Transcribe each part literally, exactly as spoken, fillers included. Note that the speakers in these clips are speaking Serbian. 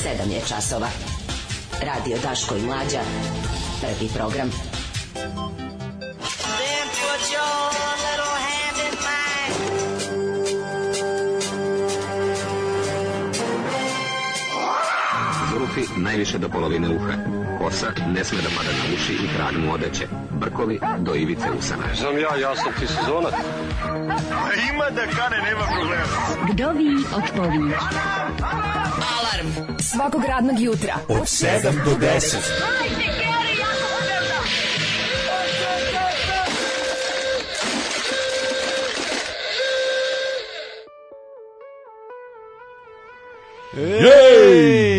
sedam je časova. Radio Daško i Mlađa. Prvi program. Then put your little hand in mine. Zurufi najviše do polovine uha. Kosa ne sme da pada na uši i trag mu odeće. Brkovi do ivice usana. Znam ja, ja sam ti sezonac. Ima da kane, nema problema. Vdovi od pović. Alarm svakog radnog jutra od sedam do deset. Jej!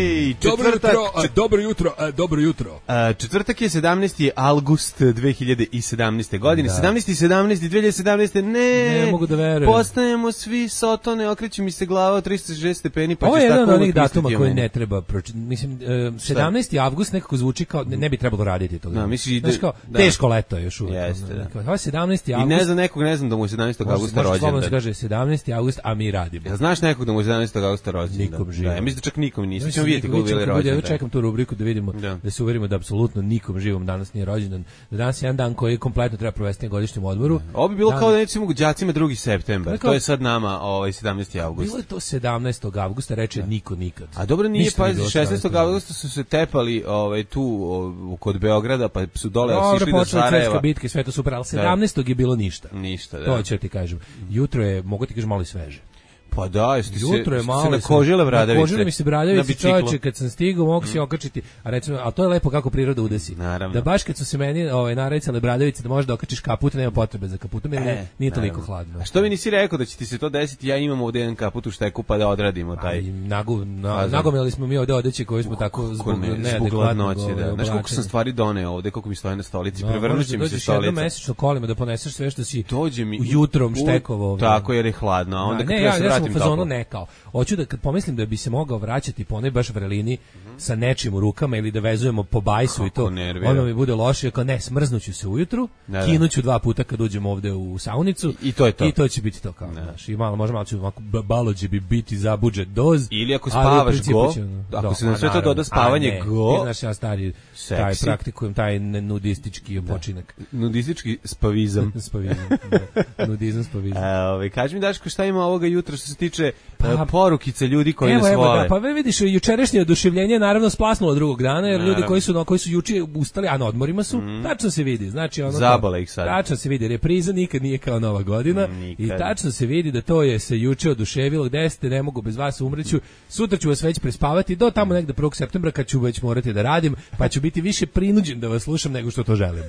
Dobro jutro, a, dobro jutro, a, dobro jutro. A, četvrtak je sedamnaesti avgust dve hiljade sedamnaeste. godine. Da. sedamnaesti sedamnaesti dve hiljade sedamnaeste. Ne, ne mogu da verujem. Postajemo svi sotone, okreće mi se glava od trista šezdeset stepeni, pa ovo ćeš tako uvijek. Ovo je jedan od onih datuma koji koji ne treba pročitati. Mislim, uh, sedamnaesti avgust nekako zvuči kao, ne, ne bi trebalo raditi to. Da, misliš, znaš kao, da. Teško leto je još uvijek. Jeste, da. Ovo je sedamnaesti avgust. I ne znam nekog, ne znam da mu je sedamnaestog avgusta rođendan. Možda se kaže sedamnaesti avgust, a mi radimo. Ja, znaš nekog da mu je sedamnaestog avgusta rođendan? Nikom živo. Da, ja mislim da čak nikom nisi. Ćemo vidjeti kako bili rođendan. Ja čekam tu rubriku da vidimo, da. da se uverimo da apsolutno nikom živom danas nije rođendan. Da danas je jedan dan koji kompletno treba provesti na godišnjem odmoru. Ovo bi bilo dan... kao da nećemo đacima drugi septembar. Kao... To je sad nama ovaj sedamnaesti avgust. Bilo je to sedamnaestog avgusta, reče da. Niko nikad. A dobro nije, pa šesnaestog avgusta su se tepali ovaj tu o, kod Beograda, pa su dole dobro, sišli do Sarajeva. Dobro, bitke, sve to super, al sedamnaestog je bilo ništa. Ništa, da. To ću ti kažem. Jutro je, mogu ti kažem, malo i sveže. Pa da, jeste se, jutro je malo se nakožile bradavice. Nakožile mi se bradavice, čovječe, kad sam stigao, mogu se okačiti, a recimo, a to je lepo kako priroda udesi. Naravno. Da baš kad su se meni ovaj, naricale bradavice, da možeš da okačiš kaput, nema potrebe za kaputom, jer e, ne, nije toliko hladno. A što mi nisi rekao da će ti se to desiti, ja imam ovdje jedan kaput u šteku, pa da odradimo taj. Nagu, na, nagomili smo mi ovdje odeće koji smo tako zbog neadekvatnog da. Znaš koliko sam stvari doneo ovdje, koliko mi stoje na stolici, prevrnut će mi se stolica. Dođeš mesečno kolima da poneseš sve što si jutrom štekovao. Tako jer je hladno, a onda kad ja se vratim toplo. Hoću da kad pomislim da bi se mogao vraćati po onoj baš vrelini mm-hmm. sa nečim u rukama ili da vezujemo po bajsu kako i to, nervira. Ono mi bude loše, kao ne, smrznuću se ujutru, da, kinuću dva puta kad uđemo ovde u saunicu i, i to je to. I to će biti to kao, znaš, i malo, možda malo ću, balođe bi biti za budžet doz. Ili ako spavaš go, ćemo, ako do, se na sve to doda spavanje ne, go. Ti znaš, ja stari, seksi. Taj praktikujem, taj nudistički počinak. Nudistički spavizam. spavizam, da. Nudizam, spavizam. A, ovaj, kaži mi, Daško, šta ima ovoga jutra što se tiče pa, porukice ljudi koji nas vole. Da, pa vidiš, jučerašnje oduševljenje naravno splasnulo drugog dana, jer naravno. Ljudi koji su, no, koji su juče ustali, a na odmorima su, mm. tačno se vidi. Znači, ono, zabole ih sad. Tačno se vidi, repriza nikad nije kao Nova godina mm, i tačno se vidi da to je se juče oduševilo, gde ste, ne mogu bez vas umreću, sutra ću vas već prespavati do tamo negde prvog septembra kad ću već morati da radim, pa ću biti više prinuđen da vas slušam nego što to želim.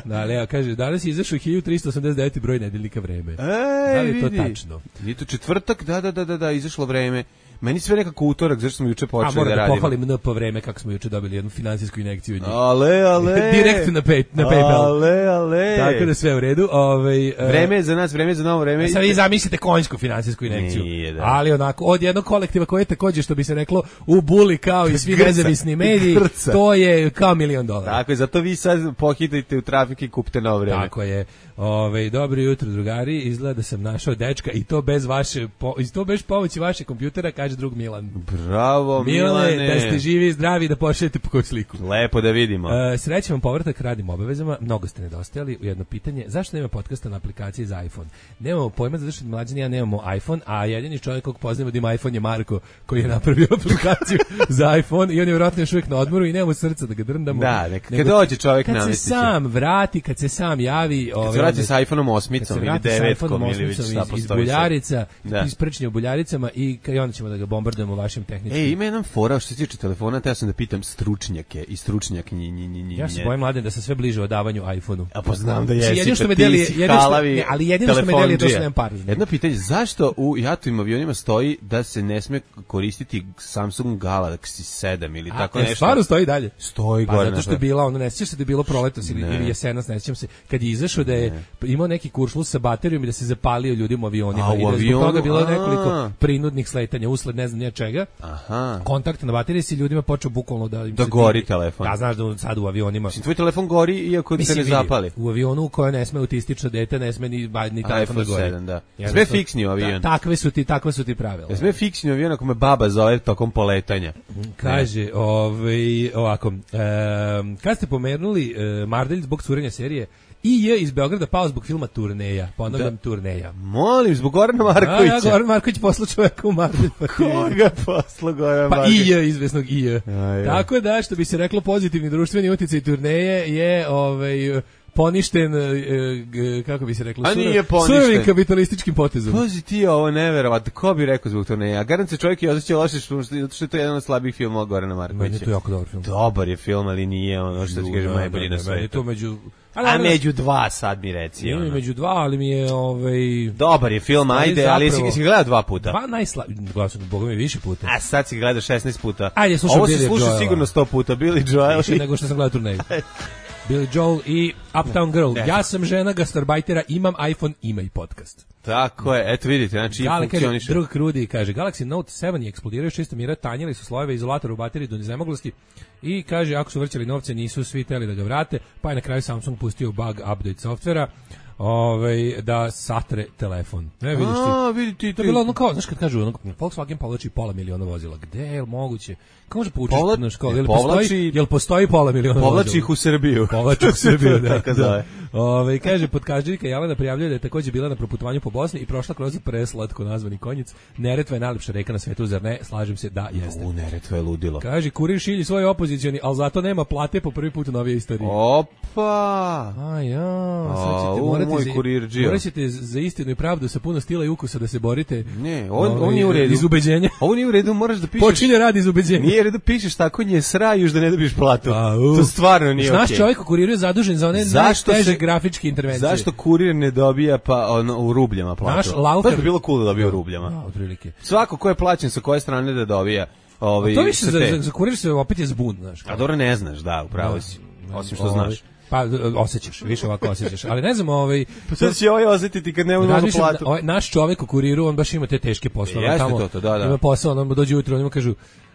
Da, ali ja kaže, danas je izašao hiljadu trista osamdeset deveti broj nedeljnika Vreme. Ej, da li je to vidi. tačno? Je to četvrtak, da, da, da, da, da, izašlo Vreme. Meni sve nekako utorak, zašto smo juče počeli da radimo. A moram da pohvalim N P Vreme kako smo juče dobili jednu finansijsku injekciju od njih. Ale, ale. Direkt na, pay, na PayPal. Ale, ale. Tako da sve u redu. Ovaj, vreme je za nas, vreme je za novo vreme. Sad vi zamislite konjsku finansijsku injekciju. Nije, da. Ali onako, od jednog kolektiva koji je također, što bi se reklo, u buli kao i svi nezavisni mediji, Grca. To je kao milion dolara. Tako je, zato vi sad pohitajte u trafik i kupite novo vreme. Tako je. Ove, dobro jutro, drugari, izgleda da sam našao dečka i to bez vaše, po, i to bez pomoći vaše kompjutera, kaže drug Milan. Bravo, Milane. Milane, da ste živi i zdravi, da pošaljete po koju sliku. Lepo da vidimo. E, srećan vam povratak, radim obavezama, mnogo ste nedostajali. Jedno pitanje, zašto nema podcasta na aplikaciji za iPhone? Nemamo pojma, zato što mlađani ja nemamo iPhone, a jedini čovjek kog poznamo da ima iPhone je Marko, koji je napravio aplikaciju za iPhone i on je vjerojatno još uvijek na odmoru i nemamo srca da ga drndamo. Da, neka, kad dođe čovjek kad se sam vrati, kad se sam javi, kad se vrati sa iPhoneom osmicom ili devetkom ili već šta postoji. Iz buljarica, iz prčnje u buljaricama i, i onda ćemo da ga bombardujemo vašim tehničkim. E, ima jedan fora što se tiče telefona, te ja sam da pitam stručnjake i stručnjakinje. Ja se bojim, Mladen, da sam sve bliže odavanju iPhoneu. A pa znam da jesi, jedino što me deli, jedino što, ne, ali jedino što me deli je to što nemam par. Jedno pitanje, zašto u jatovim avionima stoji da se ne sme koristiti Samsung Galaxy sedam ili a, tako e, nešto? Stvarno stoji dalje? Stoji pa, gore. Zato što je bila, ono, ne sjećaš se da je bilo proletos ili, ili jesenas, ne sjećam se, kad je izašao da je ne. imao neki kuršlus sa baterijom i da se zapalio ljudima u avionima. A, u i da avionu? Zbog toga bilo a. nekoliko prinudnih sletanja usled usled ne znam nije čega. Aha. Kontakt na bateriji si ljudima počeo bukvalno da im da se gori divi. telefon. Da, znaš da sad u avionima. Tvoj telefon gori iako se ne zapali. U avionu u kojoj ne sme autistično dete, ne sme ni, ni telefon da gori. sedam, da. Sve fiksni u avion. Da, takve su ti, takve su ti pravila. Sve fiksni u avion ako me baba zove tokom poletanja. Kaže, ovaj, ovako, e, kad ste pomenuli e, Mardelj zbog curenja serije, I je iz Beograda pao zbog filma Turneja, ponavljam da. Turneja. Molim, zbog Gorana Markovića. A, ja, Goran Marković poslao čoveka u Mardelj. Pa koga poslao Goran Marković? Pa I je, izvesnog I je. Tako da, što bi se reklo, pozitivni društveni uticaj Turneje je ovaj, poništen, e, kako bi se reklo, surovim kapitalističkim potezom. Pazi ti ovo neverovatno, ko bi rekao zbog Turneja? Garant se čovjek je osjećao loše što, što je to jedan od slabih filmova Gorana Markovića. Meni je to jako dobar film. Dobar je film, ali nije ono što ti kažem najbolji na svetu. To među... A, a među dva sad mi reci. Nije mi među dva, ali mi je... Ovaj, dobar je film, ajde, zapravo, ali si, si ga gledao dva puta. Dva najslabiji, gledao sam Boga mi više puta. A sad si ga gledao šesnaest puta. Ajde, slušam ovo Billy se sluša sigurno sto puta, Billy Joel. Više nego što sam gledao Turneju. Billy Joel i Uptown Girl. Ne. Ja sam žena gastarbajtera, imam iPhone, ima i podcast. Tako je, eto vidite, znači Gali, funkcioniše. Kaže, drug Krudi kaže, Galaxy Note sedam je eksplodirao šestom mira, tanjili su slojeve izolatora u bateriji do nezamoglosti i kaže, ako su vrćali novce, nisu svi teli da ga vrate, pa je na kraju Samsung pustio bug update softvera. Ovaj da satre telefon. Ne vidiš ti. A, vidi ti. To je bilo ono kao, znaš kad kažu, ono, Volkswagen povlači pola miliona vozila. Gde je moguće? Kako može povući na školu? Jel postoji, jel postoji pola miliona vozila? Povlači ih u Srbiju. Povlači u Srbiju, da. da. Ove, kaže, podkaždžika Jelena prijavljuje da je takođe bila na proputovanju po Bosni i prošla kroz preslatko nazvani konjic. Neretva je najlepša reka na svetu, zar ne? Slažem se, da, jeste. U, Neretva je ludilo. Kaže, kurir šilji svoj opozicioni, ali zato nema plate po prvi put u novije istoriji. Opa! A ja, sad ćete morati moj za, kurirđija. morat ćete za istinu i pravdu sa puno stila i ukusa da se borite. Ne, on, on je u redu. Iz ubeđenja. Ovo nije u redu, moraš da pišeš. Počinje rad iz ubeđenja. Nije redu pišeš tako nje srajuš da ne dobiš platu. A, uh. To stvarno nije okej. Naš okay. Čovjek u kuriru je zadužen za one najteže grafičke intervencije. Zašto kurir ne dobija pa ono, u rubljama platu? Naš Laufer... To bi bilo cool da dobija u rubljama. Da, otprilike. Svako ko je plaćen sa koje strane da dobija. Ovaj, to više za, za, za kurir se opet je zbun, znaš. A dobro ne znaš, da, upravo si. Osim što znaš. Pa osjećaš, više ovako osjećaš. Ali ne znam, ovaj pa sad će ovaj osjetiti kad ne može platu. Ovaj naš čovjek u kuriru, on baš ima te teške poslove. Jeste tamo. To, to, da, da. Ima posao, on dođe ujutro, oni mu kažu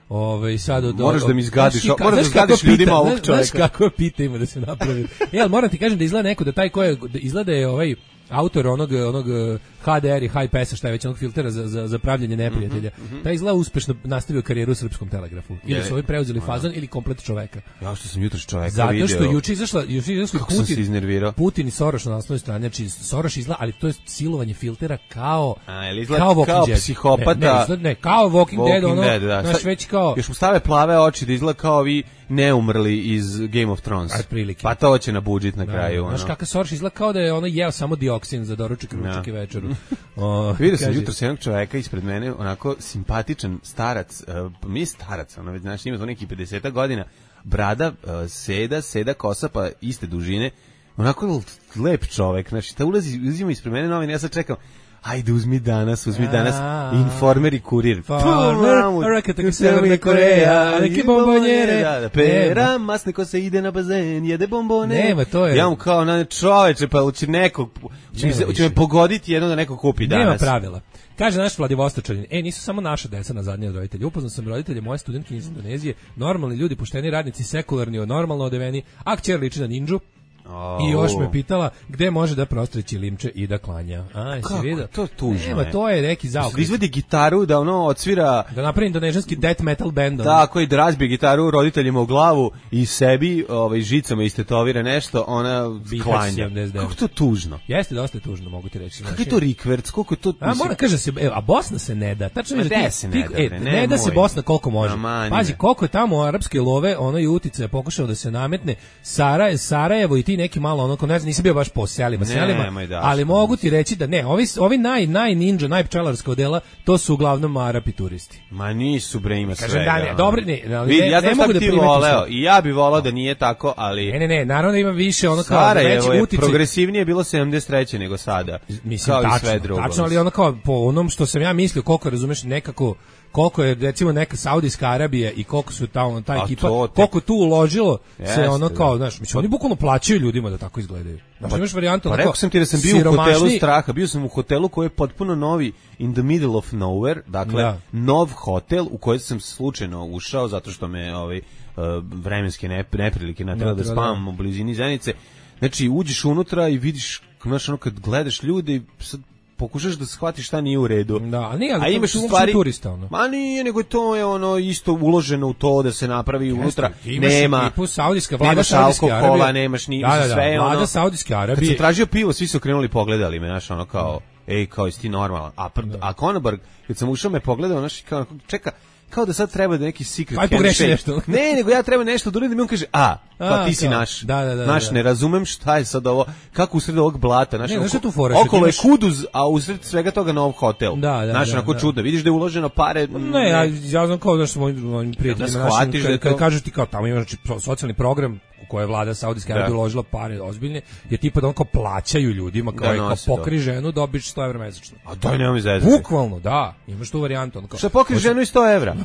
Ove, sad od, moraš da mi izgadiš, znaš, moraš da izgadiš ljudima ovog čovjeka. Znaš kako pita ima da se napravi. Jel, moram ti kažem da izgleda neko da taj ko je, da izgleda je ovaj autor onog, onog H D R i High Pass-a, šta je već onog filtera za, za, za pravljenje neprijatelja. Mm -hmm. Taj izgleda uspešno nastavio karijeru u Srpskom telegrafu. Ili su ovi preuzeli fazon ili komplet čoveka. Ja što sam jutros čoveka zato video. Zato što juče izašla, juče izašla Putin, Putin i Soros na naslovnoj strani, znači Soros izgleda, ali to je silovanje filtera kao A, kao, kao psihopata. Ne, ne, izgleda, ne, kao Walking, Walking Dead, ono, Dead, da. Naš već kao... Još mu stave plave oči da izgleda kao vi neumrli iz Game of Thrones. Pa to će na budžet na kraju. Znaš kakav Soros izgleda kao da je ono jeo samo dioksin za doručak, ručak i večeru. Vidio sam jutros jednog čoveka ispred mene, onako simpatičan starac, uh, mi je starac, ono, znači ima to neki pedeset godina, brada, uh, seda, seda kosa, pa iste dužine, onako lep čovek, znači ta ulazi, uzima ispred mene novine, ja sad čekam, ajde uzmi danas, uzmi danas Informer i Kurir. Informer, rekate Severna Koreja, neki bombonjere. Pera, masne ko se ide na bazen, jede bombone. Nema, to je. Ja mu kao, na čoveče, pa će nekog, će me pogoditi jedno da neko kupi danas. Nema pravila. Kaže naš Vladivostočanin, e, nisu samo naša deca na zadnje od roditelja. Upoznao sam roditelje moje studentkinje iz Indonezije, normalni ljudi, pošteni radnici, sekularni, normalno odeveni, a kćer liči na ninđu. Oh. I još me pitala gde može da prostreći limče i da klanja. Aj, si vidio? To tužno. Nema, to je neki zaokret. Da izvedi gitaru, da ono odsvira... Da napravi indonežanski death metal band. Tako, i da razbije gitaru roditeljima u glavu i sebi ovaj, žicama istetovira nešto, ona klanja. Kako to tužno? Jeste, dosta je tužno, mogu ti reći. Kako je to rikverc? Koliko je to... A, moram kaže se, evo, a Bosna se ne da. Tačno je, da se ne da, e, ne, ne da se Bosna koliko može. Pazi, koliko je tamo arapske love, ono i utice pokušao da se nametne. Sarajevo, Sarajevo i ti neki malo ono, ne znam, nisam bio baš po selima, selima, da, ali mogu ti reći da ne, ovi, ovi naj, naj ninja, naj pčelarska odela, to su uglavnom Arapi turisti. Ma nisu bre, ima svega. Kažem da, ne, dobro, ne, ali Vidi, ne, ja ne mogu da ti voleo, i ja bi voleo da nije tako, ali... Ne, ne, ne, naravno da ima više, ono kao Sarajevo veći utice. Progresivnije bilo sedamdeset treće nego sada, mislim, kao tačno, i sve drugo. Tačno, ali ono kao, po onom što sam ja mislio, koliko razumeš nekako, koliko je recimo neka Saudijska Arabija i koliko su tamo ta ekipa, te... koliko tu uložilo Jeste, se ono kao, znaš, mislim, oni bukvalno plaćaju ljudima da tako izgledaju. Znači, imaš varijantu pa onako, rekao sam ti da sam bio siromašni... u hotelu straha, bio sam u hotelu koji je potpuno novi, in the middle of nowhere, dakle, da. nov hotel u koji sam slučajno ušao zato što me ovaj, uh, vremenske neprilike natrela da spavam u blizini Zenice. Znači, uđeš unutra i vidiš, znaš, ono, kad gledaš ljude, sad pokušaš da shvatiš šta nije u redu. Da, ali nije, ali a imaš stvari turista, ono. Ma nije, nego to je ono isto uloženo u to da se napravi Jeste, unutra. Imaš nema ekipu Saudijska vlada nemaš Saudijske alkohola, Arabije. nemaš ni da, da, da, sve vlada ono. Saudijske Arabije. Kad sam tražio pivo, svi su krenuli pogledali me, znaš, ono kao, ej, kao jesi ti normalan. A pr, a Konobar, kad sam ušao me pogledao, znaš, kao čeka kao da sad treba da neki secret Aj pogreši nešto. Ne, nego ja treba nešto da uradim i on kaže, a, kao a, ti si kao, naš. Da, da, da, naš, da. ne razumem šta je sad ovo, kako usred ovog blata, znaš, ne, oko, znaš tu fora, okolo je imaš... Kuduz, a usred svega toga nov hotel. Da, da, znaš, da, onako da. čudo, vidiš da je uloženo pare. Ne, ja, ja znam kao da što mojim prijateljima da našim, kad, da kad to... kažu ti kao tamo ima znači, socijalni program u koje je vlada Saudijske Arabije uložila pare ozbiljne, je tipa da on kao plaćaju ljudima, kao, da, kao pokri to. ženu, dobiš sto evra mesečno. A daj, nemoj mi zezati. Bukvalno, da, imaš tu varijantu. On kao, šta pokri hoće... ženu i sto evra?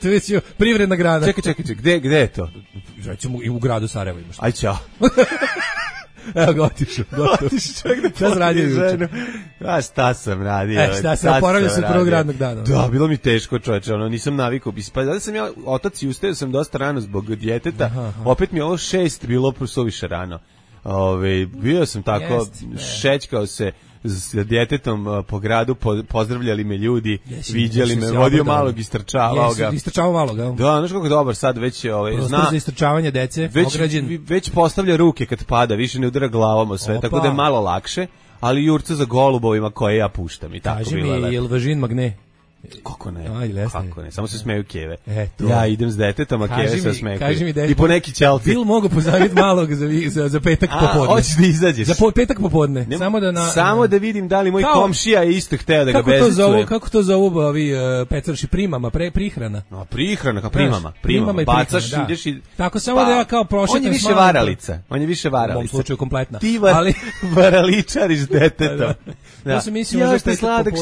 To je već privredna grana. Čekaj, čekaj, čekaj, gde, gde je to? Recimo i u gradu Sarajevo imaš. Aj, čao. Evo ga otišao, gotovo. Šta sam radio juče? A šta sam radio? E, šta sam, oporavio se prvog radnog dana. Da, bilo mi teško, čoveče, ono, nisam navikao. Pa da sam ja, otac i ustao sam dosta rano zbog djeteta, aha, aha. Opet mi je ovo šest bilo suviše rano. Ove, bio sam tako, Jest, šećkao se s djetetom uh, po gradu, po, pozdravljali me ljudi, jesi, viđali jesi, me, vodio malog, istrčavao ga. Istrčavao malog, ja. Da, znaš kako dobar sad već je, ovaj, zna. Za istrčavanje dece, već, ograđen. Već postavlja ruke kad pada, više ne udara glavom o sve, Opa. Tako da je malo lakše, ali jurca za golubovima koje ja puštam i tako Kaži bilo. Kaži mi, je li važin magne? Kako ne? Aj, kako ne? Samo se smeju keve. E, ja idem s detetom, a keve se smeju. Kaži mi, i po neki ćelti. Bil mogu pozaviti malog za, za, za petak a, popodne. Hoćeš da izađeš? Za po, petak popodne. Ne, samo da na, samo da vidim da li moj kao, komšija je isto hteo da ga bezicujem. Kako to zovu ovi uh, pecarši primama, pre, prihrana? No, prihrana, kao primama. Primama, bacaš, prihrana, ideš i... Tako samo pa, da ja kao prošetam. On je više varalica. On je više varalica. U mom slučaju kompletna. Ti var, ali... varaličariš detetom. Da, da. Ja sam mislio, ja ste sladak,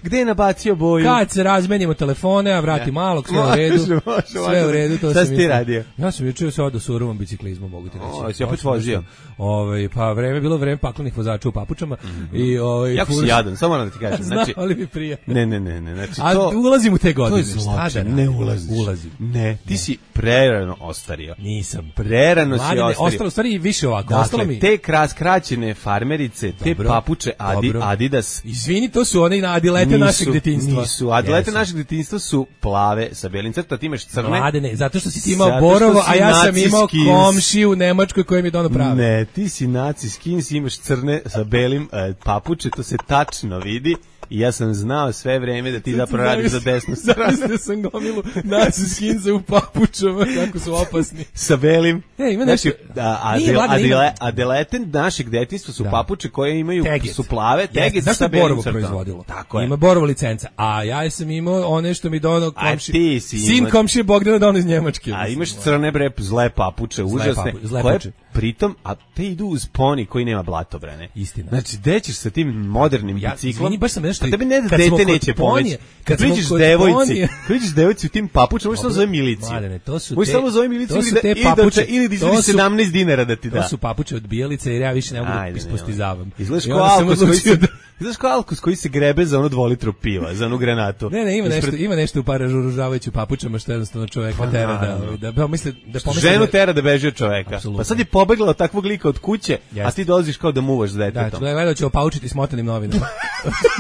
gde je nabacio boju? Kad se razmenimo telefone, a vrati ja. malog, sve u redu. Može, može, sve u redu, to sam ti radio? Ja sam juče se odo surovom biciklizmu, mogu ti reći. O, si opet vozio. Ovaj pa vreme bilo vreme paklenih vozača u papučama mm -hmm. i ovaj jako si jadan, samo moram da ti kažem. Znači, ali mi prija. Ne, ne, ne, ne, znači a to. A ulazim u te godine. To je zločin, ne ulaziš. Ulazim. Ne, ti ne. si prerano ostario. Nisam. Prerano si ostario. Ostalo stvari više ovako, dakle, ostalo mi. Te kras kraćene farmerice, te dobro, papuče Adi, Adidas. Izvini, to su one adilete našeg detinjstva. Nisu, adilete našeg detinjstva su plave sa belim crtom, ti imaš crne. Mladene, zato što si ti imao Borovo, a ja sam imao komšiju u Nemačkoj koji mi je dono prave. Ne, ti si naci skins, imaš crne sa belim e, papuče, to se tačno vidi. I ja sam znao sve vreme da ti zapravo radiš za desnu stranu. Zavisno sam gomilu naci skinze u papučama, kako su opasni. Sa belim. E, ima nešto... Znači, adele, adele, adelete našeg detinjstva su da. papuče koje imaju, teget. su plave, teget yes, sa belim crtom. Proizvodilo. Tako je. Ima Borovo licenca. A ja sam imao one što mi dono komši... ti si sin ima... komšije Bogdana dono iz Njemačke. A imaš crne bre, zle papuče, zle užasne. Papu, zle koje pritom, a te idu uz poni koji nema blatobrane. Istina. Znači, gde ćeš sa tim modernim ja, biciklom? Izvini, baš sam nešto... Tebi ne da dete neće pomoći. Kad priđeš devojci, priđeš devojci u tim papučama, možeš samo zove miliciju. Mladene, to su možeš te, samo zove miliciju ili da, papuče, ili da izvedi sedamnaest dinara da ti da. To su papuče od bijelice jer ja više ne mogu da ispostizavam. Izgledaš kao Alkos koji se... Znaš kao Alkos koji se grebe za ono dvolitru piva, za onu granatu. Ne, ne, ima Ispred... nešto, ima nešto u paražuružavajuću papučama što jednostavno čoveka pa, tera da, da, da, misle, da pomisle... Ženu tera da beži od čoveka. Absolutno. Pa sad je pobegla od takvog lika od kuće, Jest. a ti dolaziš kao da muvaš s detetom. Da, gledao će opaučiti smotanim novinama.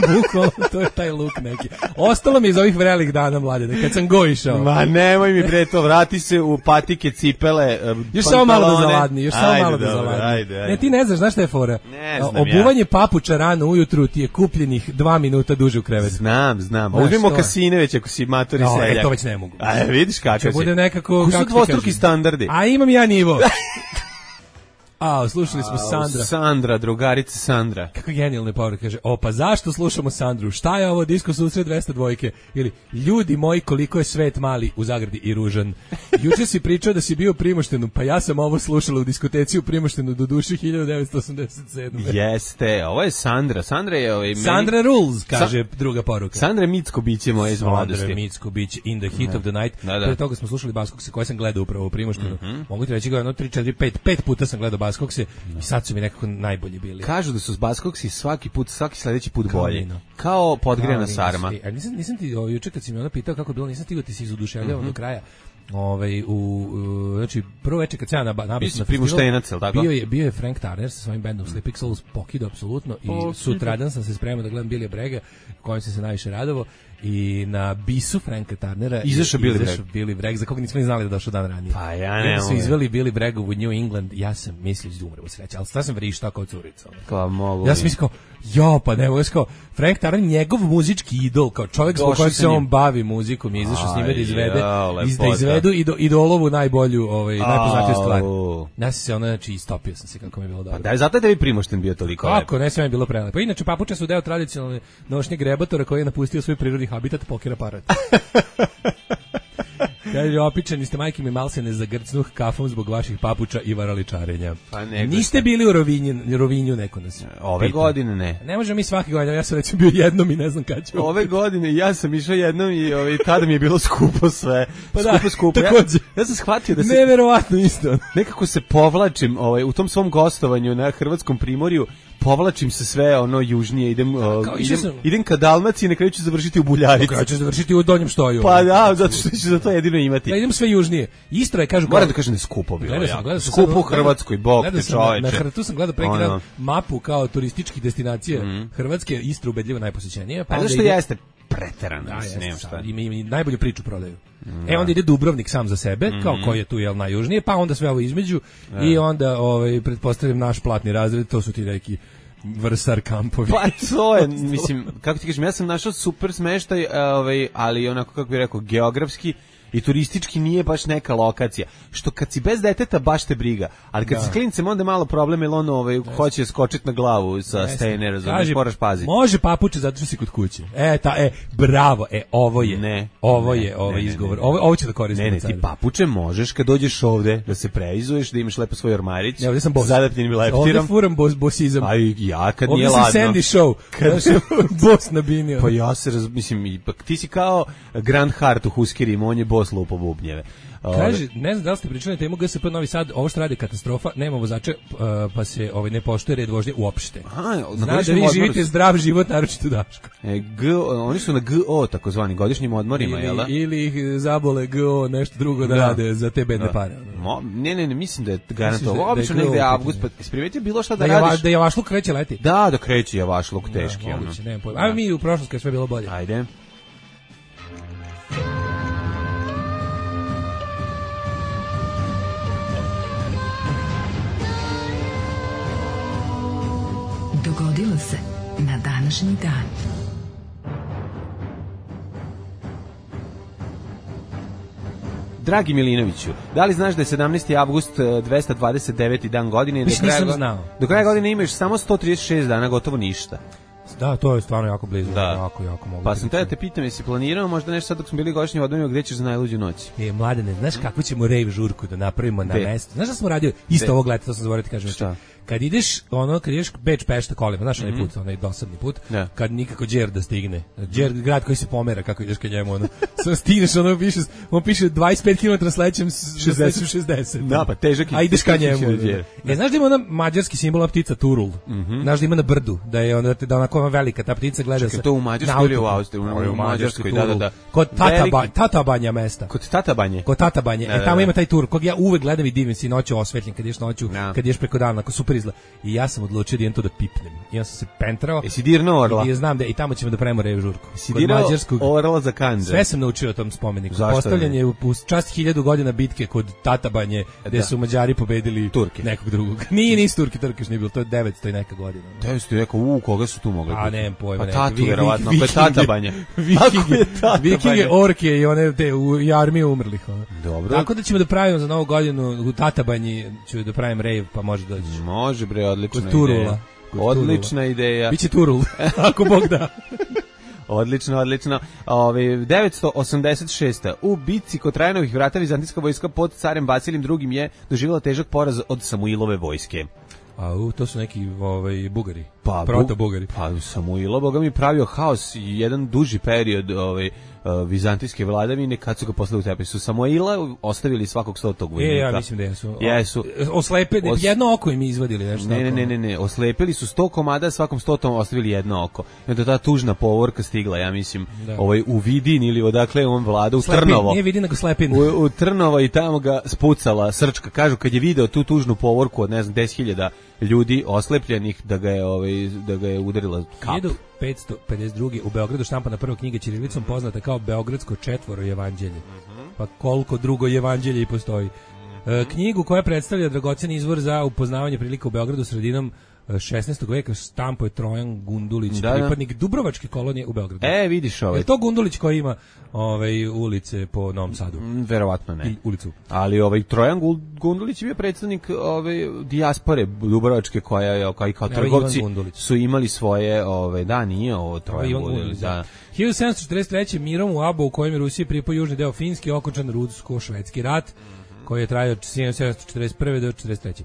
Bukvalno, to je taj luk neki. Ostalo mi iz ovih vrelih dana, mladene, kad sam go išao. Ma nemoj mi bre to, vrati se u patike, cipele, još samo malo da zaladni, još samo malo da zaladni. Ne, ti ne znaš, znaš šta je fora? Ne znam Obuvanje ja. papuča rano ujutru ti je kupljenih dva minuta duže u krevetu. Znam, znam. Uzmimo kasine već ako si matori no, seljak. E, to već ne mogu. A vidiš kakav si. Bude nekako... Ko su dvostruki standardi? A imam ja nivo. A, slušali smo Sandra. Sandra, drugarica Sandra. Kako genijalne poruke, kaže, o, pa zašto slušamo Sandru? Šta je ovo disko susret dvesta dvojke? Ili, ljudi moji, koliko je svet mali u zagradi i ružan. Juče si pričao da si bio u Primoštenu, pa ja sam ovo slušala u diskoteci u Primoštenu do duše hiljadu devetsto osamdeset sedme. Jeste, ovo je Sandra. Sandra je... Ovaj, Sandra meni... Rules, kaže Sa... druga poruka. Sandra je mitsko biće moje iz mladosti. Sandra je mitsko biće in the heat da. of the night. Da, da. Pre toga smo slušali Baskog se koje sam gledao upravo u Primoštenu. Mm -hmm. Mogu ti reći ga jedno tri četiri pet pet puta sam gledao Buzzcockse i sad su mi nekako najbolji bili. Kažu da su s Buzzcocksi svaki put, svaki sledeći put Kao bolji. vino. Kao podgrejana Kao sarma. vino. E, a nisam, nisam ti, o, juče kad si mi ona pitao kako je bilo, nisam stigao ti se izuduševljavao mm-hmm. do kraja. Ovaj u, u znači prvo veče kad se ja na nabavio na festival, bio je bio je Frank Turner sa svojim bendom Sleeping Souls pokidao apsolutno i oh, sutradan sam se spremao da gledam Billy Bragga, kojem sam se najviše radovao, i na bisu Franka Turnera izašao Billy Bragg. Billy Bragg, za koga nismo ni znali da došao dan ranije. Pa ja ne. Su izveli Billy Bragg u New England, ja sam mislio da umrem od sreće, ali sad sam vrištao kao curica. Kao mogu. Ja sam mislio jo, pa ne mogu, kao Frank Turner, njegov muzički idol, kao čovjek zbog kojeg se on bavi muzikom, je izašao s njime da izvede, iz da izvedu i do, idolovu najbolju, ovaj, najpoznatiju stvar. Ja sam se ona, znači, istopio sam se kako mi je bilo dobro. Pa da, zato je tebi Primošten bio toliko lep. Kako, ne sve mi je bilo prelepo. Inače, papuče su deo tradicionalne nošnje grebatora koji je napustio svoj prirodni habitat, pokera parat. Kaže, opičani ste, majke mi, mal se ne zagrcnuh kafom zbog vaših papuča i varaličarenja. Pa niste bili u Rovinju, Rovinju neko nas ove pita. Godine ne. Ne možemo mi svake godine, ja sam recimo bio jednom i ne znam kad ću. Ove godine ja sam išao jednom i ovaj, tada mi je bilo skupo sve. Pa skupo, da, skupo. Ja, ja sam shvatio da se... Neverovatno isto. Nekako se povlačim ovaj, u tom svom gostovanju na Hrvatskom primorju, povlačim se sve ono južnije, idem, da, uh, idem, sam... idem ka Dalmaciji, na kraju ću završiti u Buljarici. Na kraju ću završiti u Donjem Štoju. Pa da, zato što ću za to jedino imati. Da idem sve južnije. Istra je, kažu... Moram da kažem da je skupo bilo. Gledao sam, gledao sam skupo u Hrvatskoj, bog te čoveče. Na, na, tu sam gledao pre jedan mapu kao turističkih destinacija mm. Hrvatske, Istra ubedljivo najposećenija. Pa, pa zašto ide... jeste preterano, da, mislim, nema šta. Ima, ima najbolju priču prodaju. Da. E onda ide Dubrovnik sam za sebe, mm-hmm. kao koji je tu jel najjužnije, pa onda sve ovo između da. I onda ovaj pretpostavljam naš platni razred, to su ti neki Vrsar kampovi. Pa to je, mislim, kako ti kažem, ja sam našao super smeštaj, ovaj, ali onako, kako bih rekao, geografski i turistički nije baš neka lokacija. Što kad si bez deteta baš te briga, ali kad da. Si klincem onda je malo problem, jer on ovaj, hoće skočiti na glavu sa stene, razumiješ, moraš paziti. Može papuče zato što si kod kuće. E, ta, e, bravo, e, ovo je, ne, ovo ne, je, ovaj ne, izgovor, ne, ne. ovo, ovo će da koristim. Ne, ne, ti papuče možeš kad dođeš ovde, da se preizuješ, da imaš lepo svoj ormarić, ja, ovdje sam bos. Zadapljenim leptirom. Ovdje furam bos, bosizam. A ja kad ovdje nije ladno. Ovdje sam Sandy Show, kad bos nabinio. Pa ja se, raz, mislim, ipak ti si kao Grand Hart u Huskerima, on je bos lupo bubnjeve. Kaže, ne znam da li ste pričali na temu G S P Novi Sad, ovo što radi katastrofa, nema vozača, uh, pa se ovaj, ne poštuje red vožnje uopšte. Aha, znaš da vi živite zdrav život, naročito Daško. E, G, oni su na G O, takozvani, godišnjim odmorima, ili, jel da? Ili ih zabole G O, nešto drugo da, da rade za te bedne da. Pare. Mo, ne, ne, ne, mislim da je garantovano. Obično da negde avgust, pa isprimetio bilo šta da, da radiš. Da javašluk kreće leti. Da, da kreće javašluk teški. Da, moguće, nemam pojma. Ajmo mi u prošlost kad sve bilo bolje. Ajde. Dogodilo se na današnji dan. Dragi Milinoviću, da li znaš da je sedamnaesti avgust dvesta dvadeset deveti dan godine? Mislim, do kraja, nisam znao. Do kraja godine imaš samo sto trideset šest dana, gotovo ništa. Da, to je stvarno jako blizu. Da. Jako, jako mogu. Pa sam te da te pitam, jesi planirao možda nešto sad dok smo bili godišnji odmorima, gde ćeš za najluđu noć? E, Mladene, znaš kako ćemo rave žurku da napravimo na mestu? Znaš da smo radili isto ovog leta, to sam zaboravio ti kažem. Šta? Kad ideš, ono, kad ideš Beč Pešta kolima, znaš onaj put, onaj dosadni put, yeah. kad nikako Đer da stigne. Đer, grad koji se pomera, kako ideš ka njemu, ono, samo stigneš, ono, piše, on piše dvadeset pet kilometara sledećem šezdeset šezdeset. Da, pa težak je. A ideš ka njemu. E, znaš da ima ona mađarski simbol ptica Turul? Mm-hmm. Znaš da ima na brdu, da je ona, da onako ona velika, ta ptica gleda se. To u Mađarskoj ili u Austriji? U, u Mađarskoj, da, da, da. Kod Tatabanja, Tatabanja mesta. Kod Tatabanje? Kod Tatabanje. E, tamo ima taj tur, kog ja uvek gledam i divim se noću osvetljen, kad ješ noću, kad ješ preko dana, ako super izgleda. I ja sam odlučio da idem to da pipnem. I ja sam se pentrao. Jesi dirno orla? I znam da i tamo ćemo da pravimo rave žurku. Jesi dirao orla za Kandže? Sve sam naučio o tom spomeniku. Postavljen je u čast hiljadu godina bitke kod Tatabanje, gde su Mađari pobedili Turke. Nekog drugog. Nije, nisu Turki, Turki još nije bilo, to je devetsto i neka godina. devetsto i neka, u, koga su tu mogli? A nemam pojma. Pa Tatu, verovatno, ako je Tatabanje. Vikinge, orke i one te u armiju umrlih. Dobro. Tako da ćemo da pravimo za novu godinu u Tatabanji, ću da pravim rave, pa može doći. Može bre, odlična ideja. Turula. Odlična ideja. Biće Turul, ako Bog da. Odlično, odlično. Ove, devetsto osamdeset šesta U bitci kod Trajanovih vrata vizantijska vojska pod carem Vasilijom drugim je doživjela težak poraz od Samuilove vojske. A u, to su neki ovaj, Bugari. Pa, proto-Bugari. Pa Samuilo, boga mi, pravio haos i jedan duži period ovaj, uh, vizantijske vladavine, kad su ga poslali u tepih. Su Samuila ostavili svakog stotog vojnika. E, ja mislim da jesu. Jesu. Oslepe, Os... jedno oko im izvadili. Nešto ne, ne, ne, ne, ne, oslepili su sto komada, svakom stotom ostavili jedno oko. I onda ta tužna povorka stigla, ja mislim, da. ovaj, u Vidin ili odakle on vlada, u Slepin, Trnovo. Nije Vidin, nego Slepin. U, u Trnovo i tamo ga spucala srčka. Kažu, kad je video tu tužnu povorku od, ne znam, deset hiljada ljudi oslepljenih, da ga je, ovaj, da ga je udarila kap. hiljadu petsto pedeset druge u Beogradu štampana prva knjiga ćirilicom poznata kao Beogradsko četvoro evanđelje. Pa koliko drugo evanđelje i postoji. E, knjigu koja predstavlja dragocen izvor za upoznavanje prilika u Beogradu sredinom šesnaestog veka štampo je Trojan Gundulić, da, pripadnik da. Dubrovačke kolonije u Beogradu. E, vidiš ovaj. Je to Gundulić koji ima ovaj ulice po Novom Sadu? Mm, verovatno ne. I ulicu. Ali ovaj Trojan Gundulić je bio predstavnik ovaj dijaspore Dubrovačke koja je kao i kao trgovci su imali svoje, ovaj da nije ovo Trojan Gundulić, da. hiljadu sedamsto četrdeset treće mirom u Abo u kojem je Rusija pripao južni deo Finske okončan rusko-švedski rat koji je trajao od sedamsto četrdeset prve do četrdeset treće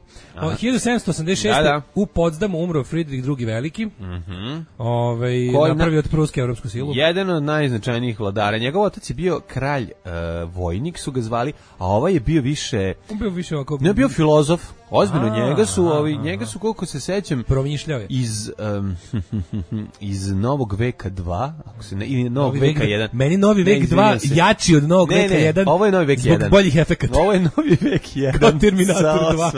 hiljadu sedamsto osamdeset šeste. Da, da. U Potsdamu umro Fridrik drugi Veliki. Mm-hmm. Ovaj napravio od Pruske evropsku silu. Jedan od najznačajnijih vladara. Njegov otac je bio kralj uh, vojnik su ga zvali, a ovaj je bio više on bio više ovako ne bio filozof. Ozbiljno a, njega su a, ovi njega su koliko se sećam promišljao je iz um, iz Novog veka dva, ako se ne ili Novog novi veka jedan. Meni Novi vek dva jači od Novog ne, veka ne, jedan. Ovo je Novi vek zbog jedan. Boljih efekata. Ovo je Novi vek jedan. Kao Terminator dva.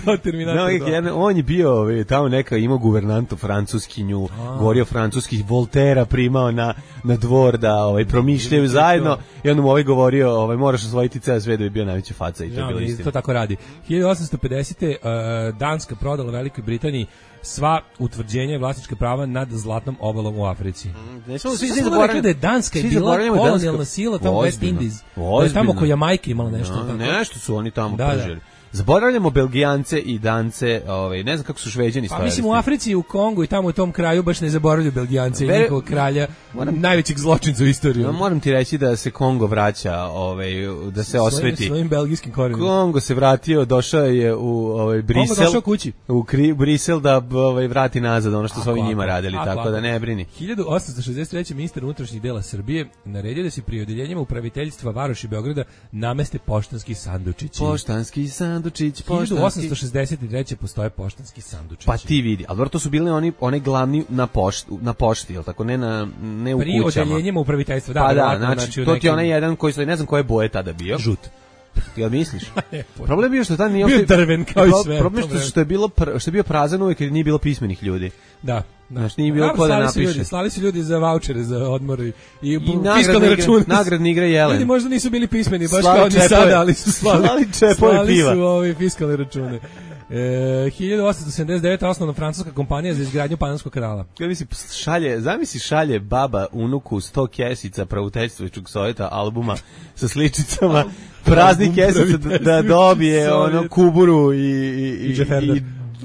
Kao Terminator Novi vek jedan. On je bio ovaj tamo neka imao guvernantu francuskinju, govorio francuski, Voltera primao na na dvor da ovaj promišljaju zajedno i on mu ovaj govorio, ovaj moraš osvojiti ceo svet da bi bio najveća faca i to je bilo istina. To tako radi. hiljadu osamsto pedesete. Uh, Danska prodala Velikoj Britaniji sva utvrđenja i vlasnička prava nad zlatnom obalom u Africi. Mm, ne smo svi zaboravili da je Danska je bila kolonijalna sila tamo West Indies. Da je tamo ko Jamajka imala nešto. No, tako. Nešto su oni tamo da, pržili. Zaboravljamo Belgijance i Dance, ovaj ne znam kako su Šveđani stavili. Pa mislim u Africi, u Kongu i tamo u tom kraju baš ne zaboravljaju Belgijance Bere, i njihovog kralja, moram, najvećeg zločinca u istoriji. No, moram ti reći da se Kongo vraća, ovaj da se svojim, osveti. Svojim belgijskim korenima. Kongo se vratio, došao je u ovaj Brisel. Kongo došao kući. U Kri, Brisel da ovaj vrati nazad ono što su ovi njima radili, a, tako a, da ne brini. hiljadu osamsto šezdeset treće ministar unutrašnjih dela Srbije naredio da se pri odeljenjima upraviteljstva varoši Beograda nameste poštanski sandučići. Poštanski sandučić, poštanski osamsto šezdeset treće postoje poštanski sandučići. Pa ti vidi, ali to su bili oni one glavni na pošti, na pošti, je l' tako, ne na ne u Pri kućama. Pri odeljenjima upraviteljstva, da. Pa da, znači, znači to nekim... ti je onaj jedan koji se ne znam koje boje tada bio. Žut. Jel misliš? Problem je bio što tad nije bio drven kao i sve. Problem je što je bilo pr, što je bio prazan uvek jer nije bilo pismenih ljudi. Da. Da. Znači nije bilo ko da napiše. Ljudi, slali su ljudi za vaučere, za odmor i, i fiskalne račune. Nagradne igre Jelen. Ljudi možda nisu bili pismeni, baš slali kao ni sada, ali su slali, slali čepove piva. Slali su ove fiskalne račune. E, hiljadu osamsto sedamdeset devete. osnovna francuska kompanija za izgradnju Panamskog kanala. Ja mislim šalje, zamisli šalje baba unuku sto kesica praviteljstvenog sovjeta albuma sa sličicama praznih kesica da, da dobije ono kuburu i i, i, i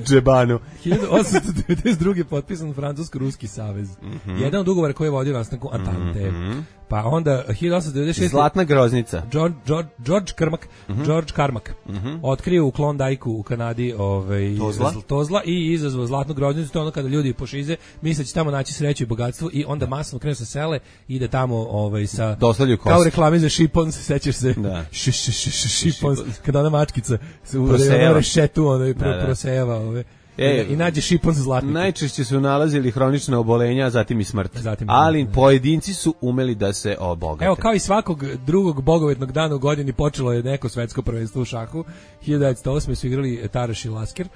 džebanu. hiljadu osamsto devedeset druge. potpisan Francusko-Ruski savez. Mm -hmm. Jedan od ugovora koji je vodio nastanku Antante. Mm -hmm. Pa onda hiljadu osamsto devedeset šeste. Zlatna groznica. George, George, George Karmak, mm -hmm. George Karmak mm -hmm. otkrio u Klondajku u Kanadi ovaj, Tozla. Tozla i izazvao zlatnu groznicu. To je ono kada ljudi pošize, misle će tamo naći sreću i bogatstvo i onda masno krenu sa sele i ide tamo ovaj, sa... Kao reklame za šipon, se sećaš se? Da. Š, š, š, š, šipon, kada ona mačkica se u rešetu ono, pro, prosejava ove. E, i nađe šipon za zlatnik. Najčešće su nalazili hronična obolenja, a zatim i smrt. Zatim ali da. Pojedinci su umeli da se obogate. Evo, kao i svakog drugog bogovetnog dana u godini počelo je neko svetsko prvenstvo u šahu. hiljadu devetsto osme. su igrali Taraš i Lasker.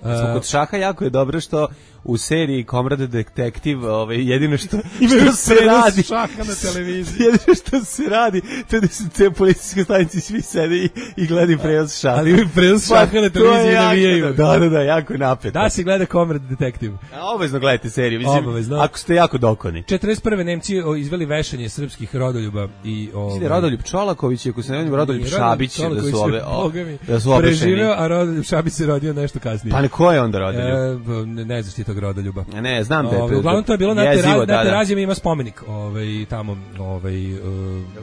Uh, kod šaha jako je dobro što u seriji Komrad detektiv, ovaj jedino što što se radi šaha na televiziji. Jedino što se radi, to da se te policijske stanice svi sede i, i gledaju prenos šaha. Ali prenos šaha na televiziji navijaju. Da, da, da, jako napeto. Da se gleda Komrad detektiv. A obavezno gledajte seriju, mislim, obavezno. Ako ste jako dokoni. četrdeset prve. Nemci izveli vešanje srpskih rodoljuba i ovaj Rodoljub Čolaković, ako se ne znam Rodoljub Šabić, da su ove da su preživeo, a Rodoljub Šabić se rodio nešto kasnije. Pa ko je onda Rodoljub? E, ne, ne znaš ti tog Rodoljuba. Ne, znam da je to. Uglavnom to je bilo na Terazijama, ima spomenik, ovaj tamo, ovaj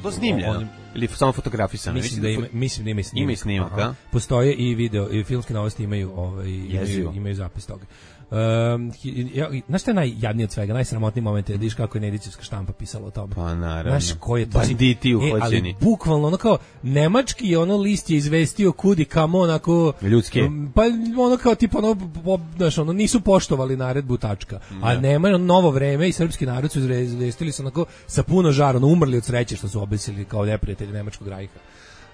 to snimljeno. ili samo fotografisano? Mislim da ima, mislim da ima snimak. Ima snimak, a? Postoje i video, i filmske novosti imaju, ovaj, imaju, imaju zapis toga. Um, ja, znaš šta je najjadnije od svega, najsramotniji moment je da vidiš kako je Nedićevska štampa pisala o tome. Pa naravno. Znaš ko je to? Banditi uhoćeni. E, ali bukvalno ono kao, nemački ono list je izvestio kudi kamo onako... Ljudske. Um, pa ono kao tipa ono, znaš, ono nisu poštovali naredbu tačka. Ne. A nema ono, novo vreme i srpski narod su izvestili se onako sa puno žara, ono umrli od sreće što su obesili kao neprijatelji nemačkog rajha.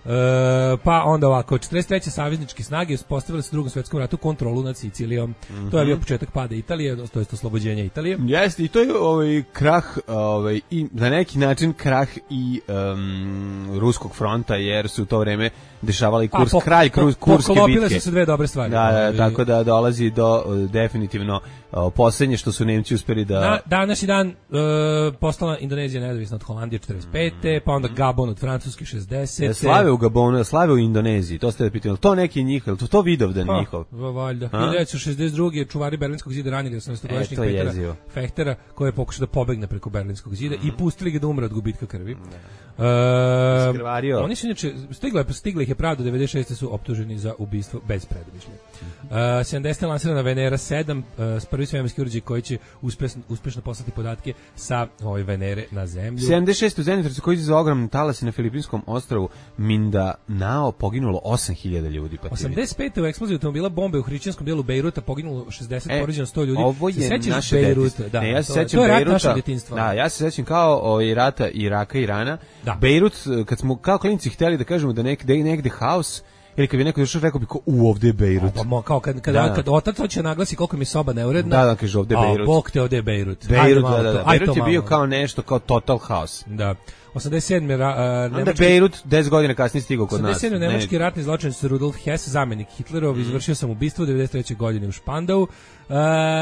E, pa onda ovako, četrdeset treće savezničke snage uspostavile su u Drugom svetskom ratu kontrolu nad Sicilijom. Mm-hmm. To je bio početak pada Italije, to jest oslobođenja Italije. Jeste, i to je ovaj krah, ovaj i na neki način krah i um, ruskog fronta, jer su u to vreme dešavali kurs po, kraj po, kurske bitke. Poklopile su se dve dobre stvari. Da, da, tako da dolazi do uh, definitivno uh, posljednje što su Nemci uspeli da... Na današnji dan uh, postala Indonezija nezavisna od Holandije četrdeset pete, pa onda Gabon od Francuske šezdesete. Slave u Gabonu, slave u Indoneziji, to ste da pitali, to neki njihov, to, to Vidovdan pa, njihov. Valjda. hiljadu devetsto šezdeset druge čuvari Berlinskog zida ranili osamnaestogodišnjeg e, Petera Fehtera, koji je pokušao da pobegne preko Berlinskog zida mm. i pustili ga da umre od gubitka krvi. Uh, oni su inače, stigla, stigla ih je pravda, devedeset šeste su optuženi za ubistvo bez predumišlja. Uh, sedamdesete lansirana Venera sedam, uh, prvi svemirski uređaj koji će uspešno, uspešno poslati podatke sa ove Venere na zemlju. sedamdeset šeste u zemljotresu koji za ogromne talase na Filipinskom ostrvu Mindanao poginulo osam hiljada ljudi. Pa osamdeset pete u eksploziji automobila bombe u hrišćanskom delu Bejruta poginulo šezdeset, e, povređeno sto ljudi. Ovo je naše Bejruta, da, ne, ja se to, sećam to je rat Bejruta, našeg djetinjstva. Da, ja se sećam kao ovaj rata Iraka i Irana. Da. Bejrut, kad smo kao klinci hteli da kažemo da negde negde haos, ili kad bi neko došao rekao bi ko u ovde je Bejrut. Pa mo, kao kad kad, da, kad otac hoće naglasi koliko mi soba neuredna. Da, da, kaže ovde je Bejrut. A bog te ovde je Bejrut. Bejrut, da, da, da. Bejrut je bio kao nešto kao total haos. Da. osamdeset sedme Uh, nemački, onda Bejrut deset godina kasnije stigao kod nas. osamdeset sedme nemački ratni zločinac Rudolf Hess, zamenik Hitlerov, mm. izvršio sam ubistvo devedeset treće godine u Špandau. Uh,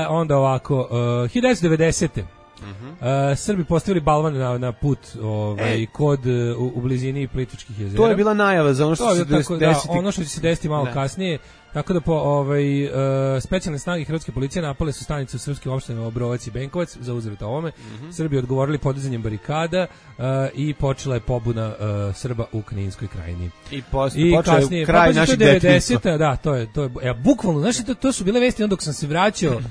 onda ovako, uh, hiljadu devetsto devedesete Uh-huh. Uh, Srbi postavili balvan na, na put ovaj, e. kod u, u blizini Plitvičkih jezera. To je bila najava za ono što se desiti. Da, ono što će se desiti malo ne. kasnije. Tako da po ovaj uh, specijalne snage hrvatske policije napale su stanice u srpskim opštinama Obrovac i Benkovac za uzvrat ovome. Mm-hmm. Srbi odgovorili podizanjem barikada uh, i počela je pobuna uh, Srba u Kninskoj krajini. I posle počeo je kraj našeg detinjstva. Da, to je to je ja bukvalno, znači to, to su bile vesti onda dok sam se vraćao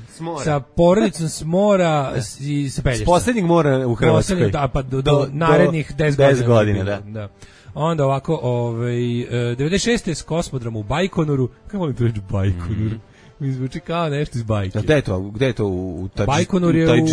sa porodicom s mora i sa Pelješca. S poslednjeg mora u Hrvatskoj. Da, pa do, do, do narednih deset godina, da. da. Onda ovako, ovaj, devedeset šeste s kosmodroma u Bajkonuru, kako volim to reći Bajkonur, mi zvuči kao nešto iz bajke. Gde je to? Gde je to u Bajkonur je u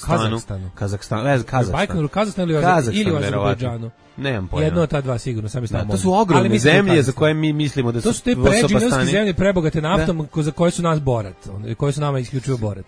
Kazahstanu? Kazahstanu, ne znam, Kazahstan. Bajkonur, Kazahstan ili u Azerbejdžanu. Nemam pojma. Jedno od ta dva sigurno, sami stavimo. To su ogromne zemlje za koje mi mislimo da su to su te predžinarske zemlje prebogate naftom za koje su nas borat, koje su nama isključivo borat.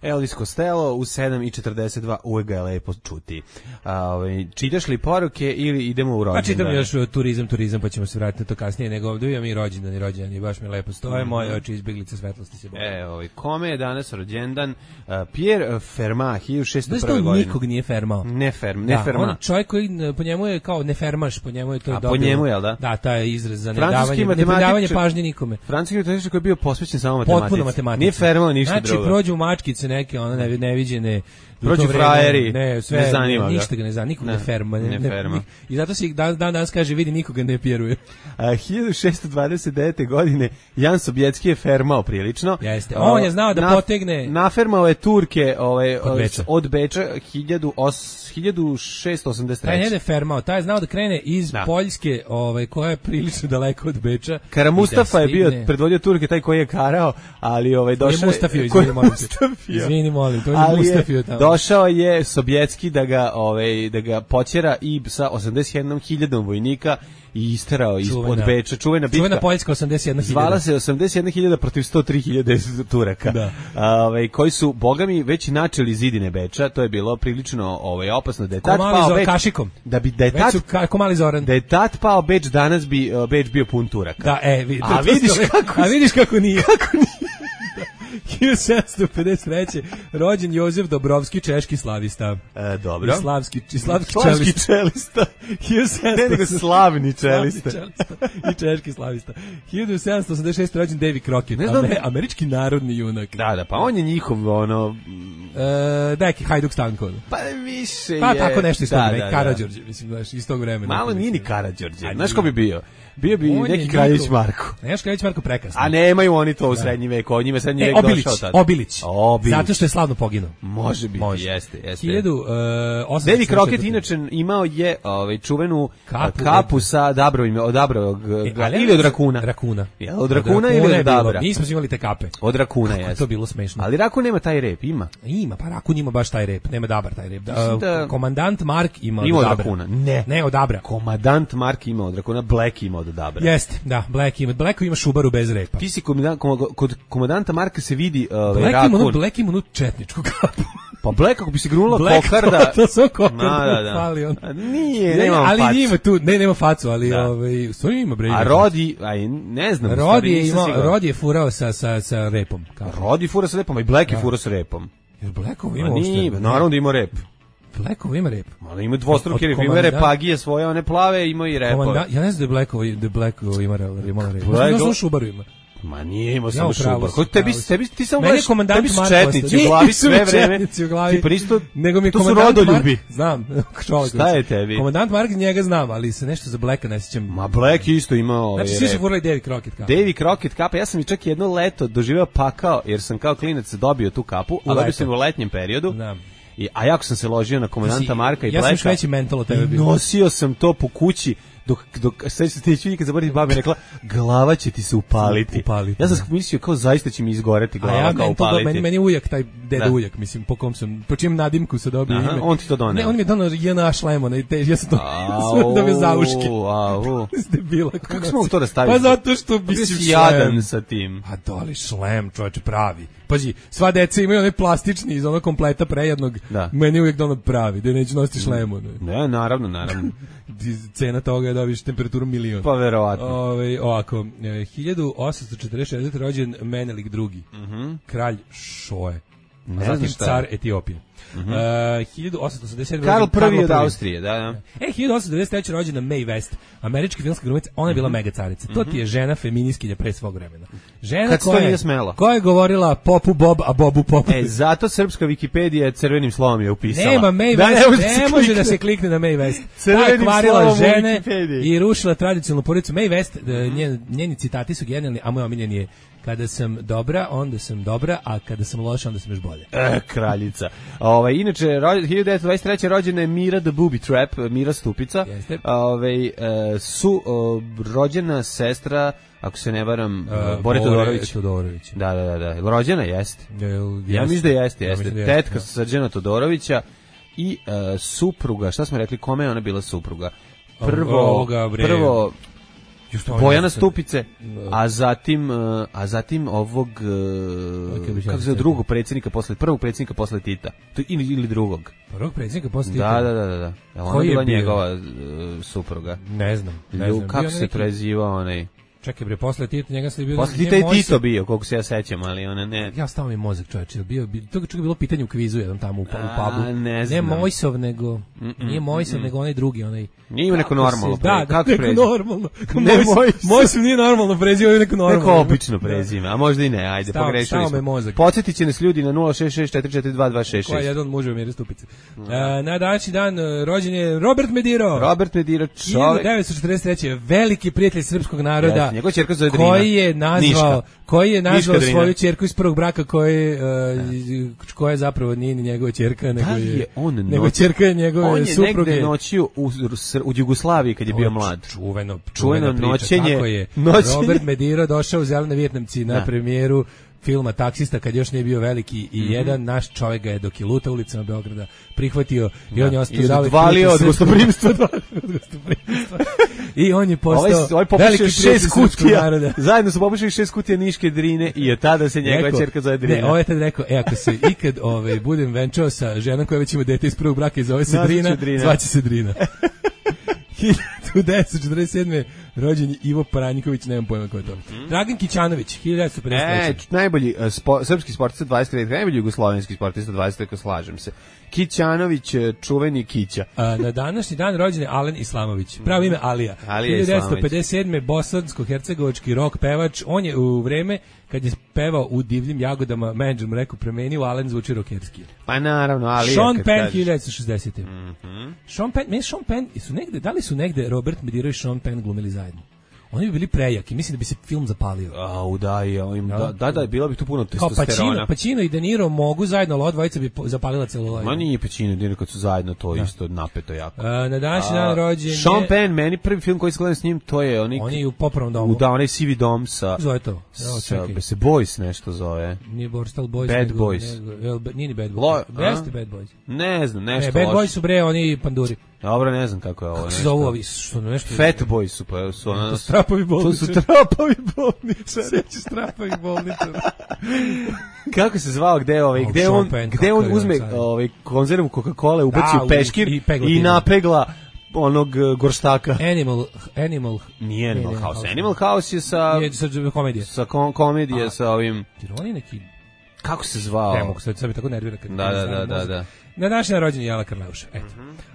Elvis Costello u sedam i četrdeset dva, uvek ga je lepo čuti. A, ovaj, čitaš li poruke ili idemo u rođendan? Pa čitam još turizam, turizam, pa ćemo se vratiti na to kasnije, nego ovdje imam i rođendan i rođendan i baš mi lepo stoje, mm-hmm. moje oči izbjeglice svetlosti se boje. E, ovaj, kome je danas rođendan? Uh, Pierre Fermat, hiljadu šeststo prve godine. Znaš to nikog nije fermao? Ne ferm, ne da, Fermat. On čovjek koji po njemu je kao ne fermaš, po njemu je to A dobio. po njemu je, da? Da, taj izraz za nedavanje, nedavanje pažnje nikome. Francuski matematičar koji je bio posvećen samo matematici. Potpuno matematici. Nije fermao ništa znači, drugo. Znači, prođu mačkice neke, ono ne, neviđene, prođu frajeri, ne, sve, ne zanima ne, ništa ga ne zanima, nikog ne, ne ferma. Ne, ne, ne ferma. I zato se dan, dan danas kaže, vidi, nikoga ne pjeruje. A, hiljadu šeststo dvadeset devete. godine Jan Sobjetski je fermao prilično. Jeste, on je znao da na, potegne... Nafermao je Turke ovaj, od Beča, od Beča hiljadu šeststo osamdeset treće. Taj ne je fermao, taj je znao da krene iz da. Poljske, ovaj, koja je prilično daleko od Beča. Kara Mustafa je bio, predvodio Turke, taj koji je karao, ali ovaj, došao... Je Mustafio, izvini, molim te. Izvini, molim, to je Mustafio tamo. Došao je Sobjetski da ga, ovaj, da ga počera i sa osamdeset jednom hiljadom vojnika i isterao ispod Beča. Čuvena bitka. Čuvena Poljska osamdeset jedna hiljada. Zvala se osamdeset jedna hiljada protiv sto tri hiljade Turaka. Da. Ovaj, koji su, bogami, već načeli zidine Beča. To je bilo prilično ovaj, opasno. Da je tad pao Beč, kašikom. Da bi, da je tad, ka, mali Zoran. Da je tad pao Beč, danas bi uh, Beč bio pun Turaka. Da, e, vid, a, vidiš kako, a vidiš kako nije. Kako nije. hiljadu sedamsto pedeset treće. rođen Jozef Dobrovski, češki slavista. E, dobro. I slavski, i slavski, slavski čelista. čelista. Ne, nego slavni čelista. I češki slavista. hiljadu sedamsto osamdeset šeste. rođen Davy Crockett, ne znam, ne, američki narodni junak. Da, da, pa on je njihov, ono, E, neki Hajduk Stanko. Pa više Pa je... tako nešto iz tog, da, neki da, da. Karađorđe, mislim, znaš, iz tog vremena. Malo nije ni Karađorđe. Znaš ko bi bio? Bio bi On je neki Kraljević njihov- Marko. Neš Kraljević Marko prekrasno. A nemaju oni to u srednji vek, od njima srednji E, vek Obilić, došao tad. Obilić. Obilić. Zato što je slavno poginuo. Može biti, Može. jeste, jeste. hiljadu osamsto Davy Crockett četvrte. inače imao je ovaj čuvenu Kapu, kapu, kapu sa dabrovim, od dabrovog E, ali- ili od rakuna. Rakuna. Jel, od rakuna ili je od bilo. dabra? Nismo imali te kape. Od rakuna Kako je jeste. to bilo smešno. Ali rakun nema taj rep, ima. Ima, pa Rakun ima baš taj rep, nema dabar taj rep. Da, Mislim da- Komandant Mark ima, Ima od od dabra. rakuna. Ne. Ne, od dabra. Komadant Mark ima od rakuna, Black ima od dabra. Jeste, da, Black ima. Black ima Šubaru bez repa. Ti si komadant, kod komadanta Marka se vidi ovaj Black ima, onu, rakun. Black ima onu četničku kapu. Pa Black kako bi se grunula Black, kokarda. to, to sam kokarda. Ma, da, da. Fali on. A nije, Ne, nema ali facu. ima tu, ne, nema facu, ali Da. ovaj, u stvari ima bre. A ima Rodi, aj ne znam, u facu. stvari Rodi je nisam imao, siguran. Rodi je furao sa, sa, sa repom. Kao. Rodi fura sa repom, a i Black je fura sa repom. Jer Blackov Ma ima nije, uopšte. naravno da ima rep. Blackov ima rep. Ali ima dvostruki Od rep, ima komandanta- repagije svoje, one plave, ima i repove. Komanda, ja ne znam da je Blackov, da je Blackov ima rep. Ima rep. Black- Ja sam Šubaru ima. Ma nije imao Ja samo upravo šubar. si, Kod tebi, upravo si. tebi, ti samo Meni je gledaš, komandant tebi su Marko četnici ostao. u glavi Nisu sve mi vreme. četnici u glavi. Ti pa isto, Nego mi je to su komandant rodoljubi. Mark, znam, čovjek. Šta je tebi? Komandant Mark njega znam, ali se nešto za Blacka ne sjećam. Ma Black je isto imao ovaj Znači svi su rep. furali Davy Crockett kao. Davy Crockett kapa, ja sam i čak jedno leto doživeo pakao, jer sam kao klinac dobio tu kapu, a dobio leto. sam u letnjem periodu. Da. I, a jako sam se ložio na komandanta Ti si- Marka i ja sam još Blacka. veći mental od tebe I bio. nosio sam to po kući dok dok sve se tiče nikad zaboraviti babe rekla glava će ti se upaliti. Upaliti, Ja sam da. mislio kao zaista će mi izgoreti A glava ja kao mental, upaliti. meni, meni je ujak, taj deda Da. ujak, mislim, po kom sam, po čijem nadimku se dobio Aha, ime. on ti to doneo. Ne, on mi je donao J N A šlem, onaj, te, ja sam to Au, dobio za uške. au. Ste bila Kako smo to da stavili? Pa zato što bi Bio si si jadan sa tim. A doli šlem, čovječe, pravi. Pazi, sva deca imaju onaj plastični iz onog kompleta prejednog. Da. Meni je uvijek dono pravi, da neću nositi šlem. ono. Ne, naravno, naravno. Cena toga je dobiš temperaturu milion. Pa verovatno. Ove, ovako, e, hiljadu osamsto četrdeset šeste. rođen Menelik drugi. Mhm. Kralj Šoje. Ne Zatim znam šta car je. Etiopije. E, hiljadu osamsto osamdeset sedme. Karl rođen prvi od Karlo Austrije, da, da. E, hiljadu osamsto devedeset treće. rođena Mae West, američka filmska glumica, ona je bila mega carica. To ti je žena feminiskinja pre svog vremena. Žena Kad se to koja, nije smela. koja je govorila popu Bob, a Bobu pop. E, zato srpska Wikipedija crvenim slovom je upisala. Nema Mae Da, West, ne može da ne se može klikne. da se klikne na Mae West. Ta Crvenim je kvarila slovom u žene Wikipediji. i rušila tradicionalnu porodicu. Mae West, e, njen, njeni citati su genijalni, a moj omiljen je: kada sam dobra, onda sam dobra, a kada sam loša, onda sam još bolje. E, kraljica. Ovaj inače ro- hiljadu devetsto dvadeset treće. rođena je Mira the Booby Trap, Mira Stupica. Jeste. Ovaj e, su o, rođena sestra, ako se ne varam, E, Bore Todorović. Todorović. Da, da, da, da. Jel rođena jeste. Jel, Ja mislim da jeste, Ja jeste. mislim da jeste, Tetka da. Srđana Todorovića i e, supruga, šta smo rekli, kome je ona bila supruga? Prvo, Ovoga, bre. prvo Just ovo Bojana ne znam. Stupice, a zatim e, a zatim ovog e, Kako bi se kako se zove, drugog predsjednika posle prvog predsjednika posle Tita. To ili ili drugog. Prvog predsjednika posle Da, da, da, da, da. Jel ona Koji je bila bio? njegova e, supruga? Ne znam. Ne Lju, znam. kako Bio se neki- prezivao onaj? Čekaj bre, posle Tita njega se bio... Posle nije Tita i Mojsov- Tito bio, koliko se ja sećam, ali ona ne. Ja stavim mi mozak, čoveče, jel bio, bio to čak je bilo pitanje u kvizu jedan tamo u, pa- u A, pubu. ne znam. Mojsov, nego nije Mojsov, nego onaj drugi, onaj. Nije ima neko Kako se- normalno. Da, pre- da, kako neko prezime? normalno. Ne, Mojsov- Mojsov. Mojsov nije normalno prezio, ovo je neko normalno. Neko obično prezime, a možda i ne, ajde, Stao- pogrešili stao smo. me mozak. Podsjetit će nas ljudi na nula šest šest četiri četiri dva dva šest Koja je šest. jedan od muževa Mire Stupice. E, na današnji dan e, rođen je Robert Mediro. Robert Mediro, hiljadu čovek. devetsto četrdeset treće. veliki prijatelj srpskog naroda. Jeste, njegova ćerka zove Drina. Koji je nazvao, Niška. koji je nazvao Niška Drina. svoju ćerku iz prvog braka koji uh, koja zapravo nije ni njegova ćerka, nego Da li je, je on nego noć- ćerka je njegove On je supruge. negde noćio u, u Jugoslaviji kad je bio mlad. Čuveno, Čuveno čuvena priča. noćenje- Tako je. noćenje. Robert Mediro došao u Zelene Vijetnamci na Da. premijeru filma Taksista kad još nije bio veliki i Mhm. jedan naš čovjek ga je dok je luta ulicama Beograda prihvatio i Da. on je ostao I zauvek odvalio prijatelj od srpskog- gostoprimstva. od gostoprimstva. I on je postao Ovaj, ovaj veliki popušio prijatelj šest srpskog kutija, naroda. zajedno su popušili šest kutija Niške Drine i od tada se njegova Rekao- ćerka zove Drina. Ne, ovo je tad rekao, e, ako se ikad ovaj, budem venčao sa ženom koja već ima dete iz prvog braka i zove se Nazvat ću Drina, Drina. zvaće se Drina. hiljadu devetsto četrdeset sedme. rođen je Ivo Paranjković, nemam pojma ko je to. Dragan Kićanović, hiljadu devetsto pedeset treće. E, č- najbolji uh, spo, srpski sportista dvadeset tri, najbolji jugoslovenski sportista dvadeset tri, slažem se. Kićanović, uh, čuveni Kića. A, na današnji dan rođen je Alen Islamović. Pravo ime Alija. Alija hiljadu devetsto pedeset sedme. bosansko-hercegovački rock pevač. On je u vreme kad je pevao u Divljim jagodama, menadžer mu rekao premeni u Alen zvuči rokerski. Pa naravno, ali Sean ja, Penn kažeš... hiljadu devetsto šezdesete. Mm-hmm. Sean Penn, meni Sean Penn, su negde, da li su negde Robert Mediro i Sean Penn glumili zajedno? Oni bi bili prejaki, mislim da bi se film zapalio. Au, da, im, Ja. da, da, da, bilo bi tu puno Kao testosterona. Pacino, Pacino i De Niro mogu zajedno, ali ova dvojica bi po- zapalila celuloid. Ma nije Pacino i De Niro kad su zajedno, to je isto napeto jako. A, na današnji dan rođen je... Sean Penn, meni prvi film koji se gledam s njim, to je onik... Oni u popravnom domu. U da, onaj sivi dom sa... Zove to. Evo, sa čekaj. se Boys nešto zove. Nije Borstal Boys. Bad nego, Boys. Nego, jel, nije ni Bad Boys. Lo- Jeste a? Bad Boys. Ne znam, Ne, nešto Bad loše. Boys su bre, oni panduri. Dobro, ne znam kako je ovo. Kako se nešto. zovu ovi? Što nešto... Fat Boys su, pa su ona... To strapovi To bolnice. su trapovi bolnice. Reći strapovi bolnice. Kako se zvao, gde ovaj, Oh, gde Sean on, Penn, gde kakav on je uzme on sad. ovaj konzervu Coca-Cola, ubaci Da, u u- peškir i i, pegla time. napegla onog uh, gorštaka. Animal, Animal... Nije Animal Nije House. Animal House je sa Nije, sad komedije. sa kom, komedije A. sa ovim, Jer on je neki... kako se zvao? Ne mogu, sad, sad me tako nervira. Kad Da, da, da, da, da. Na današnji dan rođen je Jela Karleuša. Eto.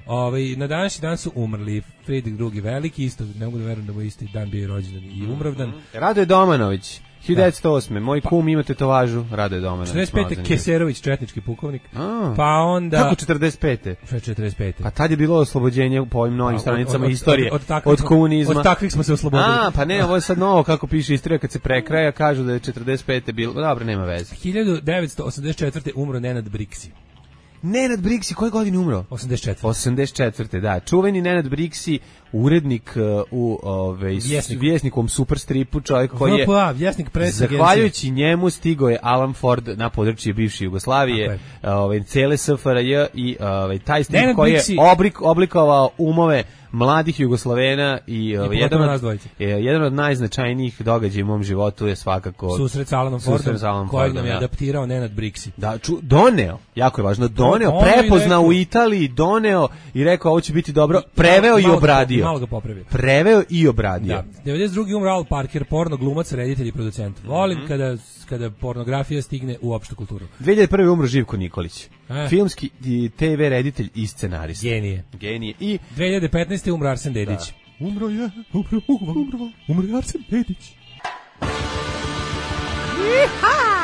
Ovaj, na današnji dan su umrli Friedrich drugi veliki, isto, ne mogu da verujem da mu isti dan bio rođendan i umravdan. Radoje Domanović, hiljadu devetsto osme Moj kum ima tetovažu, Radoje Domanović. četrdeset pete. malo Keserović, četnički pukovnik. A. Pa onda... Kako četrdeset pete četrdeset pete. Pa tad je bilo oslobođenje po ovim novim Od- stranicama od- od- istorije od od, takvih smo- komunizma. od takvih smo se oslobodili. A, pa ne, ovo je sad novo kako piše istorija kad se prekraja, kažu da je četrdeset pete bilo. Dobro, nema veze. hiljadu devetsto osamdeset četvrte. umro Nenad Briksi. Nenad Briksi, koje godine umro? osamdeset četvrte. osamdeset četvrte da. Čuveni Nenad Briksi, urednik uh, u ovaj Vjesniku. Vjesnikom Superstripu, čovjek koji je V P A, Vjesnik Press Agencije. zahvaljujući njemu stigao je Alan Ford na područje bivše Jugoslavije, ovaj cele S F R J i ovaj taj strip Nenad koji je Briksi- oblik, oblikovao umove mladih Jugoslovena i, ovaj, pogotovo jedan, nas od, dvojice. je, jedan od najznačajnijih događaja u mom životu je svakako Susret sa Alanom susret Fordom, sa Alanom kojeg Fordom, nam je ja. adaptirao Nenad Briksi. Da, ču, doneo, jako je važno, doneo, Doneo i prepoznao rekao- u Italiji, doneo i rekao ovo će biti dobro, preveo i Malo ga- obradio. Malo ga popravio. Preveo i obradio. Da. devedeset druge umro Al Parker, porno glumac, reditelj i producent. Volim Mhm. kada kada pornografija stigne u opštu kulturu. dve hiljade prve umro Živko Nikolić. E. Filmski i T V reditelj i scenarista. Genije. Genije. I dve hiljade petnaeste. umro Arsen Dedić. umro je, umro, umro, umro, umro je Arsen Dedić.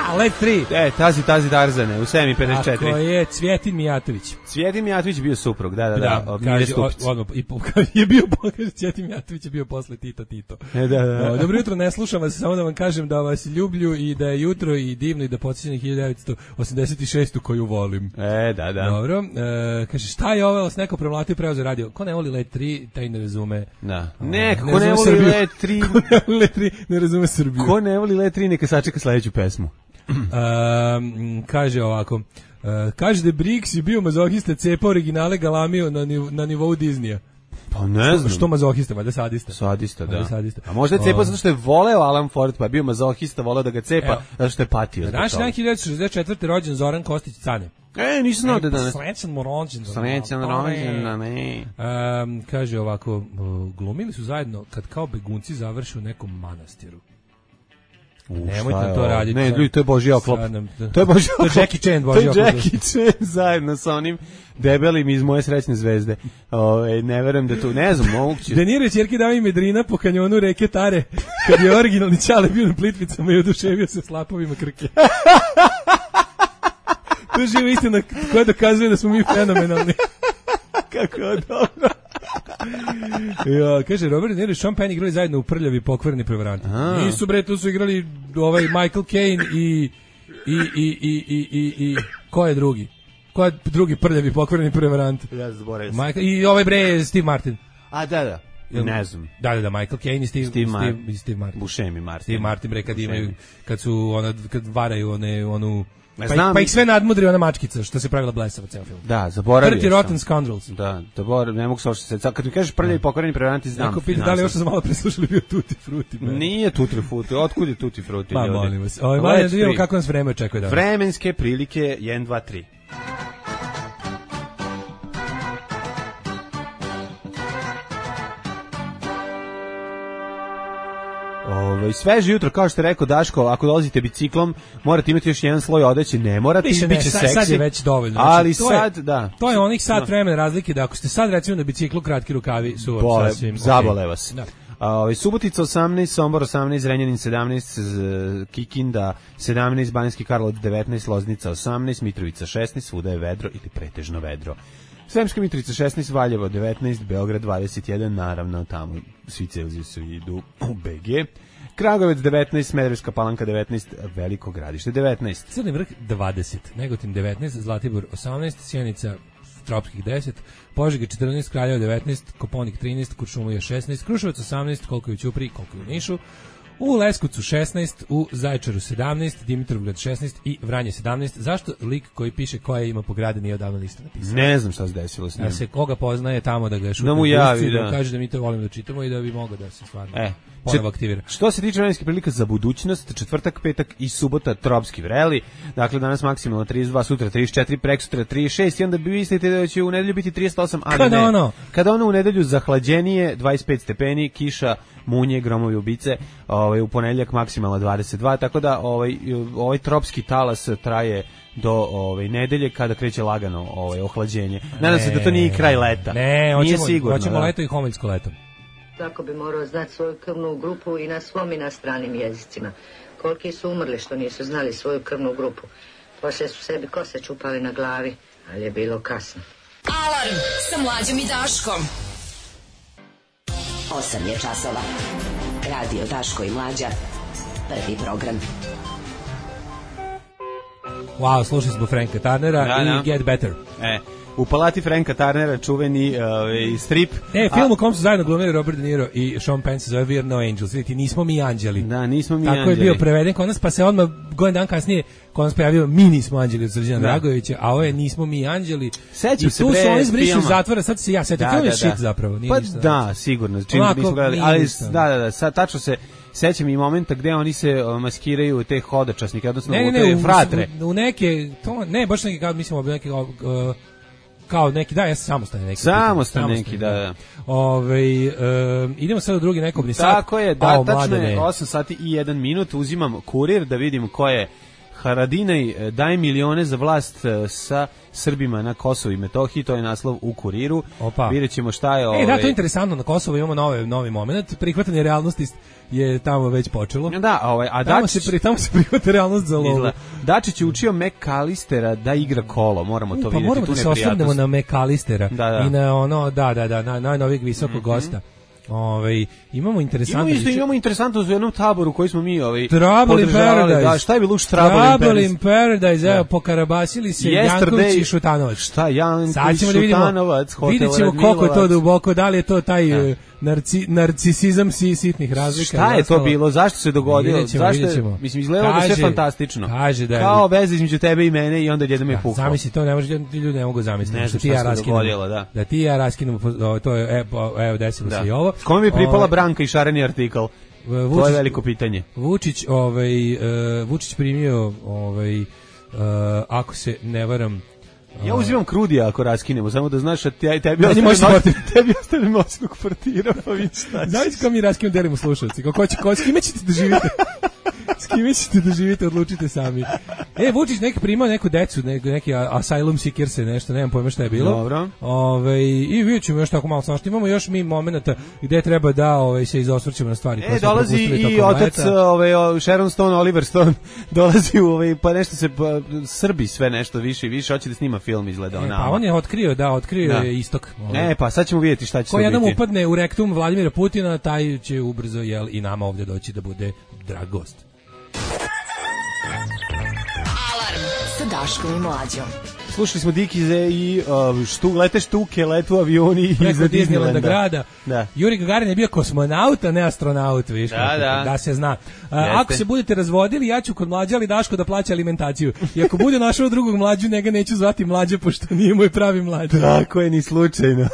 A Let tri. E, tazi, tazi Tarzane, u sedam i pedeset četiri. Ako je Cvjetin Mijatović. Cvjetin Mijatović je bio suprug, da, da, da. da kaže, o- odmah, i po- je bio, kaže, Cvjetin Mijatović je bio posle Tito Tito. E, da, da, da. O, Dobro jutro, ne slušam vas, samo da vam kažem da vas ljublju i da je jutro i divno i da podsjećam na hiljadu devetsto osamdeset šestu koju volim. E, da, da. Dobro, e, kaže, šta je ovo, s neko premlatio preo za radio? Ko ne voli Let tri, taj ne razume. Da. O, Ne, kako ne ne razume voli Srbiju. Let tri, Ko ne voli Let tri, ne razume Srbiju. ko ne voli Let tri, neka sačeka sledeću pesmu. Um, kaže ovako, uh, kaže da je Brix je bio mazohista, cepa originale galamio na, niv, na nivou Disneya. Pa ne znam. Što mazohista, valjda sadista. Sadista, da. Valjda sadista. A možda je cepao O. zato što je voleo Alan Ford, pa je bio mazohista, voleo da ga cepa, Evo. zato što je patio. zbog Naš toga. dan hiljadu devetsto šezdeset četvrte. rođen Zoran Kostić Cane. E, nisam znao da je danas. Srećan mu rođendan. Srećan rođendan, ne. Um, kaže ovako, uh, glumili su zajedno kad kao begunci završe u nekom manastiru. Nemojte šta je to ovo? raditi. Ne, ljudi, to je Božji oklop. Sad nam- To je Božji To je oklop. Jackie Chan, Božji To je oklop. Jackie Chan zajedno sa onim debelim iz Moje srećne zvezde. Ove, ne verujem da tu, ne znam, moguće. Deniro je ćerki dao ime Drina po kanjonu reke Tare, kad je originalni Ćale bio na Plitvicama i oduševio se slapovima Krke. To je živa istina koja dokazuje da smo mi fenomenalni. Kako je dobro. Ja, kaže, Robert De Niro i Sean Penn igrali zajedno u Prljavi pokvareni prevaranti. A. Nisu, bre, tu su igrali ovaj Michael Caine i i, i, i, i, i, i ko je drugi? Ko je drugi Prljavi pokvareni prevarant? Ja zaboravio sam. Michael, I ovaj, bre, Steve Martin. A, da, da. Ne znam. Da, da, da, Michael Caine i Steve, Steve Steve, Mar- i Steve Martin. Buscemi Martin. Steve Martin, bre, kad Buscemi. imaju, kad su, ona, kad varaju one, onu, Ne pa, znam. pa ih sve nadmudri ona mačkica, što se pravila blesava ceo film. Da, zaboravio Dirty sam. Rotten Scoundrels. Da, zaboravio, ne mogu se ošto se. Kad mi kažeš prljavi pokvareni prevaranti, znam. Ako pita da li još što sam malo preslušali bio Tutti Frutti. bre. Nije Tutti Frutti, otkud je Tutti Frutti? Pa ljudi? molim vas. Ovaj Let's mali da vidimo free. kako nas vreme očekuje danas. Vremenske prilike jedan, dva, tri. Ovaj sveže jutro, kao što je rekao Daško, ako dolazite biciklom, morate imati još jedan sloj odeće, ne morate, Više ne, biće sad, seksi. sad je već dovoljno. Ali Znači, to je- sad, da. To je onih sat vremena razlike da ako ste sad recimo na biciklu kratki rukavi su vam Bole, sasvim zabole okej. vas. Da. A, ovaj, Subotica osamnaest, Sombor osamnaest, Zrenjanin sedamnaest, Kikinda sedamnaest, Banjski Karlovac devetnaest, Loznica osamnaest, Mitrovica šesnaest, svuda je vedro ili pretežno vedro. Sremska Mitrovica šesnaest, Valjevo devetnaest, Beograd dvadeset jedan, naravno tamo svi Celzijusi idu u B G. Kragujevac devetnaest, Smederevska Palanka devetnaest, Veliko Gradište devetnaest. Crni vrh dvadeset, Negotin devetnaest, Zlatibor osamnaest, Sjenica tropskih deset, Požega četrnaest, Kraljevo devetnaest, Koponik trinaest, Kuršumlija šesnaest, Kruševac osamnaest, koliko je u Ćupriji, koliko je u Nišu, u Leskovcu šesnaest, u Zaječaru sedamnaest, Dimitrovgrad šesnaest i Vranje sedamnaest. Zašto lik koji piše koje ima po gradu nije odavno lista napisao? Ne znam šta se desilo s njim. Da se koga poznaje tamo da ga šutne, da mu javi, da. da kaže da mi to volimo da čitamo i da bi mogao da se stvarno e. ponovo aktivira. Što se tiče vremenskih prilika za budućnost, četvrtak, petak i subota tropski vreli. Dakle, danas maksimalno trideset dva, sutra trideset četiri, prekosutra trideset šest i onda bi mislite da će u nedelju biti trideset osam, ali Kada ne. ono? Kada ono u nedelju zahlađenije, dvadeset pet stepeni, kiša, munje, gromovi ubice, ovaj, u ponedeljak maksimalno dvadeset dva, tako da ovaj, ovaj tropski talas traje do ovaj nedelje kada kreće lagano ovaj ohlađenje. Nadam se da to nije kraj leta. Ne, nije hoćemo, sigurno. Hoćemo da. leto i homiljsko leto. Tako bi morao znati svoju krvnu grupu i na svom i na stranim jezicima. Koliki su umrli što nisu znali svoju krvnu grupu. Poslije su sebi kose čupali na glavi, ali je bilo kasno. Alarm sa Mlađom i Daškom. osam je časova. Radio Daško i Mlađa. Prvi program. Wow, slušali smo Franka Turnera da, i da. Get Better. E, u palati Franka Turnera čuveni uh, strip. E, film u kom su zajedno glumili Robert De Niro i Sean Penn se zove We're No Angels. Vidite, nismo mi anđeli. Da, nismo mi Tako anđeli. je bio preveden kod nas, pa se odmah godin dan kasnije kod nas pojavio Mi nismo anđeli od Srđana Dragojevića, a ovo je Nismo mi anđeli. Sećam I se tu pre su oni zbrišu filma. iz zatvora, sad se ja sećam. Da, Film je da, shit da. zapravo. Nije Pa ništa. da, sigurno. Čim Onako, nismo gledali, nije ali ništa. da, da, da, sad tačno se sećam i momenta gde oni se uh, maskiraju te hodočasnike, odnosno Ne, ne, u ne, te u, fratre. u, u neke, to, ne, baš neki, kao, mislim, neki, uh, kao neki, da, ja sam samostalni neki. Samostalni neki, da, da. Ove, um, idemo sad u drugi nekobni sat. Tako je, da, tačno je osam sati i jedan minut, uzimam kurir da vidim ko je Haradinaj daje milione za vlast sa Srbima na Kosovu i Metohiji, to je naslov u Kuriru. Opa. Vidjet ćemo šta je... E, ovaj... da, to je interesantno, na Kosovu imamo nove, novi moment, prihvatanje realnosti je tamo već počelo. Da, ovaj, a tamo, Dačić... se, pri, tamo se prihvata realnost za lovu. Dačić je učio McAllistera da igra kolo, moramo to pa vidjeti, moramo tu da se osvrnemo na McAllistera da, da. i na ono, da, da, da, na najnovijeg visokog mm-hmm. gosta. Ovaj imamo interesantno imamo, isto, imamo interesantno u jednom taboru koji smo mi ovaj Trouble in Paradise. Da, šta je bilo u Trouble in Paradise? Trouble in Paradise, evo pokarabasili se Janković i Šutanovac. Šta Janković i Šutanovac? Vidjet ćemo koliko je to duboko, da li je to taj ja. narci, narcisizam si, sitnih razlika. Šta je to bilo? Zašto se dogodilo? Vidjet ćemo, Zašto vidjet ćemo. Mislim, izgledalo da sve fantastično. Kaže da je, kao veza između tebe i mene i onda jednom je pukao. Zamisli to, ne može, ljudi ne mogu zamisliti. Ne znam šta ja se dogodilo, da. Da ti ja raskinemo, to je, evo, evo desilo se i ovo. Kome bi pripala Branka i šareni artikl? Vučić, to je veliko pitanje. Vučić, ovaj, uh, Vučić primio, ovaj, uh, ako se ne varam, ja uzimam krudija ako raskinemo, samo da znaš da te, tebi ostane moćnog portira, pa vidiš šta. Znaš kao mi raskinem delimo slušalci, kako će, ko, s kime ćete da živite? S kime ćete da živite, odlučite sami. E, Vučić neki primao neku decu, neki, neki asylum seekers, nešto, nemam pojma šta je bilo. Dobro. Ove, i vidjet ćemo još tako malo svašta. Imamo još mi momenta gde treba da ove, se izosvrćemo na stvari. E, dolazi i otac ove, Sharon Stone, Oliver Stone, dolazi u, ove, pa nešto se, pa, Srbi sve nešto više i više, hoće da snima film, izgleda o e, nama. Pa on je otkrio, da, otkrio da. je istok. Ove. E, pa sad ćemo vidjeti šta će ko to biti. Ko jednom upadne u rektum Vladimira Putina, taj će ubrzo, jel, i nama ovdje doći da bude drag gost. Alarm sa Daškom i Mlađom. Slušali smo Dikize i uh, štu, lete štuke, letu avioni iza Disneylanda grada. Da. Juri Gagarin je bio kosmonaut, a ne astronaut, viš, da, kako, da. da se zna. Uh, ako se budete razvodili, ja ću kod Mlađa ali Daško da plaća alimentaciju. I ako bude našao drugog Mlađu, njega neću zvati Mlađa, pošto nije moj pravi Mlađa. Tako je, ni slučajno.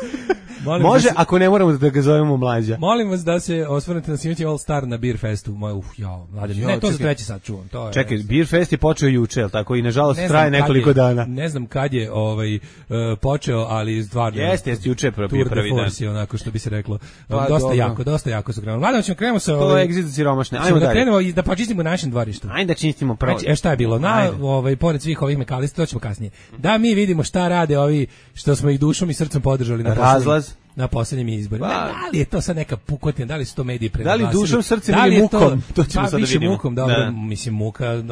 Može, se, ako ne moramo da ga zovemo Mlađa. Molim vas da se osvrnete na snimati All Star na Beer Festu. Moj, uf, jao, Mlađa. Ne, to čekaj, za treći sad čuvam. To je, čekaj, Beer Fest je počeo juče, tako i nažalost traje nekoliko je, dana. Ne znam kad je ovaj, uh, počeo, ali stvarno... Jeste, jeste, juče prvi prvi dan. Tour de force, onako što bi se reklo. Pa, dosta dobro. jako, dosta jako su krenuli. Mladom ćemo krenemo sa... To je egzit siromašne. Ajmo da dalje. krenemo i da počistimo našem dvorištu. Ajde da čistimo prvo. Znači, e šta je bilo? Na, ovaj, pored svih ovih mekalista, to ćemo kasnije. Da mi vidimo šta rade ovi što smo ih dušom i srcem podržali na Razlaz. na poslednjim izborima. Pa, da li je to sad neka pukotina, da li su to mediji prenaglasili? Da li dušom, srcem da li ili mukom? mukom? To ćemo pa, sad da vidimo. Mukom, dobro, da. mislim muka,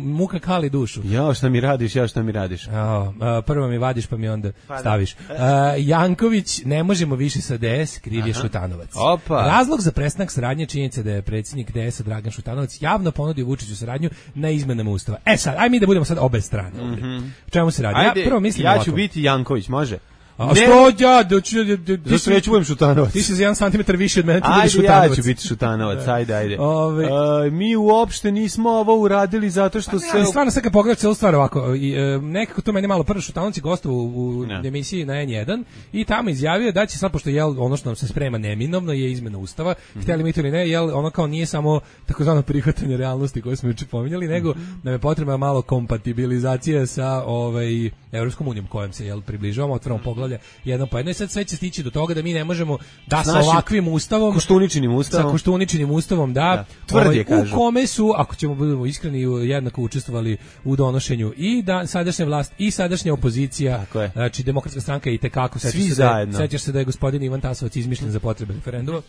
muka kali dušu. Ja, šta mi radiš, ja šta mi radiš. O, prvo mi vadiš pa mi onda pa staviš. Uh, Janković, ne možemo više sa D S, kriv je Šutanovac. Opa. Razlog za prestanak saradnje činjenica da je predsjednik D S-a Dragan Šutanovac javno ponudio Vučiću saradnju na izmenama ustava. E sad, aj mi da budemo sad obe strane. Mm-hmm. O čemu se radi? Ajde, ja prvo mislim ja ću ovako. biti Janković, može? A ne, što ja? Da ću, zašto ja ću budem Šutanovac? Ti si za jedan santimetar više od mene, ti ajde, budeš Šutanovac. Ja ću biti Šutanovac, ajde, ajde. Ove, uh, mi uopšte nismo ovo uradili zato što pa se... Ne, stvarno, sad kad pogledam celu stvar ovako, i, e, nekako to meni malo prvo Šutanovac je gostovao u, u ne. emisiji na N jedan i tamo izjavio da će sad, pošto jel, ono što nam se sprema neminovno je izmena ustava, mm-hmm. htjeli mi to ili ne, jel, ono kao nije samo takozvano prihvatanje realnosti koje smo juče pominjali, nego mm-hmm. nam je potrebna malo kompatibilizacija sa ovaj, Evropskom unijom kojom se jel, približavamo, otvaramo poglavlja jedno po jedno i sad sve će stići do toga da mi ne možemo da sa ovakvim ustavom, Koštuničinim ustavom, sa Koštuničinim ustavom da, da. Tvrdi ovaj, je, kažu. U kome su, ako ćemo budemo iskreni, jednako učestvovali u donošenju i da sadašnja vlast i sadašnja opozicija, znači Demokratska stranka i tekako sećaš se da sećaš se da je gospodin Ivan Tasovac izmišljen za potrebe referenduma,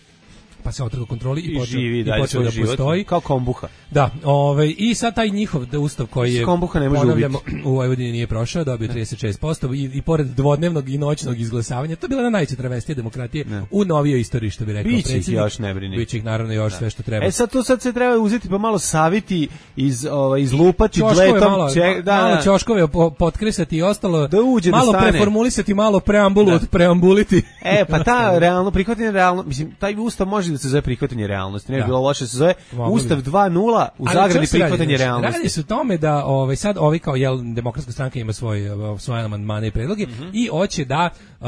pa se otrgao kontroli i, I počeo, živi i dalje počeo da život, postoji kao kombuha. Da, ovaj i sad taj njihov da ustav koji je kombuha ne može ubiti. U Vojvodini nije prošao, dobio trideset šest posto i, i pored dvodnevnog i noćnog izglasavanja, to je bila na najveća travestija demokratije ne. U novijoj istoriji, što bi rekao predsjednik. Biće još ne brini. Biće ih naravno još da. Sve što treba. E sad to sad se treba uzeti pa malo saviti iz ovaj izlupati čoškove dletom, malo, če, da, malo da. ćoškove potkresati i ostalo. Da uđe malo da stane. Preformulisati, malo preambulu da. Od preambuliti. E pa ta realno prihvatanje realno, mislim taj ustav može da se zove prihvatanje realnosti, ne bi bilo loše se zove Ustav dva nula u zagradi prihvatanje realnosti. Radi se o tome da ovaj sad ovi kao jel Demokratska stranka ima svoj svoje amandmane i predloge mm-hmm. i hoće da uh,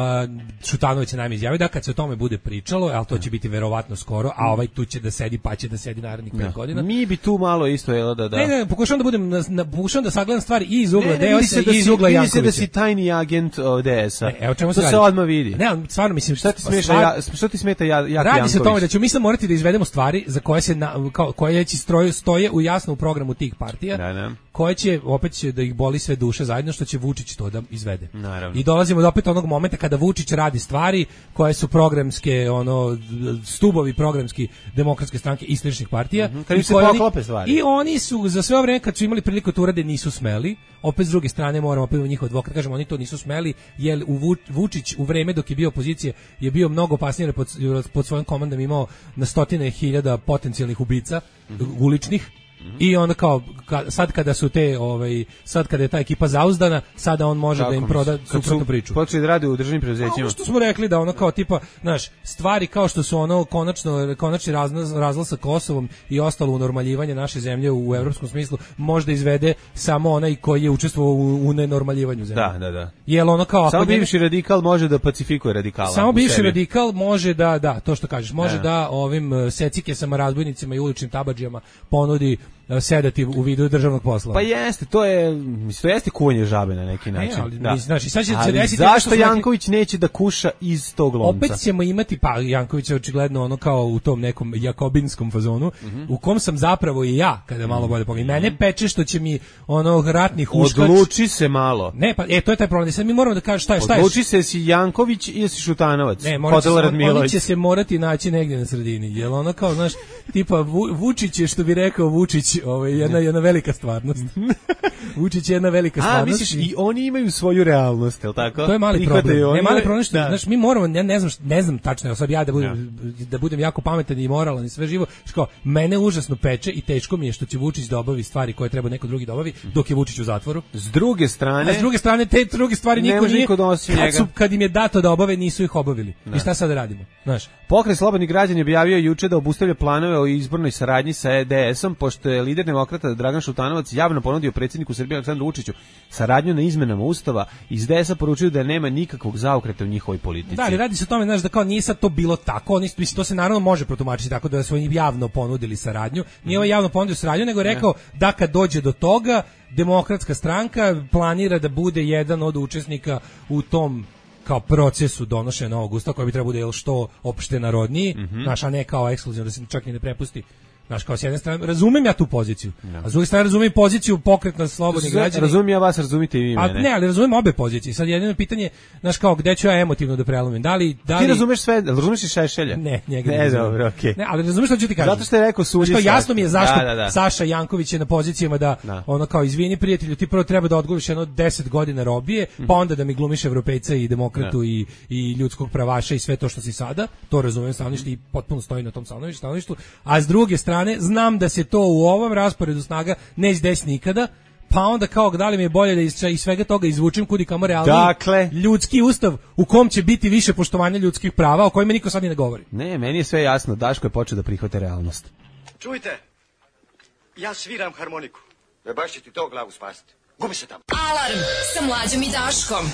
Šutanović je naime izjavio da kad se o tome bude pričalo, al to će biti verovatno skoro, a ovaj tu će da sedi pa će da sedi narednih pet godina. Mi bi tu malo isto jel da da. Ne, ne, pokušavam da budem na, na pokušavam da sagledam stvari i iz ugla D S-a i iz ugla Jankovića. Da si tajni agent D S-a. Evo čemu se, se odmah vidi. Ne, stvarno mislim šta ti smeta ja, šta ti smeta ja, ja Radi se o tome da ćemo mi sad morati da izvedemo stvari za koje se na, kao, koje će stroje stoje u jasno u programu tih partija. Da, da. Koje će opet će da ih boli sve duše zajedno što će Vučić to da izvede. Naravno. I dolazimo do opet onog momenta kada Vučić radi stvari koje su programske, ono stubovi programski Demokratske stranke i sličnih partija. Mm-hmm. Kad im se poklope stvari. I oni su za sve vreme kad su imali priliku to urade nisu smeli. Opet s druge strane moramo opet njihov advokat kažemo oni to nisu smeli jer u Vučić u vreme dok je bio opozicije je bio mnogo opasniji pod, pod svojom komandom imao na stotine hiljada potencijalnih ubica mm-hmm. uličnih. Mm-hmm. I onda kao ka, sad kada su te ovaj sad kada je ta ekipa zauzdana, sada on može tako, da im proda suprotnu priču. Počeli da rade u državnim preduzećima. Ono što smo rekli da ono kao tipa, znaš, stvari kao što su ono konačno konačni razlaz, razlaz sa Kosovom i ostalo unormaljivanje naše zemlje u evropskom smislu možda izvede samo onaj koji je učestvovao u, u nenormaljivanju zemlje. Da, da, da. Jel ono kao samo bivši radikal može da pacifikuje radikala. Samo bivši radikal može da da, to što kažeš, može da, da ovim secikesama, razbojnicima i uličnim tabadžijama ponudi sedativ u vidu državnog posla. Pa jeste, to je, mislim, to jeste kuvanje žabe na neki način. Ne, ali, da. Znači, sad će ali se desiti zašto Janković neki... neće da kuša iz tog lonca? Opet ćemo imati, pa Janković je očigledno ono kao u tom nekom jakobinskom fazonu, mm-hmm. u kom sam zapravo i ja, kada malo bolje pogledam. Mm-hmm. Mene peče što će mi ono ratni huškač... Odluči se malo. Ne, pa, e, to je taj problem. Sad mi moramo da kažemo šta je, šta je. Odluči se si Janković ili si Šutanovac. Ne, oni će se morati naći negdje na sredini. Jel ono kao, znaš, tipa Vučić je, što bi rekao Vučić, ovaj, jedna, jedna velika stvarnost. Vučić je jedna velika stvarnost. A, misliš, i oni imaju svoju realnost, je li tako? To je mali problem. Ne, mali problem što, da. Znaš, mi moramo, ja ne znam, ne znam tačno, sad ja da budem, ja. da budem jako pametan i moralan i sve živo, što mene užasno peče i teško mi je što će Vučić da obavi stvari koje treba neko drugi da obavi, dok je Vučić u zatvoru. S druge strane, a s druge strane te druge stvari niko nije. Kad, su, kad im je dato da obave, nisu ih obavili. Da. I šta sad radimo? Znaš, Pokret slobodnih građana je objavio juče da obustavlja planove o izbornoj saradnji sa D S-om, pošto je lider demokrata Dragan Šutanovac javno ponudio predsjedniku Srbije Aleksandru Vučiću saradnju na izmenama ustava. Iz D S-a poručuju da nema nikakvog zaokreta u njihovoj politici. Da, ali radi se o tome, znaš, da kao nije sad to bilo tako, oni, mislim, to se naravno može protumačiti tako da su oni javno ponudili saradnju. Nije ovaj javno ponudio saradnju, nego je rekao ne. da kad dođe do toga, Demokratska stranka planira da bude jedan od učesnika u tom kao procesu donošenja novog ustava koji bi trebao bude što opšte narodniji, mm-hmm. naš, a ne kao ekskluzivno, da se čak i ne prepusti Znaš, kao s jedne strane, razumem ja tu poziciju, no. a s druge strane razumem poziciju pokretna slobodnih građana. Razumem ja vas, razumite i vi mene. A ne, ali razumem obe pozicije. Sad jedino pitanje, znaš kao, gde ću ja emotivno da prelomim? Da li, da li... Ti razumeš sve, razumeš i Šešelja? Ne, njega ne, ne dobro, okej. Okay. Ne, ali razumeš što ću ti kažem. Zato što je rekao Sulji. Što jasno mi je zašto da, da, da. Saša Janković je na pozicijama da, da. ono kao, izvini prijatelju, ti prvo treba da odgovoriš jedno deset godina robije, pa onda da mi glumiš evropejca i demokratu i, i ljudskog pravaša i sve to što si sada. To razumem stanovište i potpuno stoji na tom stanovištu. A s druge strane, znam da se to u ovom rasporedu snaga neće desiti nikada, pa onda kao da li mi je bolje da iz, iz svega toga izvučem kudi kamo realni dakle, ljudski ustav u kom će biti više poštovanja ljudskih prava, o kojima niko sad ni ne govori. Ne, meni je sve jasno, Daško je počeo da prihvate realnost. Čujte, ja sviram harmoniku. Ne baš će ti to glavu spasiti. Gubi se tamo. Alarm sa Mlađom i Daškom.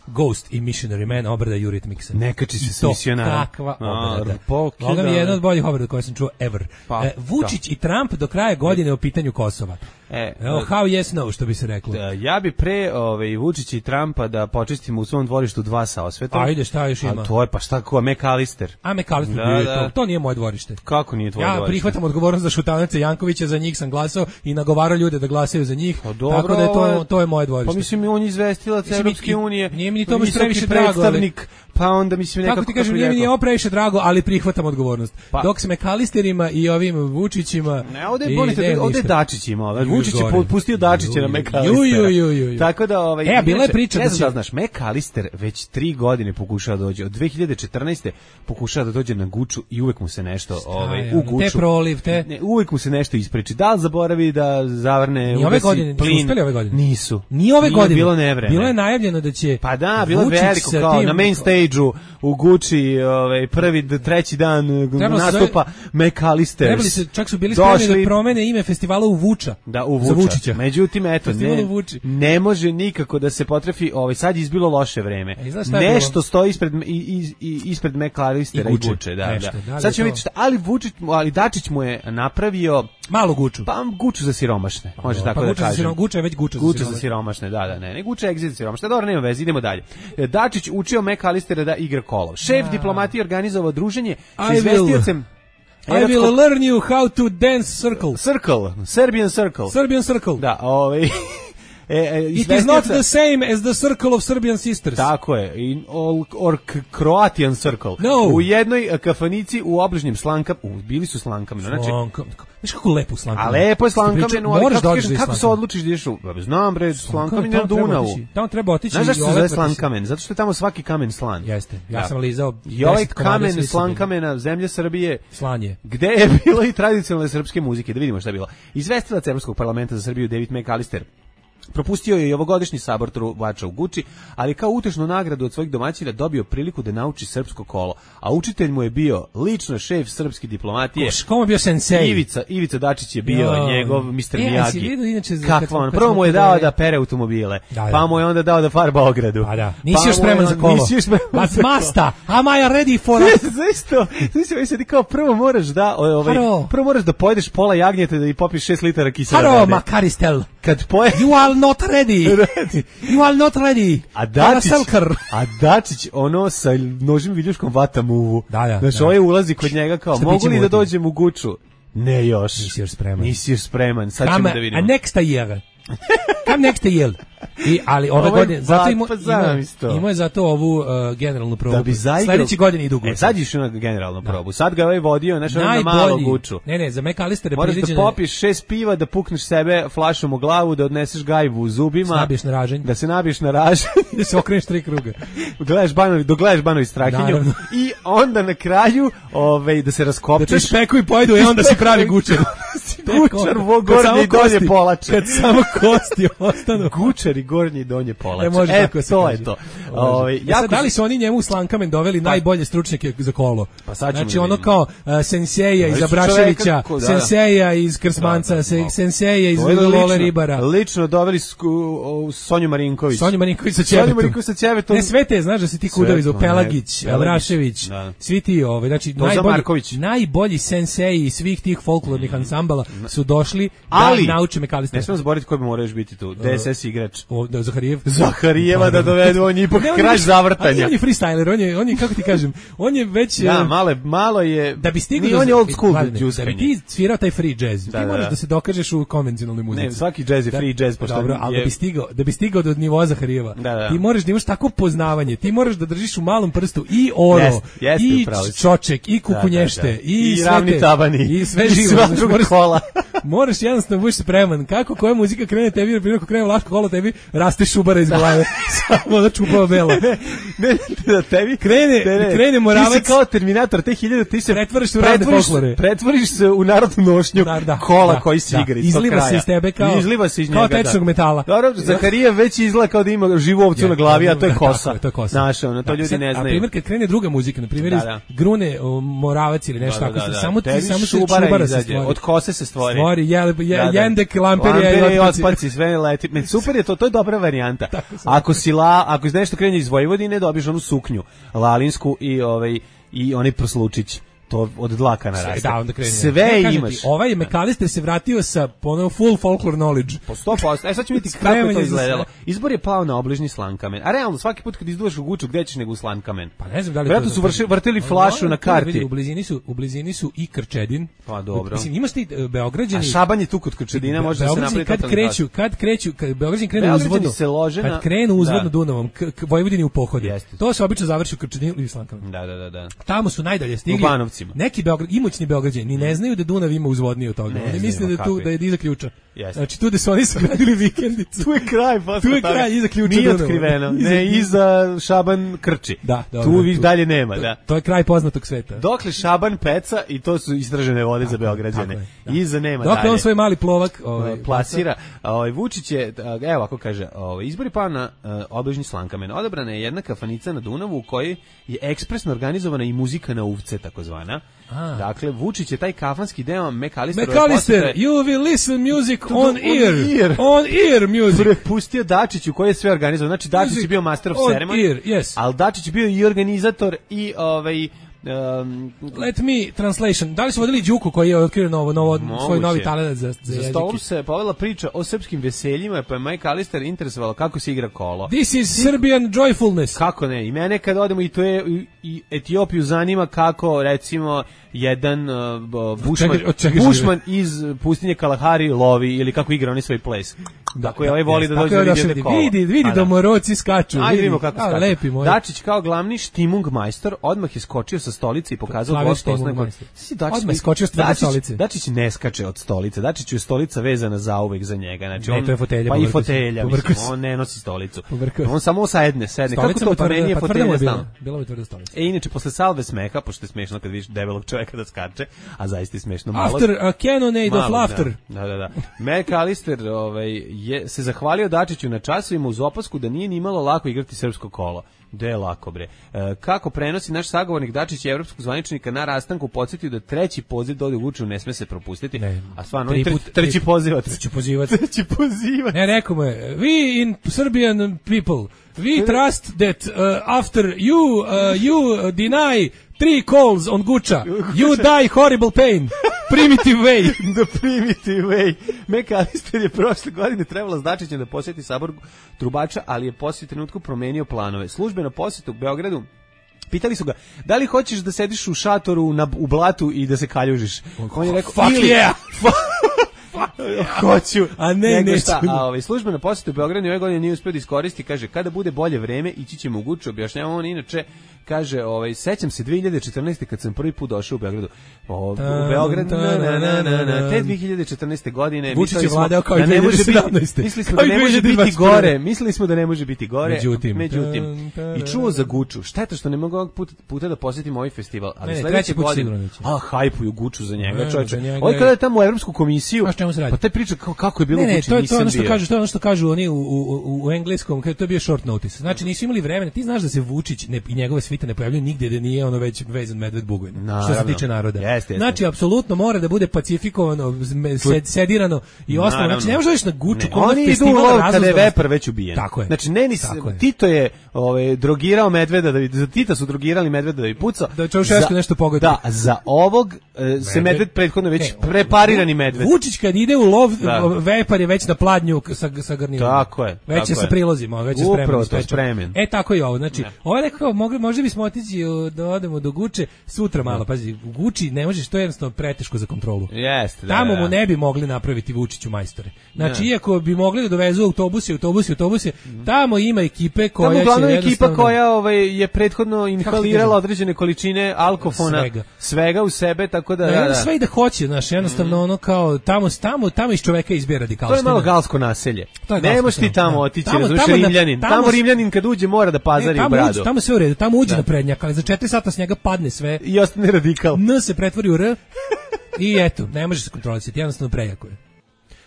Ghost i Missionary Man, obrada Eurythmics. Ne kači se s misionara. Kakva obrada. Ovoga mi je jedna od boljih obrada koje sam čuo ever. Pa, e, Vučić da. i Trump do kraja godine o pitanju Kosova. E, Evo, how yes no, što bi se reklo. Da, ja bi pre ovaj, Vučića i Trumpa da počistimo u svom dvorištu dva sa osvetom. Ajde, šta još ima? A to je, pa šta, ko, McAllister. A McAllister, da, da. To, to nije moje dvorište. Kako nije tvoje ja dvorište? Ja prihvatam odgovornost za Šutanovića Jankovića, za njih sam glasao i nagovarao ljude da glasaju za njih, pa dobro, tako da je to, to je moje dvorište. Pa mislim, on je izvestilac Evropske unije. Nije mi ni to baš previše drago, ali... Pa onda mislim nekako... Kako ti kažem, nije mi nije previše drago, ali prihvatam odgovornost. Pa. Dok s McAllisterima i ovim Vučićima... Ne, ovde je bolite, ovde je Dačić imao. Vučić je pustio Dačića na McAllistera. Tako da... Ovaj, e, a bila je priča da će... znaš, McAllister već tri godine pokušava da dođe. Od dve hiljade četrnaeste pokušava da dođe na Guču i uvek mu se nešto ovaj, u Guču... Te proliv, te... Ne, uvek mu se nešto ispriči. Da li zaboravi da zavrne... Ni ove godine, nisu uspeli ove godine. Nisu. Ni ove godine. Bilo nevreme. Bilo je najavljeno da će... Pa da, bilo je veliko kao na main stage-u u Guči, ovaj prvi treći dan nastupa McAllister. Trebali se, čak su bili spremni da promene ime festivala u Vuča. Da, u Vuča. Vučića. Međutim, eto, ne, ne može nikako da se potrefi, ovaj sad je izbilo loše vreme. E, nešto stoji ispred i, i, ispred McAllistera i Guče, Guče da, nešto, da. da. Sad ćemo vidjeti šta, ali Vučić, ali Dačić mu je napravio malu Guču. Pa Guču za siromašne, može pa, tako pa, da kažem. Guča je već Guča za Guča siromašne. za siromašne, da, da, ne, ne Guča je egzit za siromašne. Dobro, nema veze, idemo dalje. Dačić učio McAllistera da igra kolov. Šef ja. diplomatije organizovao druženje sa izvestiocem. I will learn you how to dance circle. Circle, Serbian circle. Serbian circle. Da, ovaj E, e, It is not the same as the circle of Serbian sisters. Tako je, in all, or Croatian circle. No. U jednoj kafanici u obližnjem Slankam, u, bili su Slankamenu. Znači, Slankam. Znaš kako lepo u Slankamenu? A lepo je Slankamenu, ali kako, kažem, kako se odlučiš da ideš u... Znam bre, Slankamen na Dunavu. Tamo treba otići. Znaš zašto se zove Slankamen? Zato što je tamo svaki kamen slan. Jeste, ja sam lizao i ovaj kamen Slankamena, zemlje Srbije, slanje. Gde je bilo i tradicionalne srpske muzike, da vidimo šta je bilo. Izvestilac Evropskog parlamenta za Srbiju David McAllister propustio je i ovogodišnji sabor trubača u Guči, ali kao utešnu nagradu od svojih domaćina dobio priliku da nauči srpsko kolo. A učitelj mu je bio lično šef srpske diplomatije. Komu je bio sensei? Ivica, Ivica Dačić je bio jo. njegov mister e, Miyagi. Kakva on? Prvo mu je dao da pere automobile, da, da. pa mu je onda dao da farba ogradu. Pa da, nisi pa još spreman za kolo. Nisi još spreman za kolo. Masta, am I ready for it? Zašto? Zašto se ti kao prvo moraš da, ovaj, prvo moraš da pojedeš pola jagnjeta da i popiš šest litara kisela vode. Haro, Makaristel. Kad poje... You are not ready. You are not ready. A Dačić, a Dačić ono sa nožim viljuškom vata muvu. Da, da. Znači, ovaj ulazi kod njega kao, šta mogu li da dođem u Guču? Ne još. Nisi još spreman. Nisi još spreman. Sad Come, ćemo da vidimo. A next year. Come next year. I, ali ove godine, zato ima, ima, ima je zato ovu uh, generalnu probu. Da bi zaigrao, sledeće godine idu Guču. E, sad iš na generalnu probu. Da. Sad ga ovaj vodio, znaš, na malo Guču. Ne, ne, za McAllister je moraš da popiš šest piva, da pukneš sebe flašom u glavu, da odneseš gajbu u zubima. Nabiješ na raženj. Da se nabiješ na raženj. Da se okreneš tri kruga. Gledaš Banovi, dogledaš Banovi Strahinju. I onda na kraju ovaj, da se raskopčeš. Da te špeku i pojedu i onda si pravi Gučar. Gučar, gornji i donje polače. Kad samo kosti ostanu. Gučar i gornji i donje polače. E, može e tako to je to. Ove, ja sad, da li su oni njemu u Slankamen doveli pa, najbolje stručnjake za kolo? Pa sad znači ono kao uh, senseja iz Abraševića, kako, da, senseja iz Krsmanca, da, da, senseja iz Lole Ribara. Lično doveli sku, uh, Sonju Marinković. Sonju Marinković sa Ćevetom. Sonju Marinković sa Ćevetom. Ne, sve te, znaš da si ti kudovi za Pelagić, Abrašević, da. Svi ti ove, znači najbolji, najbolji senseji svih tih folklornih ansambala su došli ali, da nauče McAllistera. Ne smemo zaboraviti ko bi morao još biti tu. D S S igrač o, da, Zaharijev. Zaharijeva da dovedu, on je ipak kraj zavrtanja. On je freestyler, on je, on je, kako ti kažem, on je već... Da, malo, malo je... Da bi stigao... On je old school da bi ti svirao taj free jazz, da, ti moraš da. da se dokažeš u konvencionalnoj muzici. Ne, svaki jazz je free jazz, pošto dobro, je... ali da bi stigao, da bi stigao do nivoa Zaharijeva, da, da. ti moraš da imaš tako poznavanje, ti moraš da držiš u malom prstu i oro, jest, jest, i čoček, i kukunješte, da, da, da. i, i ravni tabani, i sve i živo. sva druga kola. Moraš jednostavno budeš spreman. Kako koja muzika krene tebi, na primjer, ako krene Vlaško kolo, tebi raste šubara iz glave. Samo da čupava bela. Ne, ne, da tebi krene, ne, ne. krene Moravac. Ti si kao Terminator, te hiljade, ti se pretvoriš se u razne folklore. Pretvoriš se u narodnu nošnju da, da, kola da, koji si da. igra iz Izliva se iz tebe kao, izliva se iz kao njega, tečnog da. metala. Dobro, Zaharija već izgleda kao da ima živu ovcu na glavi, a to je kosa. To je kosa. Znaš, ono, to ljudi ne znaju. A primjer, kad krene druga muzika, na primjer, iz grune Moravac ili nešto tako, samo ti samo se šubara se stvori. Od kose se stvori. Stvori, jendek, lamperija i otpaci, sve leti. Men super je to, to je dobra varijanta. Ako si la, ako iz nešto krenje iz Vojvodine, dobiješ onu suknju lalinsku i ovaj i onaj prslučić. To od dlaka naraste. Da, onda krene. Sve ja, imaš. Ti, ovaj McAllister se vratio sa ponovo full folklore knowledge. Po sto posto. E sad ćemo vidjeti kako je to izgledalo. Izbor je pao na obližnji Slankamen. A realno, svaki put kad izduvaš u Guču, gde ćeš nego u Slankamen? Pa ne znam da li Vjerojatno su vrši, vrtili flašu na karti. U blizini su, u blizini su i Krčedin. Pa dobro. Mislim, imaš ti uh, Beograđani... A Šaban je tu kod Krčedina, može da se napravi kad kreću, kad kreću, kad Beograđani krenu uzvodno, kad krenu uzvodno Dunavom, k, k, Vojvodini u pohode. To se obično završi u Krčedinu ili Slankamen. Da, da, da, da. Tamo su najdalje stigli. Neki Beograd, imućni Beograđani ni ne znaju da Dunav ima uzvodnije od toga. Ne, oni misle da tu da je iza ključa. Jeste. Znači tu da su oni sagradili vikendicu. Tu je kraj, pa tu je kraj iza ključa. Nije otkriveno. Ne, iza Šaban Krči. Da, tu viš dalje nema, da. To je kraj poznatog sveta. Dokle Šaban peca i to su istražene vode za Beograđane. Iza nema dalje. Dokle on svoj mali plovak ovaj plasira, ovaj Vučić je, evo ako kaže, ovaj izbori pa na uh, obližnji Slankamen. Odabrana je jedna kafanica na Dunavu u kojoj je ekspresno organizovana i muzika na uvce takozvana. A. Dakle, Vučić je taj kafanski deo McAllister. McAllister, you will listen music on ear. ear. On ear music. Prepustio Dačiću koji je sve organizovao. Znači, Dačić je bio master of ceremony. Ear, yes. Ali Dačić je bio i organizator i ovaj... Um, Let me translation. Da li su vodili Đuku koji je otkrio novo, novo svoj novi talent za, za, za stolom se povela priča o srpskim veseljima, pa je McAllister interesovalo kako se igra kolo. This is Serbian joyfulness. Kako ne? I mene kad odemo i to je i, i Etiopiju zanima kako recimo jedan uh, Bushman, čega, čega Bushman iz pustinje Kalahari lovi ili kako igra oni svoj ples. Tako je ovaj voli da dođe da vidi kolo. Vidi, vidi domoroci skaču. Ajde vidimo kako skaču. Lepi moj. Dačić kao glavni štimung majstor odmah je skočio sa stolice i pokazao gost osnovnog. Odmah skočio sa stolice. Dačić ne skače od stolice. Dačić je stolica vezana zauvek za njega. Znači on to je fotelja. Pa i fotelja, mislim, on ne nosi stolicu. On samo sedne, sedne. Kako to pa meni je fotelja stalno. Bila bi tvrda stolica. E inače posle salve smeha, pošto je smešno kad vidiš debelog čoveka da skače, a zaista je smešno malo. After a cannonade of laughter. Da, da, da. McAllister ovaj je se zahvalio Dačiću na časovima uz opasku da nije ni malo lako igrati srpsko kolo. Da je lako bre. E, kako prenosi naš sagovornik Dačić je evropskog zvaničnika na rastanku podsjetio da treći poziv do Vučiću ne sme se propustiti. Ne, a stvarno tri put, treći poziv, treći pozivac. Treći pozivac. Ne, rekao mu je, we in Serbian people, we trust that uh, after you uh, you deny three calls on Guča, you die horrible pain. Primitive way. The primitive way. McAllister je prošle godine trebalo s Dačićem da posjeti sabor trubača, ali je poslije trenutku promenio planove. Službeno posjetu u Beogradu pitali su ga, da li hoćeš da sediš u šatoru na, u blatu i da se kaljužiš? On je rekao, fuck yeah! Hoću, a ne, ne. A ovaj službena posjeta u Beogradu ove godine nije uspio da iskoristi, kaže kada bude bolje vreme ići ćemo u Guču, objašnjava on inače, kaže, ovaj sećam se dve hiljade četrnaeste kad sam prvi put došao u Beogradu. O, u Beograd, na, na, na, na, na, te dve hiljade četrnaeste godine mislili smo da ne može biti, mislili smo da ne može biti gore, mislili smo da ne može biti gore, međutim, međutim i čuo za Guču. Šteta što ne mogu ovog puta, puta da posjetim ovaj festival, ali ne, sledeće godine, a hajpuju Guču za njega, čoveče. On kada je tamo u Evropsku komisiju, pa taj priča kako, kako je bilo ne, Guči, ne, to je ono što kažu, to je ono što kažu oni u, u, u, u engleskom, kad to je bio short notice. Znači nisu imali vremena. Ti znaš da se Vučić ne, i njegove svite elita ne pojavljuje nigdje da nije ono već vezan medved Bugojna, što se tiče naroda. Jeste, jeste. Znači, apsolutno mora da bude pacifikovano, sed, sedirano i ostalo. Znači, ne možeš na Guču. Ne, oni idu u lov kada je Vepar već ubijen. Tako je. Znači, ne, nis, Tito je ovaj, drogirao medveda, da bi, za Tita su drogirali medveda da bi pucao. Da Čaušesku nešto pogodi. Da, za ovog e, se medved prethodno već e, preparirani medved. Vučić kad ide u lov, da. Vepar je već na pladnju sa, sa garnirom. Tako je. Već tako je sa prilozima, već je spremljen. Upravo to spremljen. E, tako i ovo. Znači, ne. Ovo je nekako, mogli, možda bismo otići da odemo do Guče sutra malo. Pazi, u Guči ne možeš, to je jednostavno preteško za kontrolu. Jeste, da, tamo da. mu ne bi mogli napraviti Vučiću majstore. Znači, ne. Iako bi mogli da dovezu autobuse, autobuse, autobuse, mm. tamo ima ekipe koja tamo uglavnom će ekipa jednostavno... koja ovaj, je prethodno inhalirala određene količine alkofona, svega, svega u sebe, tako da... Da, da, da. Sve i da hoće, znaš, jednostavno mm. ono kao, tamo, tamo, tamo iz čoveka izbije radikalština. To je malo galsko naselje. Ne možeš ti tamo da. otići, tamo, razumiješ, tamo, Rimljanin. Tamo, tamo Rimljanin kad uđe mora da pazari ne, u bradu. Uđe, tamo sve u redu, tamo uđe da. Na prednjak, ali za četiri sata s njega padne sve. I ostane radikal. N se pretvori u R i eto, ne može se kontrolisati, jednostavno prejako je.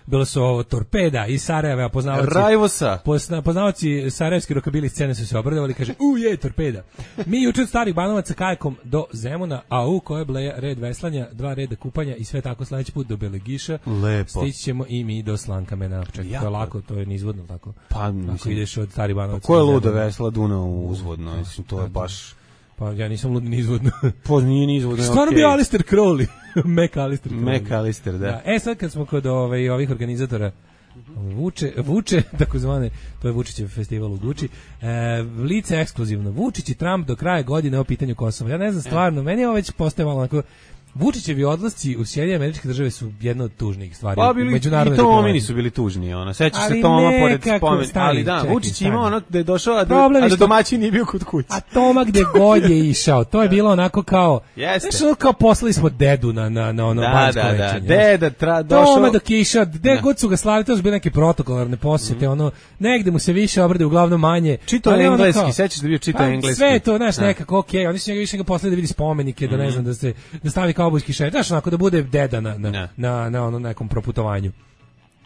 Bilo su ovo Torpeda iz Sarajeva, poznavaoci Rajvosa. Pozna, poznavaoci sarajevski rokabili scene su se obradovali, kaže, u je Torpeda. Mi juče od Starih Banovaca kajakom do Zemuna, a u koje bleja red veslanja, dva reda kupanja i sve tako sledeći put do Belegiša. Lepo. Stići ćemo i mi do Slankamena. Čekaj, to je lako, to je nizvodno tako. Pa, mislim, ako ideš od Starih Banovaca. Pa ko je luda vesla Dunav uzvodno, mislim, to je baš... Pa ja nisam lud ni izvodno. Pa nije ni izvodno. Stvarno okay. Bio Alistair Crowley. Mac Alistair Crowley. Mac Alistair, da. da. E sad kad smo kod ove, ovih organizatora Vuče, Vuče, takozvane, to je Vučićev festival u Guči, e, lice ekskluzivno. Vučić i Trump do kraja godine o pitanju Kosova. Ja ne znam stvarno, meni je ovo već postaje malo onako... Vučićevi odlasci u Sjedinjene Američke Države su jedna od tužnijih stvari. Pa bili, i Tomini su bili tužni, ona. Sećaš se Toma pored spomen, ali da, čekaj, Vučić ima ono da je došao, a da, a da domaćin nije bio kod kuće. A Toma gde god je išao, to je bilo onako kao, jeste. Znaš, kao poslali smo dedu na, na, na ono da, banjsko da, lečenje. Da, deda tra, došao. Toma dok je išao, gde god su ga slali, to su bile neke protokolarne posjete, mm. ono, negde mu se više obrade, uglavnom manje. Čito engleski, sećaš da bio čito engleski. Sve to, znaš, nekako, okej, oni su njega više ga poslali da vidi spomenike, da ne znam, da se, da stavi kaubojski šet, znaš, da bude deda na na, na, na, na ono nekom proputovanju.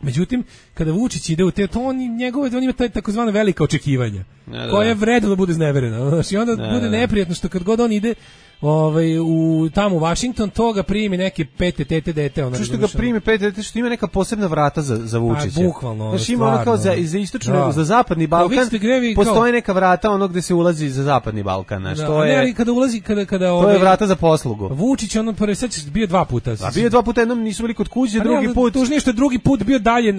Međutim, kada Vučić ide u te, to on, njegove, on ima taj takozvano velika očekivanja, ja, koja je vredno da bude zneverena. Znači, onda ja, bude neprijatno što kad god on ide ovaj, u, tamo u Washington, to ga primi neke pete tete dete. Ona, što ga primi pete dete, što ima neka posebna vrata za, za Vučića. Pa, bukvalno. Znači, ima ono kao za, za istočni, da. Za zapadni Balkan, grevi, postoje kao... neka vrata ono gde se ulazi za zapadni Balkan. Znači, da, to je, ne, kada ulazi, kada, kada, to ovaj, je vrata za poslugu. Vučić, ono, prvi, sad bio dva puta. A bio dva puta, jednom nisu bili kod kuće, drugi ne, put. Tužnije što je drugi put bio dalje,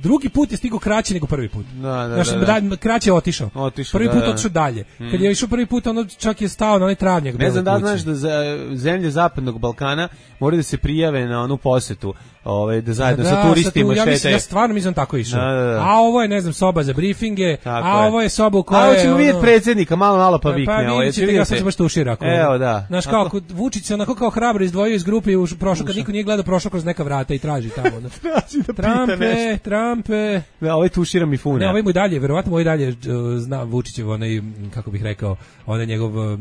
drugi put je stigao kraće nego prvi put. Da, da, znači, da, da. Kraće je otišao. otišao prvi da, put da. otišao dalje. Hmm. Kad je išao prvi put, ono čak je stao na onaj travnjak. Ne znam da znaš da za zemlje zapadnog Balkana moraju da se prijave na onu posetu, ovaj da zajedno da, sa turistima ja, šetaju. Ja stvarno mislim tako išao. Da, da, da. A ovo je, ne znam, soba za briefinge, tako a je. ovo je soba u kojoj a hoćemo ono... vidjeti predsjednika, malo malo pa vikne. Pa ovo, vidite, ja sam se baš tušira. Evo da. Znaš kao, ako Vučić se onako kao hrabro izdvojio iz grupe i už prošao, kad niko nije gledao, prošao kroz neka vrata i traži tamo. Da. traži da Trampe, Trampe. Da, ovaj tušira mi fune. Ne, ovaj mu i dalje, verovatno ovaj dalje uh, zna Vučićev, onaj, kako bih rekao, onaj njegov... Uh,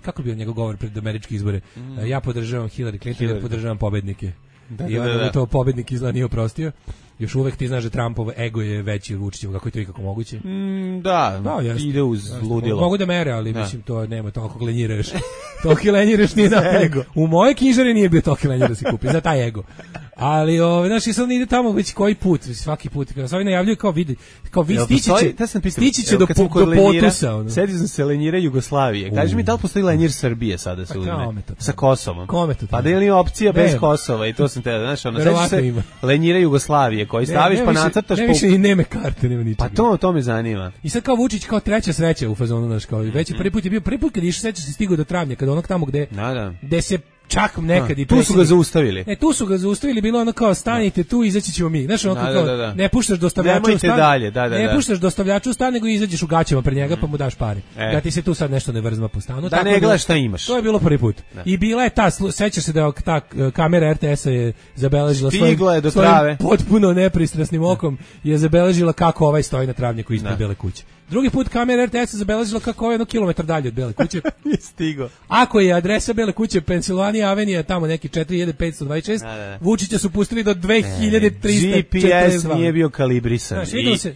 kako bi on njegov govor pred američke izbore? Mm. Ja podržavam Hillary Clinton, Hillary. Ja podržavam pobednike. Da, I onda da, da, da. to pobednik izgleda nije oprostio. Još uvek ti znaš da Trumpov ego je veći od Vučićeva, kako je to ikako moguće? Mm, da, da ide uz jasno. Ludilo. Mogu da mere, ali da. Mislim to nema, toliko lenjiraš. Toliko lenjiraš nije da ego. U moje knjižare nije bio toliko lenjir da se kupi, za taj ego. Ali ovaj znači sad ide tamo već koji put, svaki put kad se oni najavljuju kao vidi, kao vi stići će, stići će do do Potusa. Ono. Sedi sam se lenjira Jugoslavije. Kaži mi da li postoji lenjir Srbije sada se uzme sa Kosovom? Pa da li je opcija bez Kosova i to sam te, znaš, ono sećaš se lenjira Jugoslavije koji staviš pa nacrtaš po više i nema karte, nema ničega. Pa to to me zanima. I sad kao Vučić kao treća sreća u fazonu naš kao već prvi put je bio prvi put kad išao sećaš se stigao do travnja kad onog tamo gde gde se čak nekad i tu su ga zaustavili. E tu su ga zaustavili, bilo ono kao stanite tu, izaći ćemo mi. Znaš, ono da, kao da, da. ne puštaš dostavljaču u stan. Dalje, da, da, ne da. puštaš dostavljaču u stan, nego izađeš u gaćama pred njega pa mu daš pare. E. Da ti se tu sad nešto ne vrzma po stanu. Da tako ne gledaš šta imaš. To je bilo prvi put. Da. I bila je ta, sećaš se da ta kamera R T S-a je zabeležila svojim, do svojim potpuno nepristrasnim okom je zabeležila kako ovaj stoji na travnjaku ispred Bele kuće. Drugi put kamera R T S zabeležila kako je jedno kilometar dalje od Bele kuće. Nije stigo. Ako je adresa Bele kuće Pennsylvania Avenue, tamo neki četiri hiljade petsto dvadeset šest, Vučića su pustili do dve hiljade trista četrdeset dva. G P S nije bio kalibrisan. Znaš, I, se,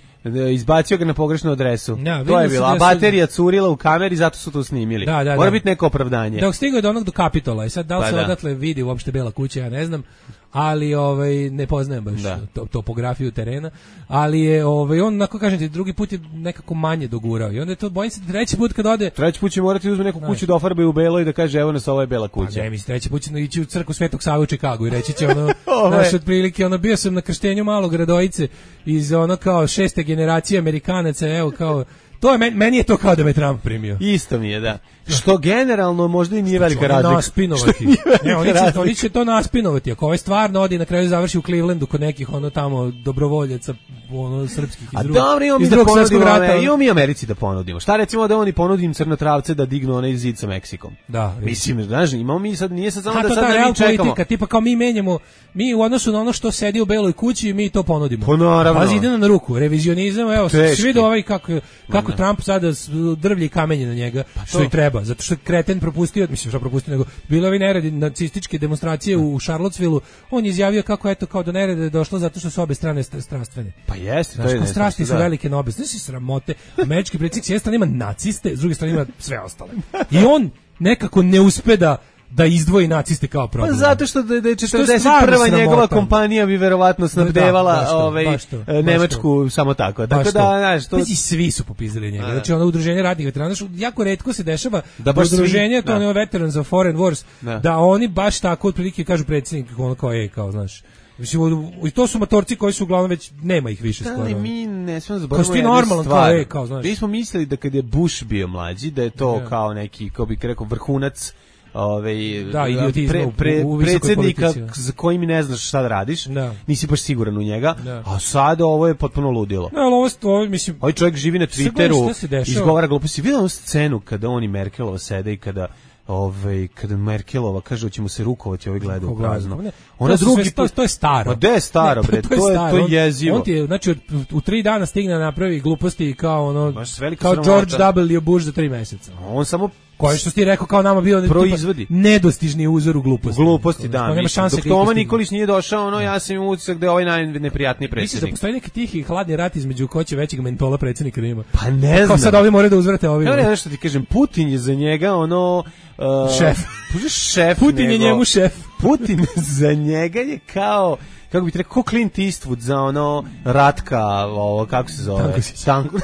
izbacio ga na pogrešnu adresu. Ja, to je bilo. A da baterija curila u kameri, zato su to snimili. Da, da, Mora da. biti neko opravdanje. Dok stigao do onog do Kapitola i sad da li Pa se da. odatle vidi uopšte Bela kuća, ja ne znam, ali ovaj ne poznajem baš Da. to, topografiju terena, ali je ovaj on onako kažem ti drugi put je nekako manje dogurao i onda je to bojim se treći put kad ode Treći put će morati da uzme neku kuću da ofarbaju u belo i da kaže evo nas ovo je Bela kuća. Pa ne, mislim, treći put će ići u crkvu Svetog Save u Čikagu i reći će ono, Ovo je- naš otprilike, ono, bio sam na krštenju malog Radojice iz ono kao šeste generacije Amerikanaca, evo kao, to je, meni, meni je to kao da me Trump primio. Isto mi je, da. Što generalno možda i nije velika Oni razlika. naspinovati. Što nije velika Ne, oni će, razlika. oni će to naspinovati. Ako ovaj stvarno odi i na kraju završi u Clevelandu kod nekih ono tamo dobrovoljaca ono srpskih iz A drugog, dobro, imamo mi iz da drugog svjetskog ponudimo, rata. ove, imamo mi Americi da ponudimo. Šta recimo da oni ponudim crnotravce da dignu onaj zid sa Meksikom? Da, Mislim, znaš, imamo mi sad, nije sad samo A da to sad ta da real mi čekamo. politika, tipa kao mi menjamo, mi u odnosu na ono što sedi u beloj kući, mi to ponudimo. Pa naravno. Pazi, ide nam na ruku, revizionizam, evo, Teški. svi vidi ovaj kako, kako Trump sada s- drvlje i kamenje na njega, što to. i treba, zato što je kreten propustio, mislim što propustio, nego bilo ovi neredi, nacističke demonstracije u Charlottesvilleu, on je izjavio kako eto kao do nereda je došlo zato što su obe strane st- strastvene. Pa jeste, to Znaš, je kao nešto, strasti su da. velike na obe. Znaš, si sramote. Američki predsjednik s jedne strane ima naciste, s druge strane ima sve ostale. I on nekako ne uspe da da izdvoji naciste kao Pa problem. zato što da, da je Što je četrdeset stvarno prva sramota. njegova kompanija bi verovatno snabdevala Da, baš to, ovaj, baš to, e, baš Nemačku samo tako. Baš Tako to. da, znaš, to... Pazi, svi su popizdali njega. Da. Znači, ono udruženje radnih veterana, što jako retko se dešava Da da baš svi- udruženje, to da. ono Veterans of Foreign Wars, Da. da. oni baš tako otprilike kažu predsjednik, ono kao je, kao, znaš. Mislim, u- i to su motorci koji su uglavnom već, nema ih više skoro. Ali mi ne smemo Kao zaboraviti si ti jednu normalan, stvar. kao, ej, kao, znaš. Mi smo mislili da kad je Bush bio mlađi, da je to Da. kao neki, kao bih rekao, vrhunac ovaj Da, idiotizma u- pre, u visokoj predsjednika politici. za kojim ne znaš šta da radiš, Da. nisi baš siguran u njega, Da. a sad ovo je potpuno ludilo. Ne, ali ovo, ovo mislim, Ovaj čovjek živi na Sad gledaj Twitteru, šta se dešava. izgovara gluposti. Vidio onu scenu kada on i Merkelova sede i kada ovaj kada Merkelova kaže da će mu se rukovati, ovaj gleda u prazno. Ne, Ona to su drugi sve- to, put- to je staro. Ma gde je staro, Ne, bre? To je staro. to je On- jezivo. On ti je, znači, od- u tri dana stigne da napravi gluposti kao ono, Baš velika kao sramota. George W. Bush za tri meseca. On samo Koji što si ti rekao kao nama bio Proizvodi. tipa, nedostižni uzor u gluposti. gluposti, Znaš, da. kao nema mislim, šanse dok kad ih Toma postigne. Nikolić nije došao, ono, ja sam imao utisak da je ovaj najneprijatniji Misliš da predsjednik. postoji neki tihi hladni rat između ko će većeg mentola predsjednika da ima? Pa ne znam. Kao sad ovi moraju da uzvrate ovi. Evo ne, nešto ti kažem, Putin je za njega ono... Uh, Šef. Pa šef Putin je nego- njemu šef. Putin za njega je kao kako bi ti rekao, ko Clint Eastwood za ono Ratka, ovo, kako se zove? Tankosić. Tanko.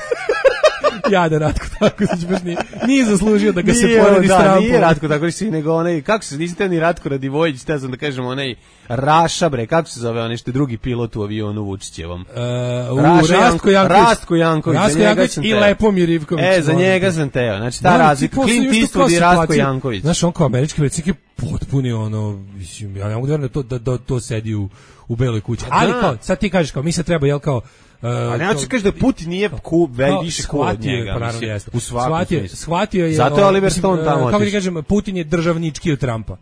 Ja da Ratko tako znači baš nije, nije zaslužio da ga se Nije, poredi s da, Trumpom. nije Ratko tako si, nego onaj, kako se, nisi te ni Ratko Radivojić, te sam da kažem, onaj Raša, bre, kako se zove, onaj što je drugi pilot u avionu Vučićevom. Uh, u Raša Rastko Janko- Janković. Rastko Janković, za Rastko njega Janković sam i teo. Lepomir Ivković. E, za Molim njega te. sam teo, znači ta Da, razlika, ti posle Clint imaš tu kao Eastwood i Rastko situaciju. Janković. Znaš, on kao američki predsjednik je potpuni ono, mislim, ja ne mogu da verujem da to, da, da to sedi u, u beloj kući. Ali da. kao, sad ti kažeš kao, mi se treba, jel kao, Uh, A ne hoćeš kažeš da Putin nije ku, ve, kao, više cool od shvatio je, njega. pa naravno mislim, jeste. U svakom shvatio, smislu. shvatio je. Zato je ono, Oliver mislim, Stone uh, tamo Kako ti otišao. kažem, Putin je državnički od Trumpa.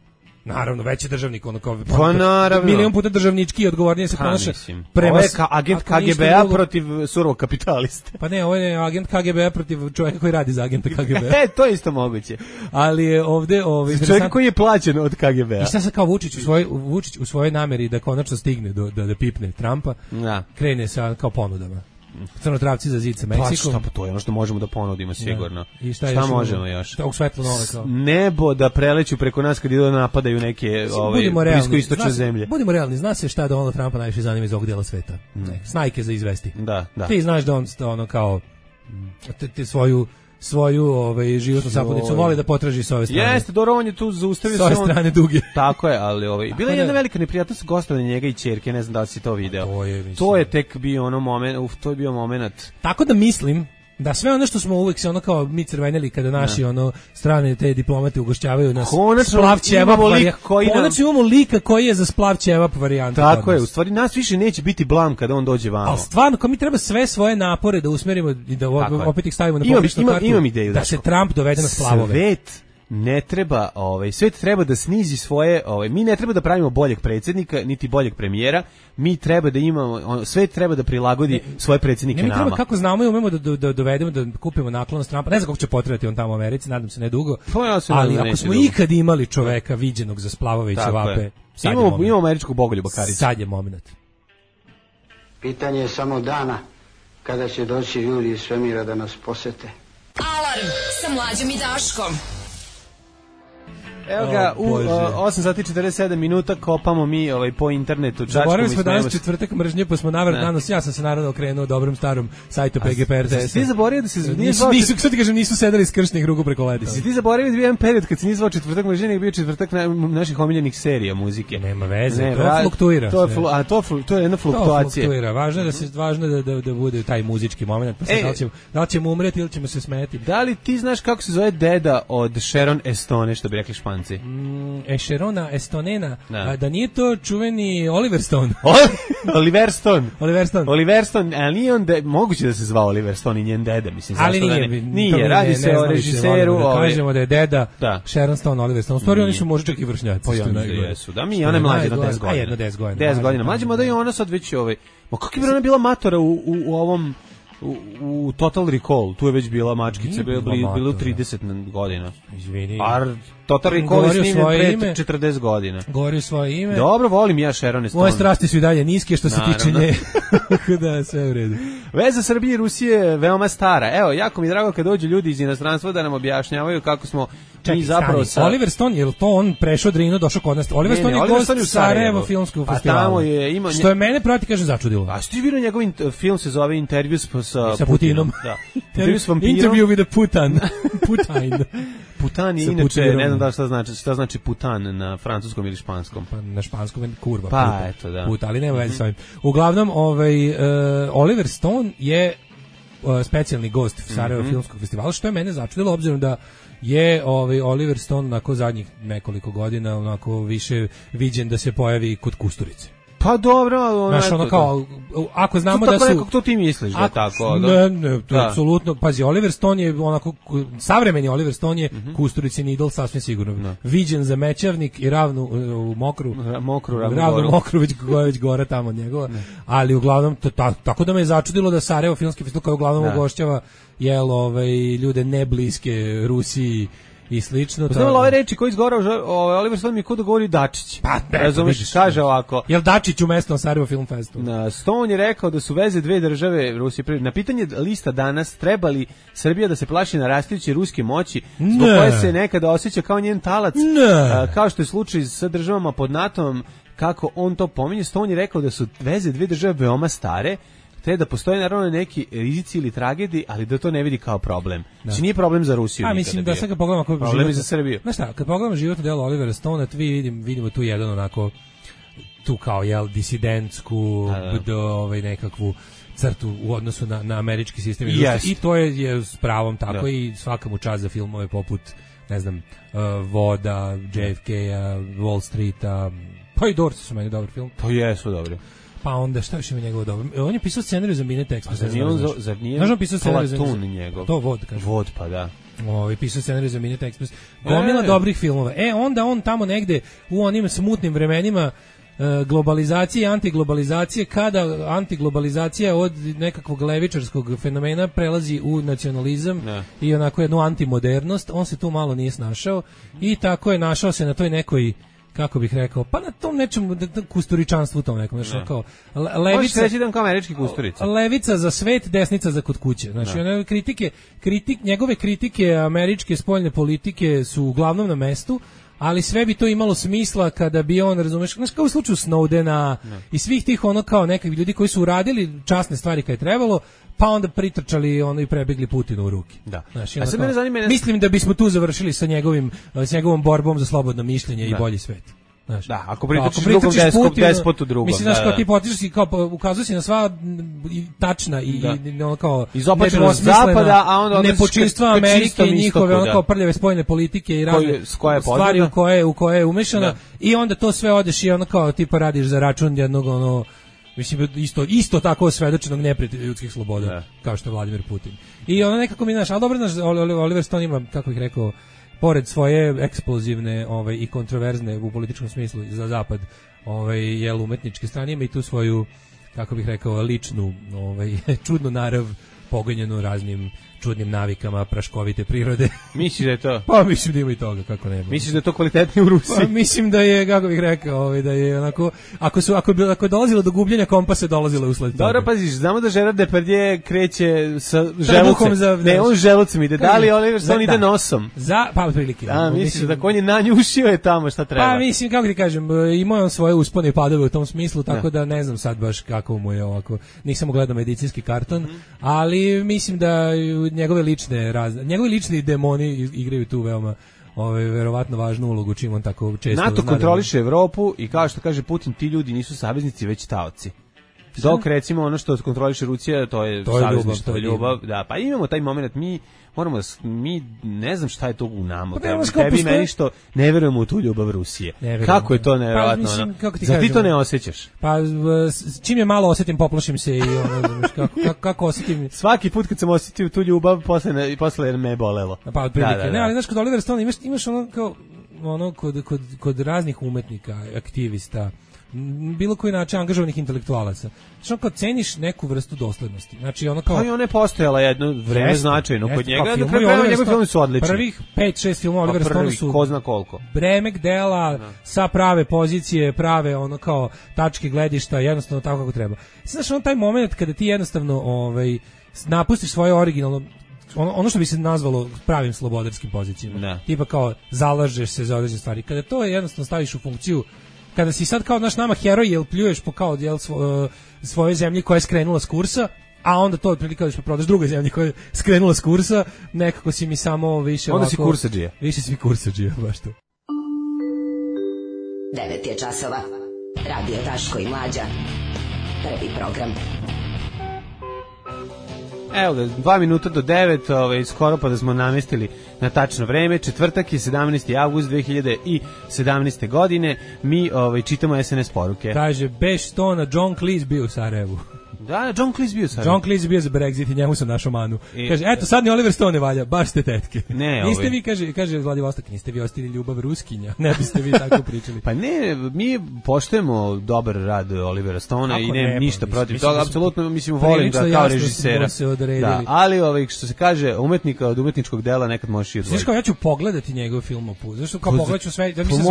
Naravno, veći državnik, ono kao... Pa naravno. Milion puta državnički i odgovornije se Ha, ponaša mislim. prema... Ovo je ka agent ako ništa K G B-a drugo- protiv surovog kapitaliste. Pa ne, ovo je agent K G B-a protiv čovjeka koji radi za agenta K G B-a. E, to je isto moguće. Ali je ovde... Ovaj, Čovjek koji je plaćen od K G B-a. I šta sad kao Vučić u svojoj Vučić u svojoj nameri da konačno stigne do da da pipne Trumpa, Da. krene sa kao ponudama. Crnotravci za zid sa Pa Meksikom. šta, pa to je ono što možemo da ponudimo sigurno. Da. I šta, šta još možemo imamo? još? Šta u svetlo nove kao. Nebo da preleću preko nas kad idu da napadaju neke ove, Budimo realni. bliskoistočne Zna se- zemlje. Budimo realni, zna se šta Donald Trumpa najviše zanima iz ovog dela sveta. Ne. Snajke za izvesti. Da, da. Ti znaš da on sto- ono kao te, te svoju svoju ovaj životnu sapunicu voli da potraži sa ove strane. Jeste, dobro, on je tu zaustavio Sa ove se on. strane duge. Tako je, ali ovaj bila je da- jedna velika neprijatnost gostovanja njega i ćerke, ne znam da li si to video. To je, mislim. To je tek bio ono moment, uf, to je bio momenat. Tako da mislim da sve ono što smo uvek se ono kao mi crveneli kada naši ono strane te diplomate ugošćavaju nas Konačno splav ćevap imamo lik varija- koji nam- konačno imamo lika koji je za splav ćevap varijanta. Tako kod je, nas. u stvari nas više neće biti blam kada on dođe vamo. Ali stvarno, kao mi treba sve svoje napore da usmerimo i da Tako je. opet ih stavimo na Imam- pogrešnu imam- kartu, imam ideju, da se Daško. Trump dovede na splavove. Svet ne treba, ovaj svet treba da snizi svoje, ovaj mi ne treba da pravimo boljeg predsjednika niti boljeg premijera, mi treba da imamo, on, svet treba da prilagodi svoje predsjednike Ne, mi treba nama. kako znamo i umemo da, da, da dovedemo, da kupimo naklonost Trumpa. Ne znam kako će potrebati on tamo u Americi, nadam se ne dugo. Pa ja se ali nadam da ako neće smo dugo. ikad imali čoveka viđenog za splavove i Tako ćevape, je. sad je Imamo, moment. imamo američkog Bogoljuba Karića. Sad je moment. Pitanje je samo dana kada će doći ljudi iz svemira da nas posete. Alarm sa Mlađom i Daškom. Evo ga, u osam sati četrdeset sedam minuta kopamo mi ovaj, po internetu. Zaboravili smo danas četvrtak mržnje, pa smo navrat danas, ja sam se naravno okrenuo dobrom starom sajtu P G P R T S. Ti zaboravio da se nisu, nisu, sad ti kažem, nisu sedali skršnih ruku preko ledice. Si ti zaboravio da bio jedan period kad se nije zvao četvrtak mržnje, nego bio četvrtak na, naših omiljenih serija muzike. Nema veze, ne, to ra, fluktuira. To je, flu, a to, to je jedna fluktuacija. To fluktuira, važno je da, se, važno da, da, da bude taj muzički moment, pa se, e, da, li ćemo, da li ćemo umreti ili ćemo se smeti. Da li ti znaš kako se zove deda od Sharon Estone, što bi rekli Španci? Mm, Ešerona Estonena, da. da nije to čuveni Oliver Stone. Oliver Stone. Oliver Stone. Oliver Stone, ali nije on, de, moguće da se zvao Oliver Stone i njen deda, mislim. Ali nije, da ne, nije, radi ne, se ne o režiseru. Da kažemo da je deda da. Sharon Stone, Oliver Stone. U stvari oni su možda čak i vršnjaci. Pa ja jesu, da mi, ona je mlađa na deset godina. A jedno deset godina. deset godina, mlađa, da i ona sad već ovaj, ma kakva je ona bila matora u, u, u ovom U, u Total Recall, tu je već bila mačkica, bilo, bilo trideset godina. Izvini. A Total Recall je snimljen pre četrdeset godina. Govori svoje ime. Dobro, volim ja Sharon Stone. Moje strasti su i dalje niske što se Naravno. tiče nje. Da, sve u redu. Veza Srbije i Rusije je veoma stara. Evo, jako mi je drago kad dođu ljudi iz inostranstva da nam objašnjavaju kako smo Čekaj, mi zapravo sa... Oliver Stone, je li to on prešao Drinu, došao kod nas? Oliver Stone je gost u Sarajevo filmskog festivala. Pa tamo je, ima... Što je mene proti, kažem, začudilo. A što ti vidio njegov film se zove Intervju sa, sa, sa Putinom? Da. Intervju s vampirom. Interview with a Putan. Putain. Putan je inače, ne znam da šta znači, šta znači putan na francuskom ili španskom. Pa na španskom je kurva. Pa, puta, eto, da. Puta, ali nema veze s ovim. Uglavnom, ovaj, uh, Oliver Stone je uh, specijalni gost Sarajevo mm -hmm. filmskog festivala, što je mene začudilo, obzirom da je ovaj Oliver Stone nakon zadnjih nekoliko godina onako više viđen da se pojavi kod Kusturice. Pa dobro, ono, znaš, ono kao, ako znamo da su... Nekako to ti misliš da je tako? Da? Ne, ne, to je apsolutno, pazi, Oliver Stone je onako, savremeni Oliver Stone je mm -hmm. Kusturicin idol, sasvim sigurno. No. Viđen za Mećavnik i ravnu u Mokru, Ra, mokru ravnu, ravnu Mokru, već koja već gore tamo od njegova, ne. Ali uglavnom, to, ta, tako da me je začudilo da Sarajevo filmski festival koji uglavnom ugošćava, jel, ovaj, ljude nebliske Rusiji, i slično. Znamo ove reči koji izgora ovaj Oliver Stone mi kod da govori Dačić. Pa, razumeš, kaže ovako. Jel Dačić u mesto Sarajevo Film Festival? Na Stone je rekao da su veze dve države Rusije. Na pitanje lista danas treba li Srbija da se plaši narastajuće ruske moći, zbog koje se nekada osjeća kao njen talac, a, kao što je slučaj sa državama pod NATO-om, kako on to pominje, Stone je rekao da su veze dve države veoma stare, te da postoje naravno neki rizici ili tragedije, ali da to ne vidi kao problem. Znači nije problem za Rusiju. A mislim da sad kad pogledamo kako problem je za Srbiju. Znaš šta, kad pogledamo životno delo Olivera Stonea, vi vidim, vidimo tu jedan onako tu kao jel disidentsku do ovaj nekakvu crtu u odnosu na, na američki sistem yes. I to je, je s pravom tako da. I svaka mu čast za filmove poput ne znam uh, Voda, J F K-a, Wall Streeta, pa i Doors su meni dobar film. Pa jesu dobri. Pa onda šta više mi njegovo dobro. On je pisao scenarij za Midnight Express. Zar nije on za, zar nije znaš on pisao scenarij za njegov? To Vod, kaže. Vod, pa da. Ovaj pisao scenarij za Midnight Express. Gomila e. dobrih filmova. E, onda on tamo negde u onim smutnim vremenima e, globalizacije i antiglobalizacije, kada antiglobalizacija od nekakvog levičarskog fenomena prelazi u nacionalizam ne. I onako jednu antimodernost, on se tu malo nije snašao i tako je našao se na toj nekoj kako bih rekao, pa na tom nečemu kusturičanstvu tom nekom, znači kao levica, reći da kao američki Kusturica. Levica za svet, desnica za kod kuće. Znači one kritike, kritik, njegove kritike američke spoljne politike su uglavnom na mestu, ali sve bi to imalo smisla kada bi on, razumeš, znači kao u slučaju Snowdena ne. I svih tih ono kao nekakvi ljudi koji su uradili časne stvari kad je trebalo, pa onda pritrčali ono i prebegli Putinu u ruke. Da. Znači, a sad mene zanima, ne... mislim da bismo tu završili sa njegovim s njegovom borbom za slobodno mišljenje da. I bolji svet. Znaš, da, ako pritrčiš drugom deskop, despotu drugom. Mislim, znaš, da, kao da. ti potičeš i kao ukazuješ na sva i tačna i, da. I ono kao izopačenost zapada, a onda nepočinstva Amerike i njihove ono kao prljave spoljne politike i razne stvari u koje, u koje je umešana da. I onda to sve odeš i ono kao tipa radiš za račun jednog ono mislim isto isto tako osvedočenog neprijatelja ljudskih sloboda da. Kao što je Vladimir Putin. I ono nekako mi znaš, al dobro znaš Oliver Stone ima, kako bih rekao, pored svoje eksplozivne ovaj i kontroverzne u političkom smislu za zapad, ovaj jel umetničke strane ima i tu svoju, kako bih rekao, ličnu, ovaj čudnu narav pogonjenu raznim čudnim navikama praškovite prirode. Misliš da je to? Pa mislim da ima i toga, kako ne. Misliš da je to kvalitetnije u Rusiji? Pa mislim da je, kako bih rekao, ovaj, da je onako, ako su ako bi ako je dolazilo do gubljenja kompasa, dolazilo usled toga. Dobro, paziš, znamo da Gerard Depardieu kreće sa želucem. Za, ne, on želucem ide. Da li Oliver Stone ide nosom? Za, pa otprilike. A, misliš da on je nanjušio je tamo šta treba? Pa mislim, kako ti kažem, imao on svoje uspone i padove u tom smislu, tako da, da ne znam sad baš kako mu je ovako. Nisam gledao medicinski karton, mm -hmm. ali mislim da njegove lične raz, njegovi lični demoni igraju tu veoma ovaj verovatno važnu ulogu, čim on tako često NATO kontroliše Evropu i kao što kaže Putin, ti ljudi nisu saveznici već taoci. Dok recimo ono što kontroliše Rusija, to je to savezništvo, to je ljubav, da, pa imamo taj momenat, mi moramo da, mi ne znam šta je to u nama, pa tebi, tebi i meni što ne verujemo u tu ljubav Rusije. Kako je to nevjerojatno? Pa, ono, kako ti za kažem, ti to ne osjećaš? Pa čim je malo osjetim, poplašim se i ono, kako, kako, kako osjetim. Svaki put kad sam osjetio tu ljubav, posle, posle me bolelo. Pa otprilike, da, da, da. Ne, ali znaš, kod Oliver Stone imaš, imaš ono kao, ono, kod, kod, kod raznih umetnika, aktivista, bilo koji način angažovanih intelektualaca. Znači, kad ceniš neku vrstu doslednosti. Znači, ono kao... Pa i ona je postojala jedno vreme jeste, značajno kod njega, da filmu, kraju njegovi filmi su odlični. Prvih pet šest filmova Oliver Stone su... ko zna koliko. Bremek dela, no. sa prave pozicije, prave ono kao tačke gledišta, jednostavno tako kako treba. Znaš, ono taj moment kada ti jednostavno ovaj, napustiš svoje originalno ono, ono što bi se nazvalo pravim slobodarskim pozicijama. Ne. Tipa kao zalažeš se za određene stvari. Kada to jednostavno staviš u funkciju, kada si sad kao naš nama heroj, jel pljuješ po kao jel, svo, svoje zemlje koja je skrenula s kursa, a onda to otprilike kao da prodaš drugoj zemlji koja je skrenula s kursa, nekako si mi samo više onda ovako... si kursadžija. Više si kursadžija, baš to. devet je časova. Radio Daško i Mlađa. Prvi program. Evo ga, dva minuta do devet, ovaj, skoro pa da smo namestili na tačno vreme. Četvrtak je sedamnaesti avgust dve hiljade sedamnaeste. godine. Mi ovaj, čitamo es em es poruke. Kaže, Beš Stona, John Cleese bio u Sarajevu. Da, John Cleese bio u Sarajevu. John Cleese bio za Brexit i njemu sam našao manu. I, kaže, eto, sad ni Oliver Stone ne valja, baš ste tetke. Ne, niste ovaj. vi, kaže, kaže Vladivostok, niste vi ostili ljubav Ruskinja. Ne biste vi tako pričali. Pa ne, mi poštujemo dobar rad Olivera Stona i nemam ništa mislim, protiv mislim, toga, apsolutno mislim volim ga kao režisera. Da, ali ovaj, što se kaže, umetnika od umetničkog dela nekad možeš i odvojiti. Znaš kao, ja ću pogledati njegov film opu. Zašto kao pogledaću sve, da mislim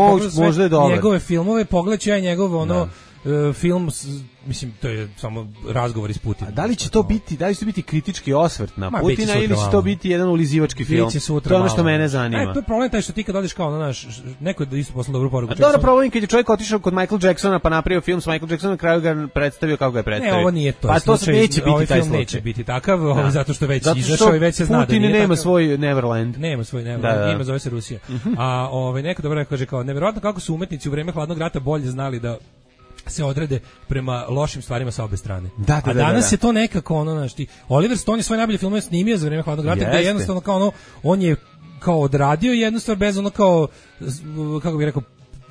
sve njegove filmove, pogledaću ja njegov ono Uh, film, mislim, to je samo razgovor iz Putina. A da li će to biti, da li će to biti kritički osvrt na Ma, Putina ili će to biti jedan ulizivački film? To je ono što mene zanima. E, to je problem taj što ti kad odeš kao na naš, neko da isto poslao dobru poruku. A dobro, problem kad je čovjek otišao kod Michael Jacksona pa napravio film s Michael Jacksonom, na kraju ga predstavio kako ga je predstavio. Ne, ovo nije to. Pa to slučaj, neće biti ovaj taj film slučaj. Neće biti takav, da. zato što već izašao i već se zna da Putin nije nema takav. svoj Neverland. Nema svoj Neverland, da, da. ima zove se Rusija. Uh-huh. A ovaj neko dobro kaže kao neverovatno kako su umetnici u vreme hladnog rata bolje znali da se odrede prema lošim stvarima sa obe strane. Da, da, a danas da, da. je to nekako ono, znaš ti, Oliver Stone je svoje najbolje filmove snimio za vreme hladnog rata, gde je jednostavno kao ono, on je kao odradio jednu stvar bez ono kao, kako bih rekao,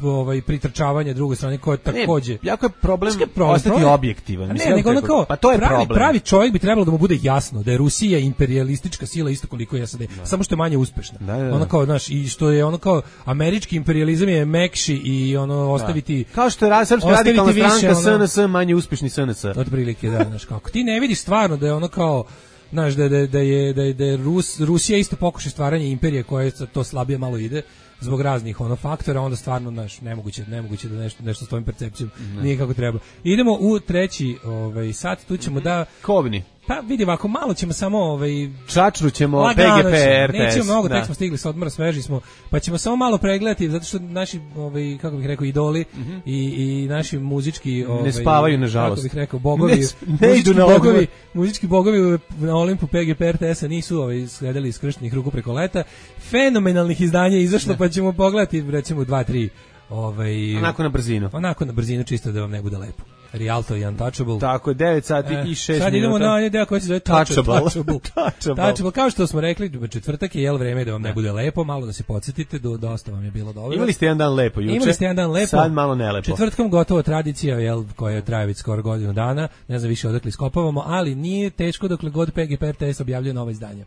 ovaj pritrčavanje druge strane koje takođe. Jako je problem, problem ostati problem, objektivan. Ne, nego ono kao, pa to je pravi, problem. Pravi čovjek bi trebalo da mu bude jasno da je Rusija imperialistička sila isto koliko je SAD, da. samo što je manje uspešna. Da, da, da. Ono kao, znaš, i što je ono kao američki imperijalizam je mekši i ono ostaviti da. Kao što je srpska radikalna stranka ono, S N S manje uspešni S N S. Otprilike, da, znaš kako. Ti ne vidiš stvarno da je ono kao znaš da da da je da je, da je Rus, Rusija isto pokušaj stvaranja imperije koje to slabije malo ide zbog raznih ono faktora, onda stvarno naš nemoguće nemoguće da nešto nešto s tvojom percepcijom ne. Nije kako treba. Idemo u treći ovaj sat, tu ćemo mm-hmm. da Kovni. Pa vidi ovako, malo ćemo samo ovaj čačrućemo P G P R T S. Nećemo mnogo, tek smo stigli sa odmora, sveži smo, pa ćemo samo malo pregledati zato što naši ovaj kako bih rekao idoli mm-hmm. i i naši muzički ovaj ne spavaju nažalost. Kako bih rekao bogovi, ne, ne idu na bogovi, muzički bogovi na Olimpu P G P R T S nisu ovaj sledili iz krštenih ruku preko leta. Fenomenalnih izdanja izašlo, pa ćemo pogledati recimo dva tri ovaj onako na brzinu. Onako na brzinu čisto da vam ne bude lepo. Rialto i Untouchable. Tako je, devet sati e, i šest minuta. Sad idemo na onaj deo koji se zove Touchable. Touchable. Touchable. Touchable. Kao što smo rekli, četvrtak je jel vreme da vam ne bude lepo, malo da se podsjetite, do, dosta vam je bilo dobro. Imali ste jedan dan lepo juče. Imali ste jedan dan lepo. Sad malo nelepo. Četvrtkom gotovo tradicija, jel, koja traje već skoro godinu dana, ne znam više odakle iskopavamo, ali nije teško dokle god P G P R T S objavljuje nova izdanja.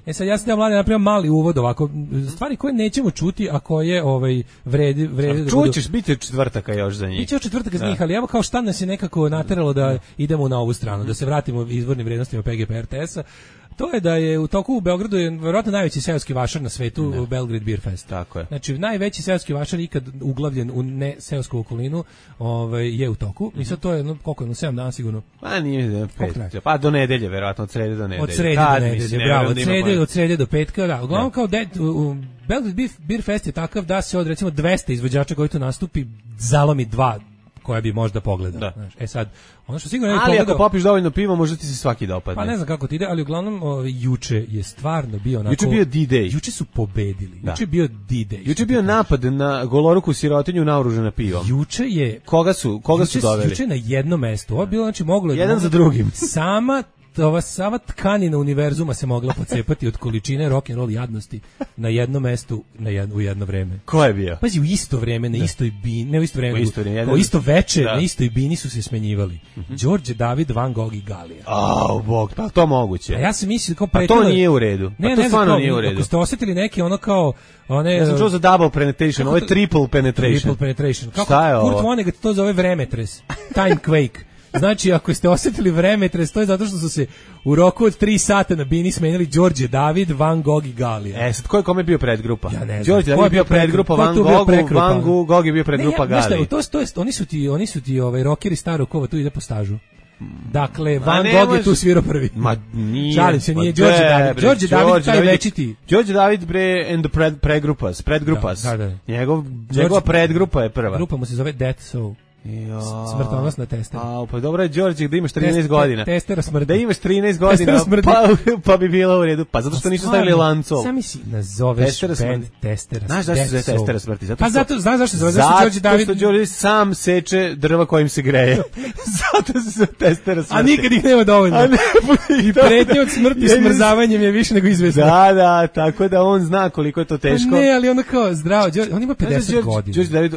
E sad ja sam da mlade napravio mali uvod ovako, stvari koje nećemo čuti, a koje ovaj vredi vredi da budu. Čućeš, biti četvrtaka još za njih. Biće četvrtak za njih, ali evo kao šta nas je nekako nateralo da idemo na ovu stranu, da se vratimo izvornim vrednostima P G P R T S-a. To je da je u toku u Beogradu je verovatno najveći seoski vašar na svetu, ne. Belgrade Beer Fest. Tako je. Znači najveći seoski vašar ikad uglavljen u ne seosku okolinu, ovaj je u toku. Mm-hmm. I sad to je no, koliko je, no sedam dana sigurno. Pa nije pet. Pa do nedelje verovatno, od srede do nedelje. Od srede Kad, do nedelje, mislim, bravo, od da srede, od srede do petka, da. Uglavnom kao de, u, u Belgrade Beer Fest je takav da se od recimo dvesta izvođača koji tu nastupi zalomi dva koja bi možda pogledao. Znaš. E sad, ono što sigurno ne bi ali pogledao... ako popiš dovoljno piva, možda ti se svaki dopadne. Pa ne znam kako ti ide, ali uglavnom o, juče je stvarno bio onako... Juče je bio D-Day. Juče su pobedili. Da. Juče je bio D-Day. Juče je bio napad na goloruku sirotinju naoružana pivom. Juče je... Koga su, koga juče, su doveli? Juče na jedno mesto. Ovo je bilo, znači, moglo... Jedan moglo, za drugim. Sama... ova sama tkanina univerzuma se mogla pocepati od količine rock and roll jadnosti na jednom mestu na jedno, u jedno vreme. Ko je bio? Pazi, u isto vreme, na da. istoj bini, ne u isto vreme, u isto, nego, u isto veče, da. na istoj bini su se smenjivali. Mm-hmm. Đorđe David, Van Gogh i Galija. Au, bog, pa to moguće. A ja sam mislio kao pretilo... Pa to nije u redu. Ne, pa to ne, stvarno kao, nije u redu. Ako ste osjetili neki ono kao one... Ja sam čuo za double penetration, ovo je triple penetration. Triple penetration. Kako šta je ovo? Kurt Vonnegut to zove vremetres. Time quake. Znači, ako ste osjetili vremetres, to je zato što su se u roku od tri sata na bini smenili Đorđe David, Van Gogh i Galija. E, sad, ko je kome bio predgrupa? Ja ne znam. Đorđe David je bio predgrupa Van Goghu, Van Gogh je bio predgrupa ne, ja, Galija. To, to, to, oni su ti, oni su ti ovaj, rockeri starog kova, tu ide po stažu. Dakle, Van Gogh je tu svirao prvi. Ma nije. Šalim se, nije Đorđe David. Đorđe David, taj večiti. Đorđe David bre and the pred, predgrupas, predgrupas. Da, da, da. Njegov, njegova predgrupa je prva. Grupa mu se zove Death Soul. Jo. Smrtonosna testera. A, pa dobro je Đorđe da imaš trinaest Test, godina. Testera smrti. Da imaš trinaest godina, pa, pa bi bilo u redu. Pa zato što nisu stavili lancov. Sami si nazoveš band Testera. Znaš zašto se zove Testera smrti? Zato pa zato, znaš zašto se zove? Zato Đorđe David... što Đorđe sam seče drva kojim se greje. Zato se zove Testera smrti. A nikad ih nema dovoljno. A ne, i pretnje od smrti smrzavanjem je više nego izvesno. Da, da, tako da on zna koliko je to teško. Pa ne, ali ono kao zdravo, on ima pedeset godina. Đorđe David,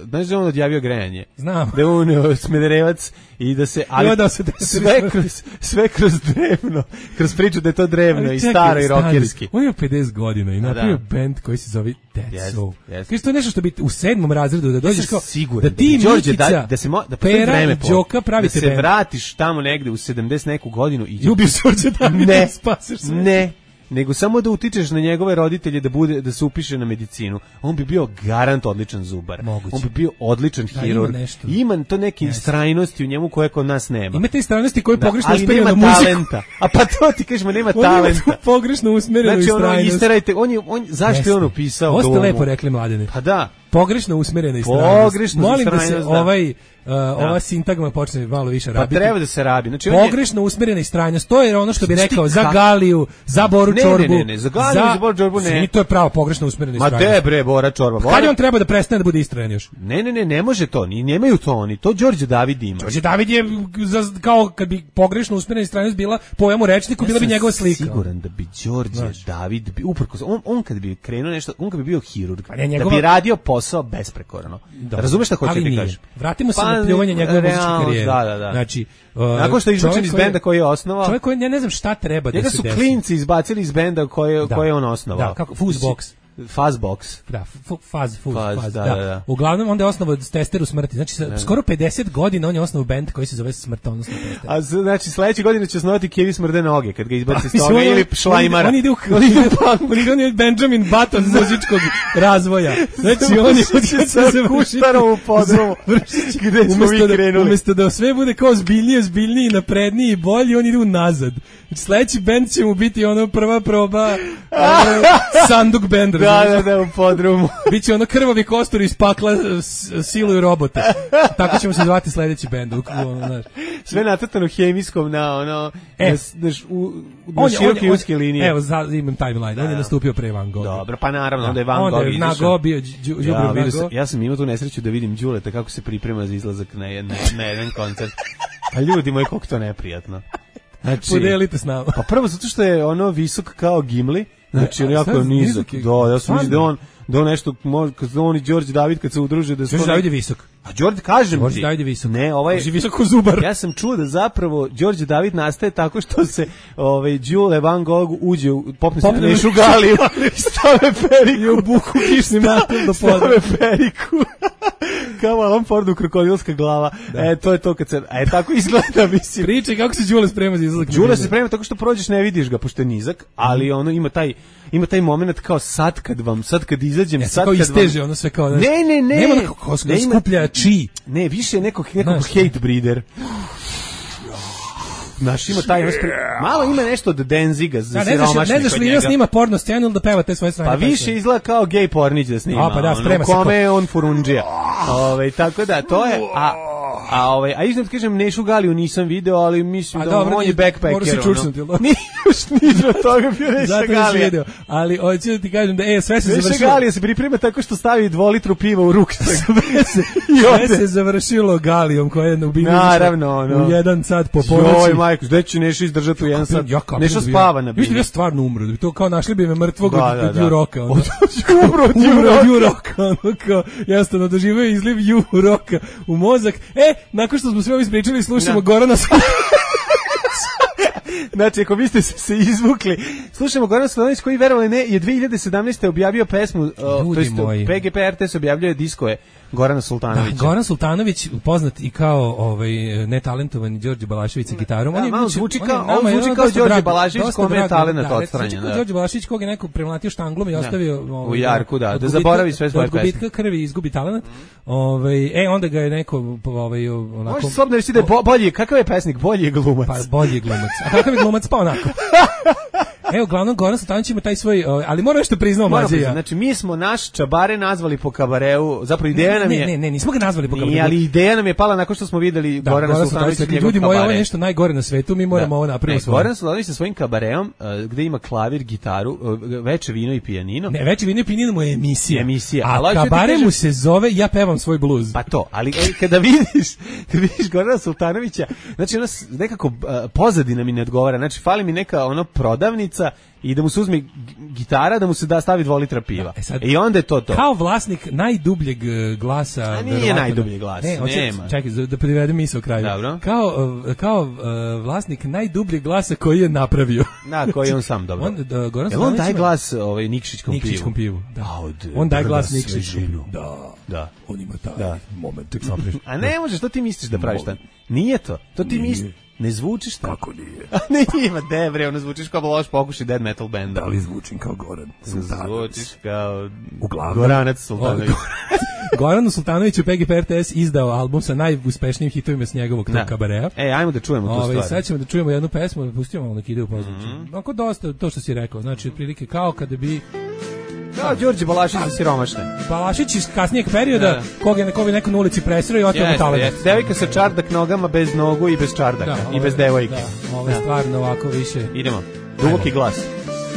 znaš da on odjavio grejanje? Znam. Da on Smederevac i da se ali da se sve kroz sve kroz drevno, kroz priču da je to drevno čekaj, i staro i rokerski. On ima pedeset godina i napravio da. bend koji se zove Dead yes, Soul. Yes. Kaže to je nešto što bi u sedmom razredu da dođeš kao siguran, da ti da Đorđe Mikica, da, da se mo, da vreme Đoka pravite da se band. Vratiš tamo negde u sedamdeset neku godinu i ljubiš Đorđe David ne, spaseš sve. Ne. Nego samo da utičeš na njegove roditelje da bude da se upiše na medicinu. On bi bio garant odličan zubar. Moguće. On bi bio odličan da, hirurg. Ima, ima to neke yes. istrajnosti u njemu koje kod nas nema. Ima te istrajnosti koje da, pogrešno usmereno na muziku. Talenta. A pa to ti kažeš, ma nema on talenta. Ima pogrešno usmerenu znači, istrajnost. Ono, isterajte, on je, on, zašto je on upisao Ovo ste domu? lepo rekli, mladene. Pa da. Pogrešno usmerena istrajnost. Pogrešno Molim da se da. ovaj Uh, ova sintagma počne malo više rabiti. Pa treba da se rabi. Znači, pogrešno usmerena istrajnost, to je ono što bi rekao za Galiju, za Boru ne, Čorbu. Ne, ne, ne, za Galiju, za, za Boru Čorbu ne. I to je pravo pogrešno usmerena istrajnost. Ma te bre, Bora Čorba. Bora... Kad on treba da prestane da bude istrajan još? Ne, ne, ne, ne može to, ni nemaju to oni. To Đorđe David ima. Đorđe David je za, kao kad bi pogrešno usmerena istrajnost bila po ovemu rečniku, ja bila bi njegova slika. Siguran da bi Đorđe Znaš. David bi uprkos on on kad bi krenuo nešto, on kad bi bio hirurg, pa njegova... da bi radio posao besprekorno. Razumeš šta hoću ti kažem? Vratimo se pa, na pljuvanje njegove muzičke karijere. Da, da, da. Znači, uh, nakon što je izbačen iz benda koji je osnovao. Čovjek koji ja ne znam šta treba da se desi. Njega su klinci izbacili iz benda koje da. koje je on osnovao. Da, kako Fuzzbox. Fuzzbox. Da, faz, fuz, faz, faz, da, da. da, da. Uglavnom onda je osnovao Testeru smrti. Znači sa, skoro pedeset godina on je osnovao bend koji se zove Smrtonosna Testera. A znači sledeće godine će osnovati Kevi smrde noge kad ga izbaci iz toga ili Šlajmara. On ide u on ide u on je Benjamin Button muzičkog razvoja. Znači on je sa Kuštarom u podrumu. Gde smo mi krenuli. Umesto da sve bude kao zbiljnije, zbiljniji, napredniji i bolji, on ide unazad. Znači sledeći bend će mu biti ono prva proba Sanduk bend. Da, da, da, u podrumu. Biće ono krvavi kostur iz pakla siluju robote. Tako ćemo se zvati sledeći bend. Sve natrtano hemijskom na ono e, na, u, na široke uske linije. Evo, za, imam timeline. On je nastupio pre Van Gogh. Dobro, pa naravno, onda je Van Gogh izašao. Onda je Van bio Đubre ja, Van Gogh. Ja sam imao tu nesreću da vidim Đuleta kako se priprema za izlazak na jedan, na jedan koncert. A ljudi moji, koliko to neprijatno. Znači, podelite s nama. Pa prvo zato što je ono visok kao Gimli. Znači, on jako nizak. Da, ja sam mislio da on da on nešto može, kad on i Đorđe David kad se udruže da su Đorđe David je visok. A Đorđe kažem Đorđe David je visok. Ne, ovaj je visok ko zubar. Ja sam čuo da zapravo Đorđe David nastaje tako što se ovaj Đule Van Gogh uđe u popne se Nešu Galiju i stave periku i u buku kišnim natom do poda. Stave periku. kao Alan Fordu krokodilska glava. Da. E, to je to kad se... E, tako izgleda, mislim. Pričaj kako se Đule sprema za izlazak. Đule se sprema tako što prođeš, ne vidiš ga, pošto je nizak, ali ono ima taj... Ima taj moment kao sad kad vam, sad kad izađem, ja, sad kao kad isteže, vam... ono sve kao... Ne, ne, ne. Nema neko ko skuplja čiji. Ne, više je nekog, nekog hate breeder. Naš ima taj spre... malo ima nešto od Denziga za siromašnih. Ne znaš, ne znaš li ima snima porno scenu ili da peva te svoje strane. Pa više izgleda kao gej pornić da snima. A pa da, sprema se. Kome je on furundžija. Ove, tako da, to je... A, a, ovaj, a iznad kažem, Nešu Galiju nisam video, ali mislim da on je backpacker. Mora se čučnuti. Nije još niđe od toga bio Neša Galija. Video. Ali hoću da ti kažem da e, sve se Neša završilo. Neša Galija se priprema tako što stavi dvolitru piva u ruku. Sve se završilo Galijom koja je ubila. Naravno, ono. U jedan sat po ponoći. Joj, majko, gde će Neša izdržati u jedan sat? Neša spava na bini. Viš li ja stvarno umro? Da bi to kao našli bi me mrtvog da, od, da, od da. Juroka. Ono. Od Juroka. Umro od Juroka. Ono kao, jednostavno doživio izliv Juroka u mozak. E, nakon što smo sve ovo ispričali, slušamo Gorana Znači, ako vi ste se izvukli, slušamo Goran Slanović koji, verovali ne, je dve hiljade sedamnaeste objavio pesmu, uh, to jest P G P R T S objavljuje diskove Gorana Sultanovića. Da, Goran Sultanović, poznat i kao ovaj netalentovani Đorđe Balašević sa gitarom. Da, on je malo zvuči kao, on on zvuči kao Đorđe Balašević kome je talent odstranjen. Da, Đorđe Balašević kog je neko premlatio štanglom i ostavio da. Ovaj, u jarku, da, da zaboravi sve svoje pesme. Od gubitka krvi izgubi talent. Ovaj, e, onda ga je neko ovaj, onako... Možeš slobodno reći da je bolji, kakav je pesnik, bolji je glumac. Pa bolji je glumac. A kakav je glumac, pa onako. Evo, uglavnom Goran Sultanović ima taj svoj, ali moram nešto priznao mlađe ja. Znači, mi smo naš čabare nazvali po kabareu, zapravo ideja nam je... Ne, ne, nismo ga nazvali po kabareu. Nije, ali ideja nam je pala nakon što smo videli da, Gorana Sultanovića. Da, ljudi moji, ovo je nešto najgore na svetu, mi moramo da. ovo napraviti svoje. Goran Sultanović sa svojim kabareom, uh, gde ima klavir, gitaru, uh, veče vino i pijanino. Ne, veče vino i pijanino mu je emisija. emisija. A ali kabare mu se zove Ja pevam svoj bluz. Pa to, ali kada vidiš, kada vidiš Gorana Sultanovića, znači ona nekako uh, pozadina mi ne odgovara, znači fali mi neka ono prodavnica i da mu se uzme gitara, da mu se da stavi dva litra piva. Da, e sad, I onda je to to. Kao vlasnik najdubljeg glasa... A nije najdublji glas, ne, oče, nema. Čekaj, da privedem misao kraju. Dobro. Kao, kao uh, vlasnik najdubljeg glasa koji je napravio. Da, koji je on sam dobro. On, da, Goran Jel on daje glas ovaj, Nikšićkom pivu? Nikšićkom pivu, da. A, od, on daje glas Nikšićkom pivu. Da. Da. On ima taj da. moment. Tek sam prišao. A ne možeš, to ti misliš da praviš tan? Nije to. To ti misliš. Ne zvučiš tako. Kako nije? A ne ima, debre, ono zvučiš kao loš pokušaj dead metal benda. Da li zvučim kao Goran Sultanović? Zvučiš kao Uglavnom, Goranac Sultanović. Goran Sultanović u P G P R T S izdao album sa najuspešnijim hitovima s njegovog da. kabarea. E, ajmo da čujemo tu Ove, stvar. Sad ćemo da čujemo jednu pesmu, pustimo malo neki ide u poziciju. Mm-hmm. Onako dosta, to što si rekao, znači otprilike kao kada bi... Kao Đorđe Balašić za siromašne. Balašić iz kasnijeg perioda, da. koga je neko, neko na ulici presreo i oteo mu talent. Devojka sa čardak nogama bez nogu i bez čardaka. Da, i bez devojke. Da, ovo je da. stvarno ovako više. Idemo. Duboki glas.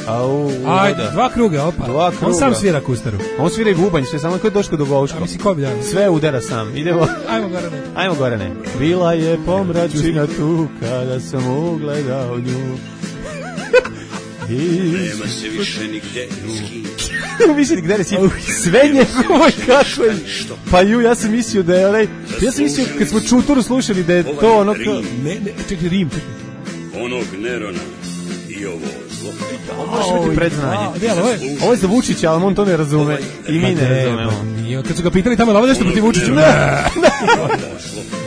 Au, ajde, dva kruga, opa. Dva kruga. On sam svira kustaru. On svira i bubanj, sve samo kao Doško Dugovško. A misli ko bi da? Sve udara sam. Idemo. Ajmo Gorane. Ajmo Gorane. Bila je pomračina tu kada sam ugledao nju. Nema se više nigde ski. Više nigde ne si. Sve njegovo kako je. Pa ju, ja sam mislio da je onaj... Ja sam mislio kad smo Čuturu slušali da je to ono... Ne, ne, čekaj, Rim. Onog Nerona i ovo zlo. Ovo može biti predznanje. Ovo je za Vučića, ali on to ne razume. I mi ne razumemo. Kad su ga pitali tamo, ovo nešto protiv Vučića.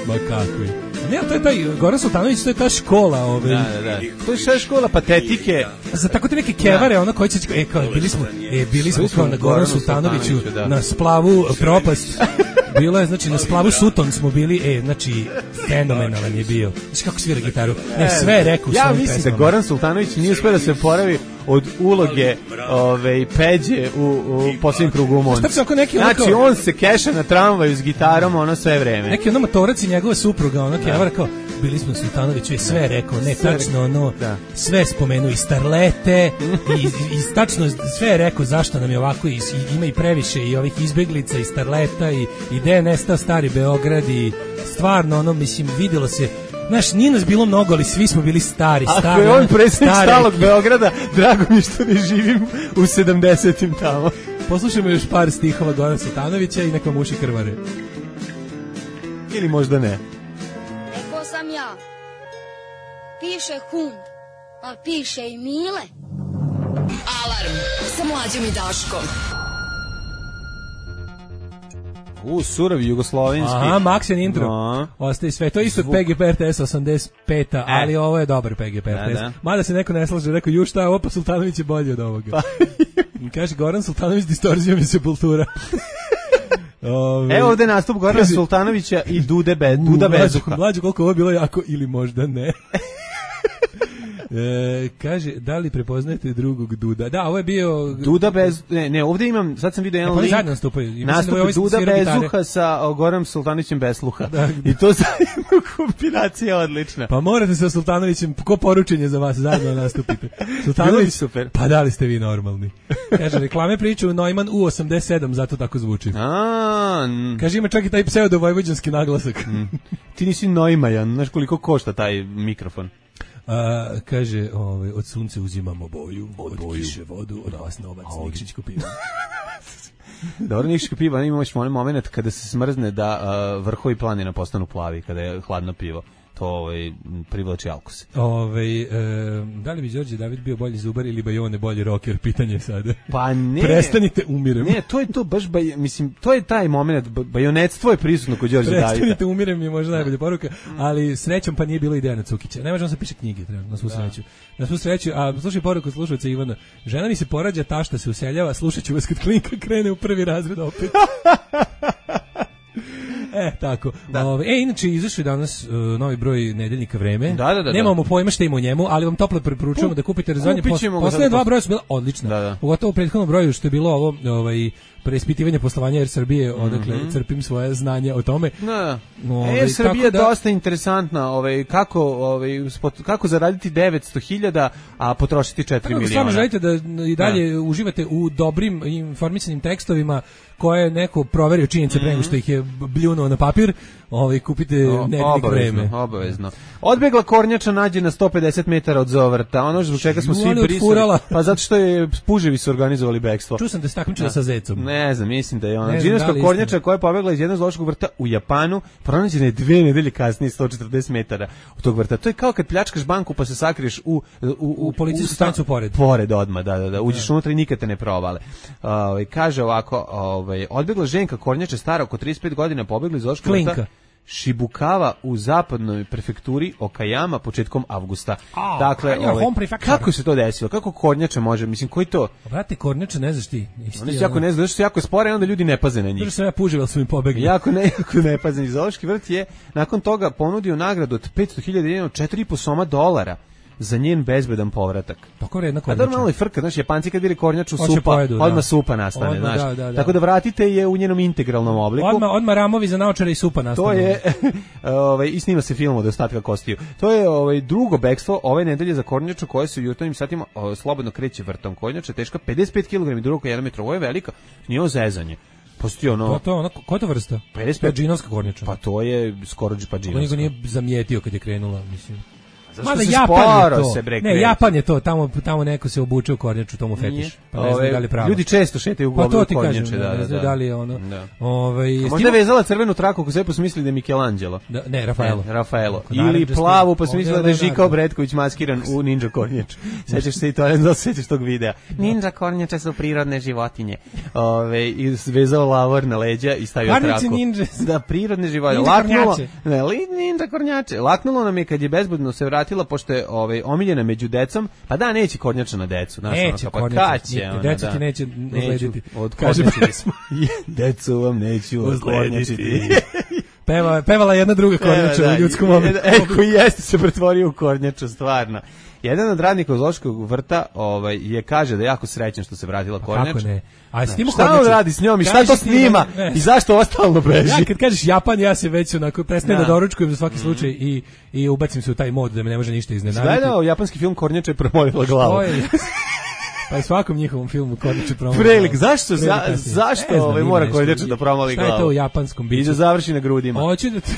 Ma kako je. Ne, to je taj Goran Sultanović, to je ta škola, ovaj. Da, da, da. To je šta škola patetike. Za tako te neke kevare, da. Ona koji će e kao bili smo, e bili smo kao na Goranu Sultanoviću da. na splavu Propast. Bilo je, znači, na splavu Suton smo bili, e, znači, fenomenalan je bio. Znači, kako svira gitaru. Ne, sve je rekao. Ja mislim pesmama. Da Goran Sultanović nije uspio da se oporavi od uloge ove, Peđe u, u posljednjem krugu u Monci. Znači, on se keša na tramvaju s gitarom, ono sve vreme. Neki ono motorac i njegova supruga, ono kevara kao, bili smo Sultanoviću i sve rekao, ne, sve tačno, ono, da. Sve spomenuo i starlete, i, i tačno sve je rekao zašto nam je ovako, i, ima i previše i ovih izbeglica i starleta, i, i gde je nestao stari Beograd, i stvarno, ono, mislim, vidjelo se. Znaš, nije nas bilo mnogo, ali svi smo bili stari, stari. Ako je on predsjednik stalog Beograda, drago mi što ne živim u sedamdesetim tamo. Poslušajmo još par stihova Gorana Sultanovića i neka muši krvare. Ili možda ne. Rekao sam ja, piše Hun, a piše i Mile. Alarm sa Mlađom i Daškom. U, surovi jugoslovenski. Aha, Maksen intro. No. Ostaje sve. To je isto P G P R T S osamdeset pet, e. ali ovo je dobar P G P R T S. Da, da. Mada se neko ne slaže, rekao, ju šta je ovo, pa Sultanović je bolji od ovoga. Pa. Kaže, Goran Sultanović distorzijom iz Sepultura. Ove, Evo ovde nastup Gorana kaže, Sultanovića i Dude Be, Duda Bezuha. Mlađe, koliko ovo bilo jako ili možda ne. E, kaže, da li prepoznajete drugog Duda? Da, ovo je bio... Duda bez... Ne, ne, ovdje imam, sad sam vidio jedan link. Zajedno nastupaju. Nastup da Duda Bezuha sa Goranom Sultanovićem bez sluha. Da. I to zajedno kombinacija odlična. Pa morate sa Sultanovićem, ko poručenje za vas, zajedno nastupite. Sultanović, super. Pa da li ste vi normalni? Kaže, reklame priču Neumann U osamdeset sedam, zato tako zvuči. A, kaže, ima čak i taj pseudo-vojvođanski naglasak. Mm. Ti nisi Neumann, znaš koliko košta taj mikrofon? A, kaže, ovaj, od sunce uzimamo boju, od, od boju. Kiše vodu, od vas novac, Nikšićko pivo. Dobro, Nikšićko pivo, imamo još onaj moment kada se smrzne da uh, vrhovi planina postanu plavi, kada je hladno pivo. To ovaj, privlači alkose. Ovaj, e, da li bi Đorđe David bio bolji zubar ili Bajone bolji rocker? Pitanje sada. Pa ne. Prestanite, umirem. Ne, to je to baš, baj, mislim, to je taj moment, bajonetstvo je prisutno kod Đorđe Davida. Prestanite, umirem je možda najbolja poruka, ali srećom pa nije bilo ideja na Cukića. Ne možemo se piše knjige, treba, na svu sreću. Na svu sreću, a slušaj poruku slušalca Ivana. Žena mi se porađa, tašta se useljava, slušat ću vas kad Klinka krene u prvi razred opet. E, tako. Da. Ove, e, inače, izašao je danas uh, novi broj Nedeljnika Vreme. Da, da, da. Nemamo pojma šta ima u njemu, ali vam toplo preporučujemo da kupite rezanje. Poslednje dva broja su bila odlična. Da, da. Pogotovo u prethodnom broju što je bilo ovo ovaj, preispitivanje poslovanja Air Srbije, odakle mm-hmm. crpim svoje znanje o tome. Da. Ove, Air Srbija je da... dosta interesantna, ovaj, kako, ovaj, spot, kako zaraditi devetsto hiljada, a potrošiti četiri miliona. Stvarno želite da i dalje da. uživate u dobrim informisanim tekstovima koje je neko proverio činjenice pre nego što ih je bljunuo na papir, ovaj, kupite Nedeljnik Vreme. Obavezno. Odbegla kornjača nađe na sto pedeset metara od Zovrta. Ono zbog čega smo svi brisali. Pa zato što je puževi su organizovali bekstvo. Čuo sam da se takmičila sa zecom. Ne znam, mislim da je ona. Džinovska da kornjača koja je pobegla iz jednog zoološkog vrta u Japanu, pronađena je dve nedelje kasnije sto četrdeset metara od tog vrta. To je kao kad pljačkaš banku pa se sakriješ u u u, u policijsku stanicu pored. Pored odmah, da, da, da. Uđeš unutra i nikad te ne provale. Ovaj kaže ovako, ovaj odbegla ženka kornjača stara oko trideset pet godina pobegla iz zoološkog vrta Shibukava u zapadnoj prefekturi Okayama početkom avgusta. Oh, dakle, ovaj, kako se to desilo? Kako kornjača može? Mislim, koji to? Brate, kornjača ne znaš ti. Oni se jako ne znaš, što jako spore, onda ljudi ne paze na njih. Zato što ja pužival su mi pobegli. Jako ne, jako ne paze. Zoološki vrt je nakon toga ponudio nagradu od petsto hiljada dinara, četiri i po soma dolara za njen bezbedan povratak. Tako vredna kornjača. A normalno je frka, znaš, Japanci kad vidi kornjaču supa, pojedu, odmah da. supa nastane, odmah, znaš. Da, da, da. Tako da vratite je u njenom integralnom obliku. Odmah, odmah ramovi za naočare i supa nastane. To je, ovaj, i snima se film od ostatka kostiju. To je ovaj, drugo bekstvo ove nedelje za kornjaču koja se u jutarnjim satima o, slobodno kreće vrtom. Kornjača teška pedeset pet kilograma i drugo jedan metar. Ovo je velika, nije ovo zezanje. Postoji ono... Pa to je ono, koja to vrsta? pedeset pet džinovska kornjača. Pa to je skoro pa džinovska. On nije zamijetio kad je krenula, mislim. Mada Japan je to. Se bre, ne, Japan je to, tamo tamo neko se obuče u kornjaču, tomu fetiš. Pa ne znam da li pravo. Ljudi često šetaju u pa govno kornjače, da, ne znam da li je ono. Da. Ovaj, možda je vezala crvenu traku kako se posmislili da je Michelangelo. Da, ne, Rafaelo. Ne, Rafaelo. Ili plavu pa smislila da je Žika Bretković maskiran u ninja kornjaču. Sećaš se i to, ne znam, sećaš tog videa. Ninja kornjače su prirodne životinje. Ove, i vezao lavor na leđa i stavio traku. Da, prirodne životinje. Laknulo. Ne, ninja kornjače. Laknulo nam je kad je bezbedno se vratila pošto je ovaj omiljena među decom, pa da neće kornjača na decu, znaš, neće ono, pa kaće, ona, deca ti neće odlediti. Kažemo smo. Decu vam neću odlediti. Peva, pevala jedna druga kornjača da, u ljudskom obliku. E, koji jeste se pretvorio u kornjaču, stvarno. Jedan od radnika zoološkog vrta ovaj, je kaže da je jako srećan što se vratila kornjača. Kako ne? A snima šta on radi s njom i šta to snima ne, ne. I zašto ovo stalno beži? Ja kad kažeš Japan, ja se već onako prestajem da, da doručkujem za svaki slučaj mm. i, i ubacim se u taj mod da me ne može ništa iznenaditi. Gledao japanski film Kornjača je promolila glavu. Pa i svakom njihovom filmu Kornjača promoli. Prelik, zašto za, zašto ovaj mora Kornjača da promoli glavu? Šta je to u japanskom biću? I da završi na grudima. Hoću da te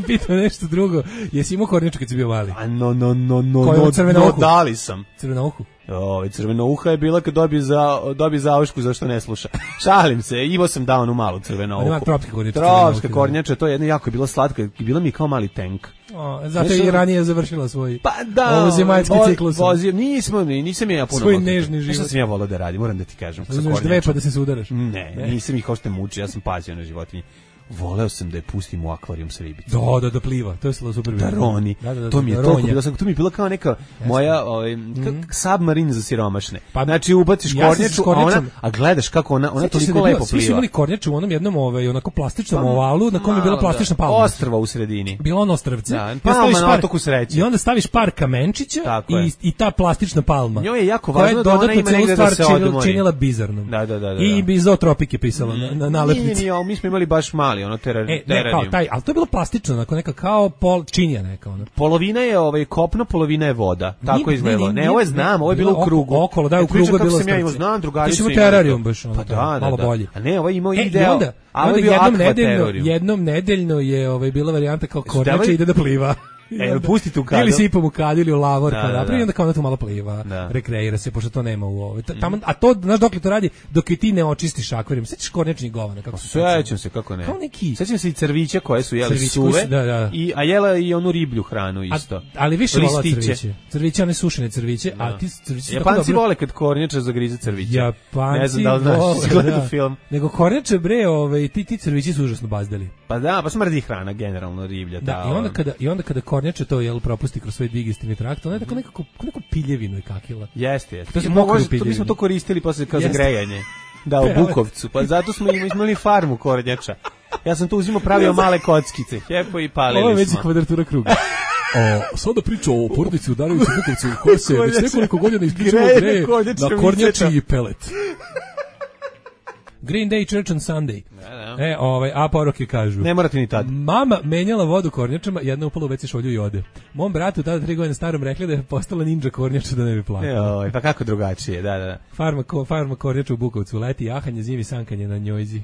pitam nešto drugo. Jesi imao Kornjaču kad si bio mali? A no no no no no, no dali sam. Crvenouhu. Ovaj crvenouha je bila kad dobije za dobije zaušku zašto ne sluša. Šalim se, imao sam dao onu malu crvenouhu. Ima tropska kornjača. Tropska kornjača, to je jedna jako je bila slatka, bila mi kao mali tank. O, zato je i ranije završila svoj pa da, ovozemaljski ciklus. Vozio, nismo, nisam ja puno. Svoj nežni život. Šta sam ja volao da radim, moram da ti kažem. Uzmeš dve pa da se sudaraš. Ne, ne, nisam ih hošte muči, ja sam pazio na životinje. Voleo sam da je pustim u akvarijum s ribicom. Da, da, da pliva. To je bilo super. Da roni. Da, da, da, to mi je da, toliko bilo, to mi je bila kao neka Jasne. moja ovaj, mm. submarin za siromašne. Pa, znači ubaciš ja kornjaču, a, ona, a gledaš kako ona, ona toliko lepo pliva. Svi su imali kornjaču u onom jednom ovaj, onako plastičnom pa, ovalu na kojem je bila plastična palma. Ostrva u sredini. Bilo ono ostrvce. Da, palma na otoku sreće. I onda staviš par kamenčića i, i ta plastična palma. Njoj je jako važno da ona ima negde da se odmori. Činila bizarnom. Da, da, da. I Bizotropik je pisalo na nalepnici. Nije, mi smo imali baš mali, ono terar. Ne, kao taj, ali to je bilo plastično, onako neka kao pol činija neka ona. Polovina je ovaj kopno, polovina je voda. Tako izgledalo. Ne, ovo je znam, ovo je bilo u krugu. Okolo, da, u krugu je bilo. Ja imao znam drugaricu. Ti si terarium baš, pa da, malo da, bolje. A ne, ovo je imao e, ideal. Onda, a onda jednom nedeljno, jednom nedeljno je ovaj bila varijanta kao kornjača ide da pliva. E, pustite u kadu. Ili sipom u kadu ili u lavor, da, kada da, da. Onda kao ona tu malo pliva, da. Rekreira se, pošto to nema u ovoj. Tamo, a to, znaš dokle to radi, dok i ti ne očistiš akvarijum. Sećaš kornjačnih govana? Kako su sećam se, kako ne. Kao neki. Sećam se i crvića koje su jeli crvić, suve, da, da. I, a jela i onu riblju hranu isto. A, ali više vola crviće. Crviće, one sušene crviće, da. A ti crviće... Japanci vole kad kornjača zagrize crviće. Japanci ne znam da li znaš, si gledao film. Nego kornjače, bre, ove, ti, ti crvići su užasno bazdeli. Pa da, pa smrdi hrana, generalno riblja. Da, i onda kada, i onda kada kornjače to jel propusti kroz svoj digestivni trakt, ona je tako nekako, neko piljevinu i kakila. Jeste, jeste. To, se mogu, to mi smo to koristili posle kao za grejanje. Da, u Bukovcu. Pa zato smo imali farmu kornjača. Ja sam tu uzimao pravio male kockice. Hepo i palili smo. Ovo je već kvadratura kruga. O, sada priča o porodici u Dareviću Bukovcu koja se već nekoliko godina isključivo greje na kornjači i pelet. Green Day Church on Sunday. Da, da. E, ovaj, a poruke kažu. Ne morate ni tad. Mama menjala vodu kornjačama, jedna upala u veci šolju i ode. Mom bratu tada tri godine starom rekli da je postala ninja kornjača da ne bi plakala. Joj, pa kako drugačije, da, da. Farma, ko, farma kornjača u Bukovcu, leti jahanje, zimi sankanje na njojzi.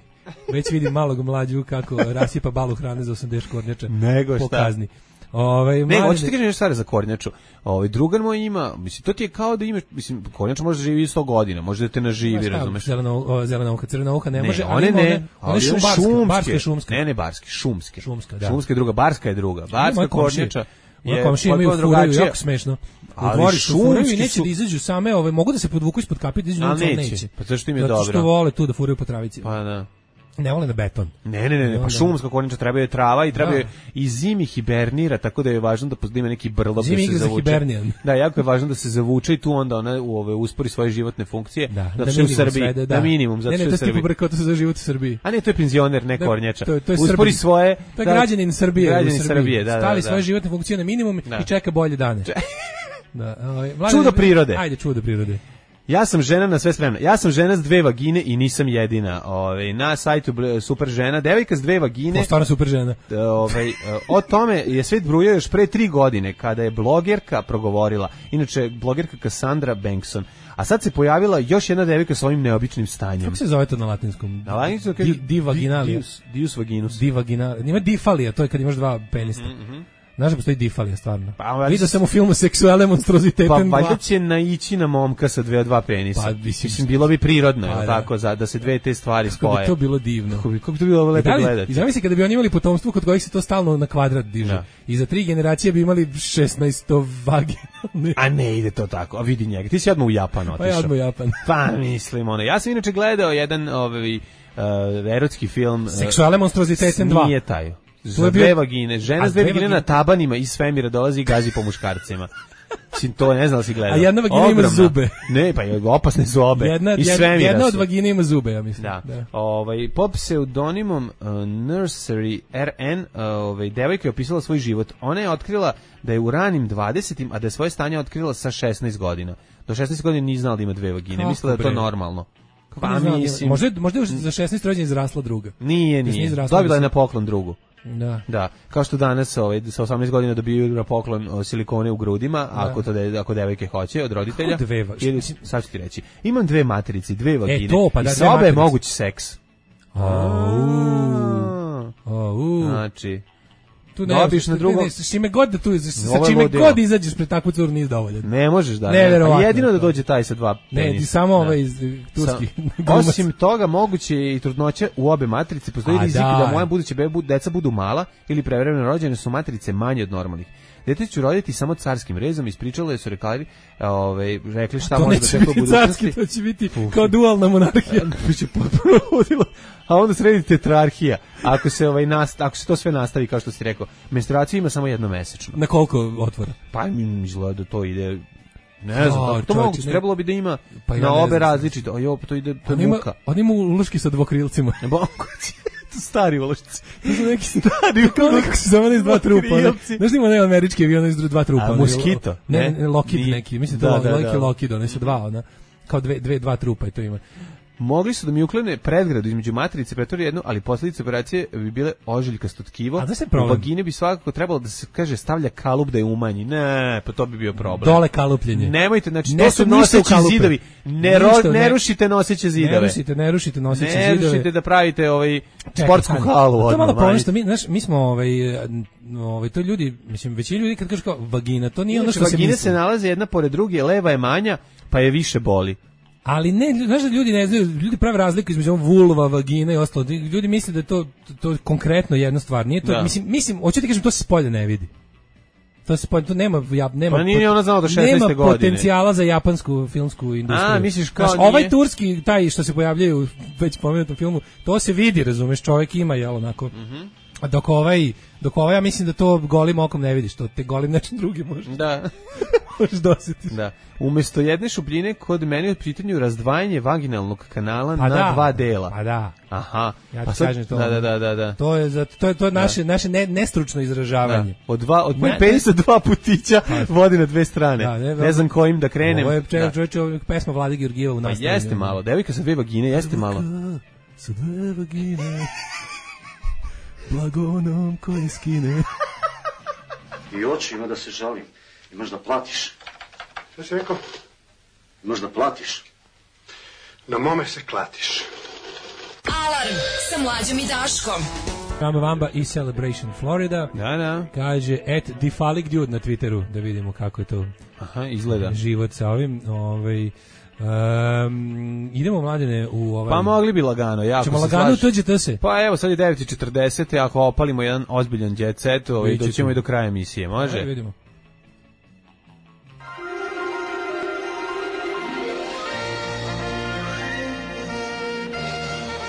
Već vidim malog mlađu kako rasipa balu hrane za osamdeset kornjača. Nego šta. Po kazni. Ovaj ne, hoćeš ti kažeš nešto stare za kornjaču. Ovaj drugar moj ima, mislim to ti je kao da imaš, mislim kornjača može živi sto godina, može da te naživi, razumeš? Zelena zelena uha, crvena uha ne, ne može, one ne, one su barske, barske šumske. Ne, ne barske, šumske. Šumska, da. Šumska je druga, barska je druga. Barska kornjača je komšije imaju furaju, jako smešno. U dvorištu furaju i neće da izađu same, ove mogu da se podvuku ispod kape, da izađu, ali neće. Pa zašto im je dobro? Zato što vole tu da furaju po travici. Pa da. Ne vole na beton. Ne, ne, ne, ne, pa šumska kornjača treba je trava i treba je i zimi hibernira, tako da je važno da ima neki brlog da se zavuče. Da, jako je važno da se zavuče i tu onda ona u ove uspori svoje životne funkcije, da, da što u Srbiji, da, da minimum, zato što ne, je ne, Srbiji. Ne, ne, to je za život u Srbiji. A ne, to je penzioner, ne kornjača. To, to je uspori Srbi. svoje, to je građanin Srbije, građanin u Srbije, da, da, stavi da. svoje životne funkcije na minimum da. I čeka bolje dane. Da, ovaj, čudo prirode. Ajde, čudo prirode. Ja sam žena na sve spremno. Ja sam žena s dve vagine i nisam jedina. Ovaj na sajtu Super žena, devojka s dve vagine. O, stvarno super žena. Ovaj o tome je svet brujao još pre tri godine kada je blogerka progovorila. Inače blogerka Cassandra Bankson. A sad se pojavila još jedna devojka sa ovim neobičnim stanjem. Kako se zove to na latinskom? Na latinskom kaže divaginalia. Dius vaginus. Divaginalia. Nima difalija, to je kad imaš dva penista. Mm-hmm. Znaš da postoji difalija, stvarno. Pa, vidio sam u filmu Seksualne monstroziteten. Pa valjda će naići na momka sa dve dva penisa. Pa, mislim, bilo bi prirodno, pa, tako, za, da se dve te stvari spoje. Kako bi to bilo divno. Kako bi, kako bi to bilo lepo gledati. I zamisli kada bi oni imali potomstvo kod kojih se to stalno na kvadrat diže. Da. I za tri generacije bi imali šesnaest vaginalne. A ne ide to tako, a vidi njega. Ti si odmah u Japan otišao. Pa ja odmah u Japan. Pa mislim, ono. Ja sam inače gledao jedan ovaj, uh, erotski film. Seksualne monstroziteten dva. Nije taj. Za dve vagine, žena s dve vagine na tabanima iz svemira dolazi i gazi po muškarcima. Mislim, to ne znam da si gledao. A jedna vagina Ogromna. Ima zube. Ne, pa je opasne zobe. Jedna, iz jedna, jedna od vagine ima zube, ja mislim. Da. da. Ovaj, pod pseudonimom uh, Nursery R N, uh, ovaj, devojka je opisala svoj život. Ona je otkrila da je u ranim dvadesetim, a da je svoje stanje otkrila sa šesnaest godina. Do šesnaest godina nije znala da ima dve vagine. Mislila da je to normalno. Pa mislim, možda, možda je za šesnaest rođena izrasla druga. Nije, nije. Dobila je na poklon drugu. Da. Da, kao što danas ovaj, sa osamnaest godina dobiju na poklon o, silikone u grudima, da. ako, to de, ako devojke hoće od roditelja. Dve, ili, sad ću ti reći, imam dve materice, dve vagine, e, to, pa da, i sa obe je moguć seks. Au. Au. Znači... Tu ne, dobiš na drugo. S čime god da tu, sa čime god izađeš pred takvu curu nisi dovoljan. Ne možeš da. Ne, ne. Jedino da dođe taj sa dva penisa. Ne, samo ovaj iz turski. Osim toga, moguće je i trudnoća u obe matrice. Postoji rizik da. da moja buduća beba, deca budu mala ili prevremeno rođene, su matrice manje od normalnih. Dete ću roditi samo carskim rezom, ispričale su rekli, ovaj, rekli šta može da tako budućnosti. Carski, to će biti Uf. kao dualna monarhija. Biće potpuno ludilo. A onda sredi tetrarhija. Ako se ovaj nast, ako se to sve nastavi kao što si rekao, menstruacija ima samo jedno mesečno. Na koliko otvora? Pa mi izgleda da to ide. Ne znam, o, to moguće, trebalo bi da ima pa ja na obe različite. A jo, to ide to muka. On ima uloški sa dvokrilcima. Moguće. To stari ulošci. To su neki stari, kao nekako se zove iz dva trupa. Znaš ima ne američki avion iz dva trupa. A, Moskito? Ne, ne, Lockheed neki, mislim da, to je Lockheed, one su dva, ona, kao dve, dve, dva trupa i to ima. Mogli su da mi uklone predgradu između matrice, pretvori jednu, ali posljedice operacije bi bile ožiljkasto tkivo. A da se problem? U vagine bi svakako trebalo da se kaže stavlja kalup da je umanji. Ne, pa to bi bio problem. Dole kalupljenje. Nemojte, znači ne to su noseći zidovi. Ne, ro, ne, ne rušite noseće zidove. Ne rušite, ne rušite noseće ne zidove. Ne rušite da pravite ovaj sportsku halu. To malo problem što mi, znaš, mi smo ovaj ovaj to ljudi, mislim većina ljudi kad kaže kao vagina, to nije ono što se misli. Vagine se nalaze jedna pored druge, leva je manja, pa je više boli. Ali ne, znaš da ljudi ne znaju, ljudi prave razliku između vulva, vagina i ostalo. Ljudi misle da je to, to konkretno jedna stvar. Nije to, da. mislim, mislim, hoću ti kažem, to se spolja ne vidi. To se spolja, to nema, ja, nema, pa nije ona znala do šesnaeste nema godine. potencijala za japansku filmsku industriju. A, misliš kao znaš, nije... ovaj turski, taj što se pojavljaju u već pomenutom filmu, to se vidi, razumeš, čovjek ima, jel, onako. Mm-hmm. A dok ovaj, dok ovaj, ja mislim da to golim okom ne vidiš, to te golim nečim drugim možeš. Da. možeš dosjetiti. Da. Umjesto jedne šupljine kod mene je pitanju razdvajanje vaginalnog kanala pa na da, dva dela. Pa da. Aha. Ja ti pa sad, kažem to. Da, da, da, da. To je za to je to je naše da. naše ne, nestručno izražavanje. Da. Od dva od mojeg penisa dva putića pa, vodi na dve strane. Da, ne, ne znam kojim da krenem. Ovo je čovječe pesma Vlade Georgijeva u nastavi. Pa jeste malo. Devojka sa dve vagine, jeste malo. Sa dve vagine. Blagonom koje skine. I oči ima da se žalim. Imaš da platiš. Šta si rekao? Imaš da platiš. Na mome se klatiš. Alarm sa Mlađom i Daškom. Ramba Vamba i Celebration Florida. Da, da. Kaže, et Difalik Dude na Twitteru, da vidimo kako je to. Aha, izgleda. Život sa ovim, ovaj... Um, idemo mladine u ovaj. Pa mogli bi lagano, jako. Ćemo lagano tuđete se. Pa evo sad je devet i četrdeset, ako opalimo jedan ozbiljan jet set, ovaj doćemo i do kraja emisije, može? Ajde vidimo.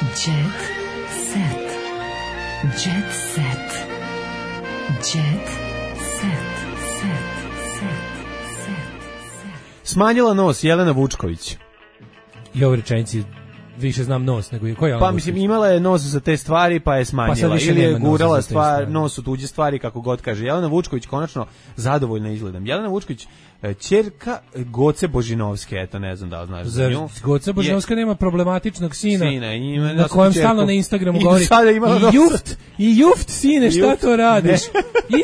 Jet set. Jet set. Jet set. Set. Smanjila nos Jelena Vučković. I ovo rečenici više znam nos nego je. Ko je pa mislim imala je nos za te stvari pa je smanjila. Pa ili je gurala stvar, nos u tuđe stvari kako god kaže. Jelena Vučković konačno zadovoljna izgledom. Jelena Vučković ćerka Goce Božinovske, eto ne znam da li znaš za nju. Goce Božinovska je, nema problematičnog sina, sina ima, na kojem stalno na Instagramu i govori i juft, i juft sine, šta juft, to radiš?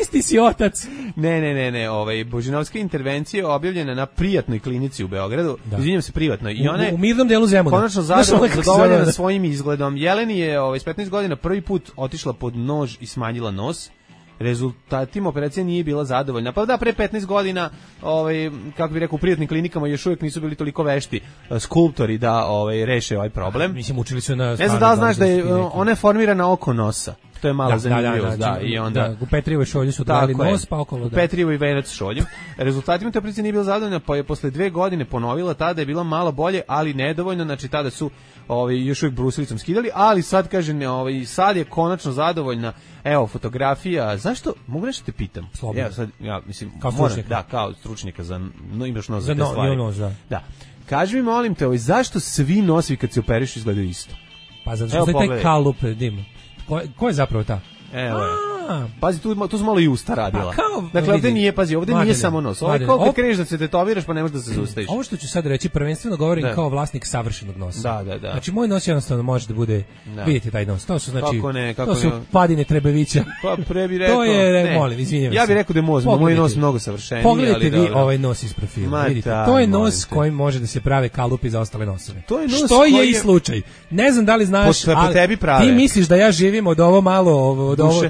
Isti si otac. Ne, ne, ne, ne, ovaj Božinovska intervencija objavljena na prijatnoj klinici u Beogradu. Izvinjavam se, privatnoj. I ona u, u mirnom delu Zemuna. Konačno zadovoljena svojim izgledom. Jeleni je ovaj s petnaest godina prvi put otišla pod nož i smanjila nos. Rezultatima operacije nije bila zadovoljna. Pa da, pre petnaest godina, ovaj, kako bih rekao, u privatnim klinikama još uvijek nisu bili toliko vešti skulptori da ovaj, reše ovaj problem. Mislim, učili su na... Ne znam da li znaš da je, ona je formirana oko nosa. To je malo da, zanimljivost, da, da, da, da, i onda... Da, u Petrijevoj šolju su dali nos, pa okolo... U da. Petrijevoj venac šolju. Rezultatima te operacije nije bila zadovoljna, pa je posle dve godine ponovila, tada je bila malo bolje, ali nedovoljno, znači tada su ovaj, još uvijek brusilicom skidali, ali sad, kažem, ovaj, sad je konačno zadovoljna. Evo, fotografija, zašto, mogu nešto te pitam? Slobodno. Ja, sad, ja, mislim, kao moram, da, kao stručnjaka, za, no, imaš nos za, za te no, stvari. Nos, da. Da. Kaži mi, molim te, ovaj, zašto svi nosi kad se operiš izgledaju isto? Pa zato što je taj kalup, dim. Ko, ko je zapravo ta? Evo je. Pazi, tu, tu smo malo i usta radila. Kao, dakle, ovdje nije, pazi, ovdje Mladine, nije samo nos. Ovo je kao kad kreneš da se tetoviraš, pa ne možeš da se zustaviš. Ovo što ću sad reći, prvenstveno govorim da. Kao vlasnik savršenog nosa. Da, da, da. Znači, moj nos jednostavno može da bude, da. Vidite taj nos, to su, znači, kako ne, kako to su ne. Padine Trebevića. Pa, pre bi rekao. To je, ne, molim, izvinjavam se. Ja bih rekao da je moz, moj nos mnogo savršeniji. Pogledajte vi dobro. Ovaj nos iz profila, vidite. To je nos kojim može da se prave kalupi za ostale nosove. To je nos što je i slučaj. Ne znam da li znaš, ali ti misliš da ja živim od ovo malo, od ovo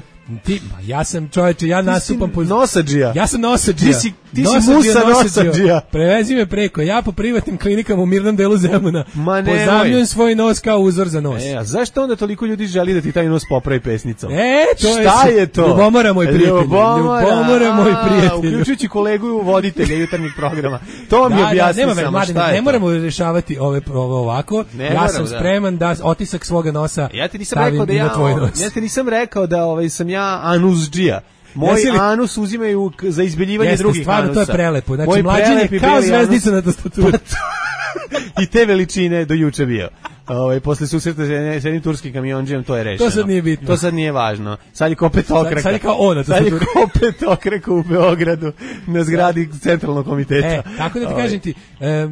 Ti, ma ja sam čoveče, ja nasupam po nosadžija. Ja sam nosadžija. Ti si ti si musa nosadžija. Prevezi me preko. Ja po privatnim klinikama u mirnom delu Zemuna pozajmljujem svoj nos kao uzor za nos. E, a zašto onda toliko ljudi želi da ti taj nos popravi pesnicom? E, to Šta je, je to? Ljubomora moj prijatelj. Ljubomora, Ljubomora moj prijatelj. Uključujući kolegu voditelja jutarnjih programa. To mi da, objasni da, samo mladen, šta je. Ne to? moramo rešavati ove ovo ovako. Ne ja moram, sam spreman da. da otisak svoga nosa ja ti nisam rekao da ja, tvoj nos. Ja ti nisam rekao da ovaj sam ja anusdžija. Moj li... anus uzimaju za izbeljivanje Jeste, drugih stvarno, anusa. To je prelepo. Znači, mlađin je kao zvezdica na tastaturi. I te veličine do juče bio. Ovaj posle susreta sa jednim turskim kamionđijem to je rešeno. To sad nije bitno. To sad nije važno. Sad je kao petokraka. Sad, sad je kao ona, sad je kao petokraka u Beogradu na zgradi centralnog komiteta. E, tako da ti kažem ti, e,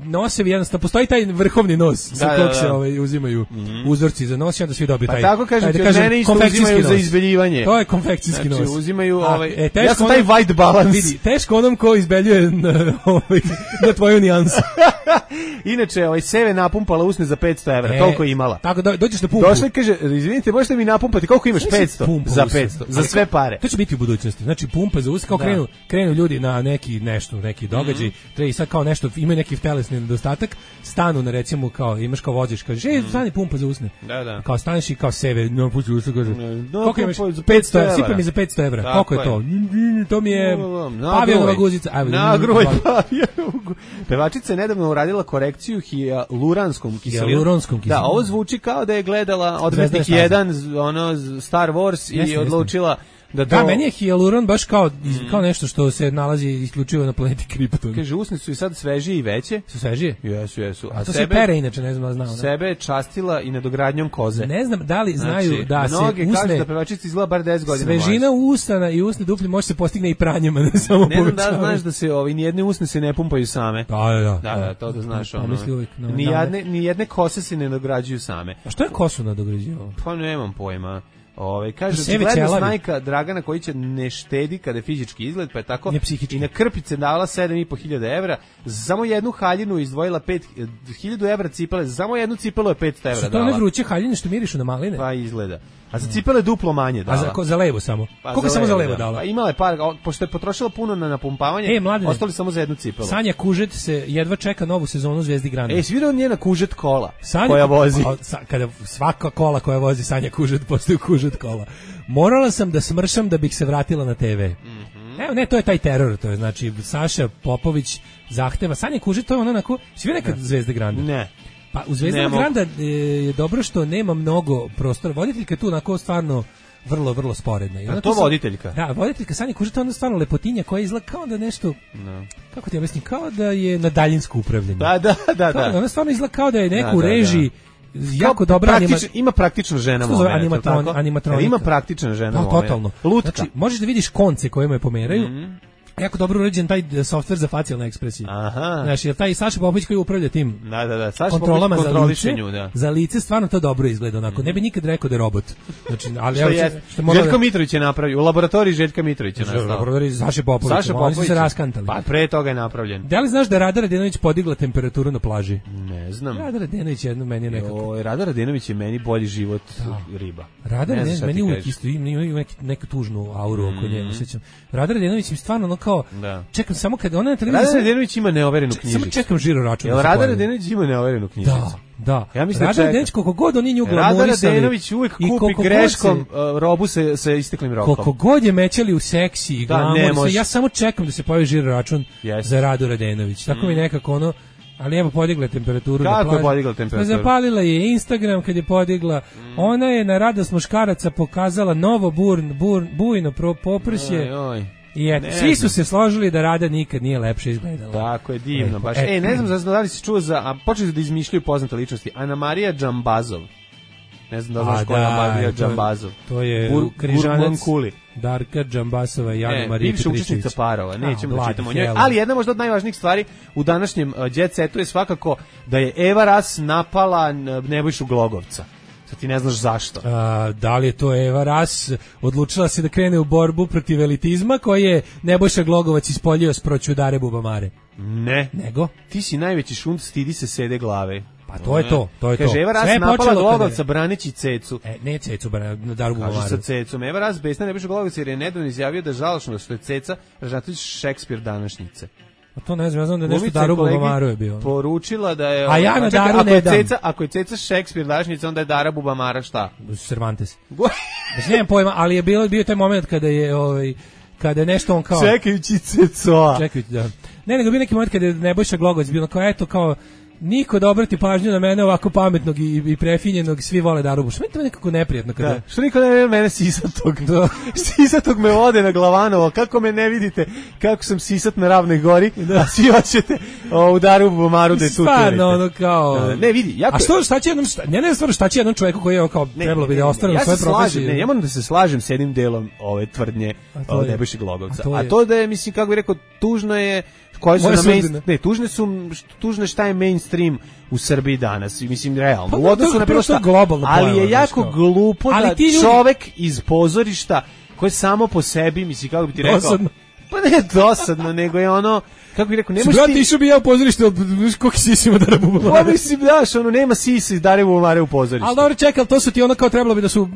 nosevi jednostavno, postoji taj vrhovni nos sa da, kog da, da. se ovaj, uzimaju mm-hmm. uzorci za nos i onda svi dobiju taj. Pa tako kažem ti, od mene isto uzimaju za izbeljivanje. To je konfekcijski znači, nos. Uzimaju, A, ovaj, e, ja sam taj white balance. Vidi, teško onom ko izbeljuje na, ovaj, na tvoju nijansu. Inače, ovaj Seve napumpala usne za petsto evra, e, toliko imala. Tako da dođeš na pumpu. Došla i kaže, izvinite, možete mi napumpati, koliko imaš? petsto za petsto, za sve pare. To će biti u budućnosti. Znači pumpa za usne, kao da. krenu, krenu ljudi na neki nešto, neki događaj, mm-hmm. treba i sad kao nešto, imaju neki telesni nedostatak, stanu na recimo kao imaš kao voziš, kažeš, ej, stani pumpa za usne. Da, da. Kao staneš i kao Seve, no pusti usne, kaže. Koliko imaš? petsto evra. Sipa mi za petsto evra. Koliko je to? To mi je Pavijanova guzica. Nagroj Pavijanova. Pevačica je nedavno uradila korekciju hijaluranskom kiselinom. Hijaluranskom kiselinom. Da, ovo zvuči kao da je gledala Odmetnik jedan, ono Star Wars i jesne, odlučila da to... Da, meni je hijaluron baš kao, mm. kao nešto što se nalazi isključivo na planeti Krypton. Kaže, usne su i sad svežije i veće. Su svežije? Jesu, jesu. A, a to sebe, se pere inače, ne znam da znao. Sebe je častila i nadogradnjom koze. Ne znam da li znaju znači, da se usne... Mnoge kažu da pevačica izgleda bar deset godina. Svežina usana i usne duplje može se postigne i pranjem, a ne samo ne znam da znaš da se ovi, nijedne usne se ne pumpaju same. Da, da, da. Da, da, to da znaš. Pa, ono, uvijek, no, nijedne, nijedne kose se ne nadograđuju same. A što je kosu nadograđivao? Pa nemam pojma. Ove, kaže, gledno snajka Dragana koji će ne štedi kada je fizički izgled, pa je tako i na krpice davala sedam i po hiljada evra, samo jednu haljinu izdvojila pet hiljada evra cipele, samo jednu cipelu je petsto evra dala. Što to ne vruće haljine što mirišu na maline? Pa izgleda. A za cipele duplo manje dala. A za, ko, za levo samo? Pa koliko samo za levo da. dala? Pa imala je par, pošto je potrošila puno na napumpavanje, e, mladine, ostali samo za jednu cipelu. Sanja Kužet se jedva čeka novu sezonu Zvezdi Granda. E, si vidio njena Kužet kola Sanja, koja vozi? A, sa, kada svaka kola koja vozi Sanja Kužet postaju Kužet kola. Morala sam da smršam da bih se vratila na te ve. Mm-hmm. Evo, ne, to je taj teror, to je, znači, Saša Popović zahteva. Sanja Kužet, to je ono onako, si vidio nekad Zvezde Granda? Ne. Pa u Zvezdama Granda je dobro što nema mnogo prostora. Voditeljka je tu onako stvarno vrlo, vrlo sporedna. I a to voditeljka? Da, voditeljka Sanja Kužet je onda stvarno lepotinja koja izgleda kao da nešto, no. kako ti ja mislim, kao da je na daljinsko upravljanje. Da, da, da. da. Ona stvarno izgleda kao da je neku da, da, režiji da. jako dobra praktič, anima... ima praktična žena moment, animatron, animatronika. Ima praktična žena da, moment. Totalno. Lutka. Znači, možeš da vidiš konce koje me pomeraju. Mm-hmm. Jako dobro uređen taj softver za facijalne ekspresije. Aha. Znači, jer taj Saša Popović koji upravlja tim da, da, da. Saša kontrolama za lice, nju, da. za lice stvarno to dobro izgleda onako. Mm. Ne bi nikad rekao da je robot. Znači, ali što ja je, Željko da... Mitrović je napravio, u laboratoriji Željka Mitrovića nastao. U laboratoriji Saša Popović, Saša Popović. Oni su se raskantali. Pa pre toga je napravljen. Da li znaš da Rada Radenović podigla temperaturu na plaži? Ne znam. Rada Radenović jedno meni je nekako. Joj, Rada Radenović je meni bolji život da. riba. Rada Radenović meni uvijek isto ima, ima neku tužnu auru mm. oko nje, osjećam. Rada Radenović im stvarno ono kao da. Čekam samo kad ona na televiziji. Rada Radenović ima neoverenu knjižicu. Samo čekam žiro račun. Jel Rada Radenović ima neoverenu knjižicu? Da, da. Ja mislim Rada Radenović koliko god oni nju glamorisali. Rada Radenović uvijek kupi greškom se, uh, robu sa, sa isteklim rokom. Koliko god je mećali u seksi i glamor, ja samo čekam da se pojavi žiro račun yes. za Radu Radenović. Tako mm. mi nekako ono. Ali evo podigla temperaturu. Kako je podigla temperaturu? Zapalila je Instagram kad je podigla. Mm. Ona je na radost muškaraca pokazala novo burn, burn, bujno poprsje. Oj, oj. I eto, svi su se složili da Rada nikad nije lepše izgledala. Tako je, divno. E, baš. E, e ne znam da li si čuo za, a počeli da izmišljaju poznate ličnosti. Ana Marija Džambazov. Ne znam da znaš ko je Ana Marija Džambazov. To je Bur, križanac Darka Džambasova i Ana Marija Petričević. Bivša učesnica Parova, nećemo da čitamo o njoj. Ali jedna možda od najvažnijih stvari u današnjem uh, jet setu je svakako da je Eva Ras napala Nebojšu Glogovca. Sad ti ne znaš zašto. A, da li je to Eva Ras odlučila se da krene u borbu protiv elitizma koji je Nebojša Glogovac ispoljio s proćudare bubamare? Ne. Nego? Ti si najveći šund, stidi se sede glave. Pa to je to, to je to. Kaže, Eva Ras napala Glogovca braneći Cecu. E, ne Cecu, na Daru Bubamaru. Kaže sa Cecom. Eva Ras besna Nebojša Glogovca jer je nedavno izjavio da je žalošno što je Ceca ražatelj Šekspir današnjice. A to ne znam, ja znam da je nešto Daru Bubamaru je bio. Poručila da je... A ja na Daru ako ne je dam. Ceca, ako je Ceca Šekspir današnjice, onda je Dara Bubamara šta? Cervantes. Mislim, nemam pojma, ali je bilo, bio taj moment kada je... Ovaj, kada je nešto on kao... Čekajući Cecoa. Čekajući, da. Ne, nego bio neki moment kada je Nebojša Glogovac bilo kao, eto, kao, niko da obrati pažnju na mene ovako pametnog i, i prefinjenog, svi vole Daru Bubamaru. Što mi je to nekako neprijatno kada... Da. Što niko ne vidi mene sisatog? Da. Sisatog me vode na Glavanovo. Kako me ne vidite kako sam sisat na Ravnoj gori, da. A svi hoćete u Daru Bubamaru da je tu turite. Stvarno, ono kao... Da, ne, vidi. Jako... A što, šta će jednom... Šta, ne, ne, stvarno, šta će jednom čovjeku koji je kao ne, trebalo bi da ostane ja u svojoj profesiji? Ne, ja moram da se slažem s jednim delom ove tvrdnje o Nebojši Glogovca. A to, a to da je, mislim, kako bih rekao, tužno je... Koji su na main, ne, tužne su tužne šta je mainstream u Srbiji danas, mislim realno. Pa, u odnosu na bilo šta, ali je jako što? glupo ali da ljudi... čovek iz pozorišta koji je samo po sebi, mislim kako bi ti rekao, dosadno. Pa ne dosadno, nego je ono kako bih rekao, ne možeš ti... Brate, išao bi ja u pozorište, ali koliko sisi ima Dara Bubamare? Pa mislim, daš, ono, nema sisi Dare Bubamare u pozorištu. Ali dobro, čekaj, to su ti ono kao trebalo bi da su...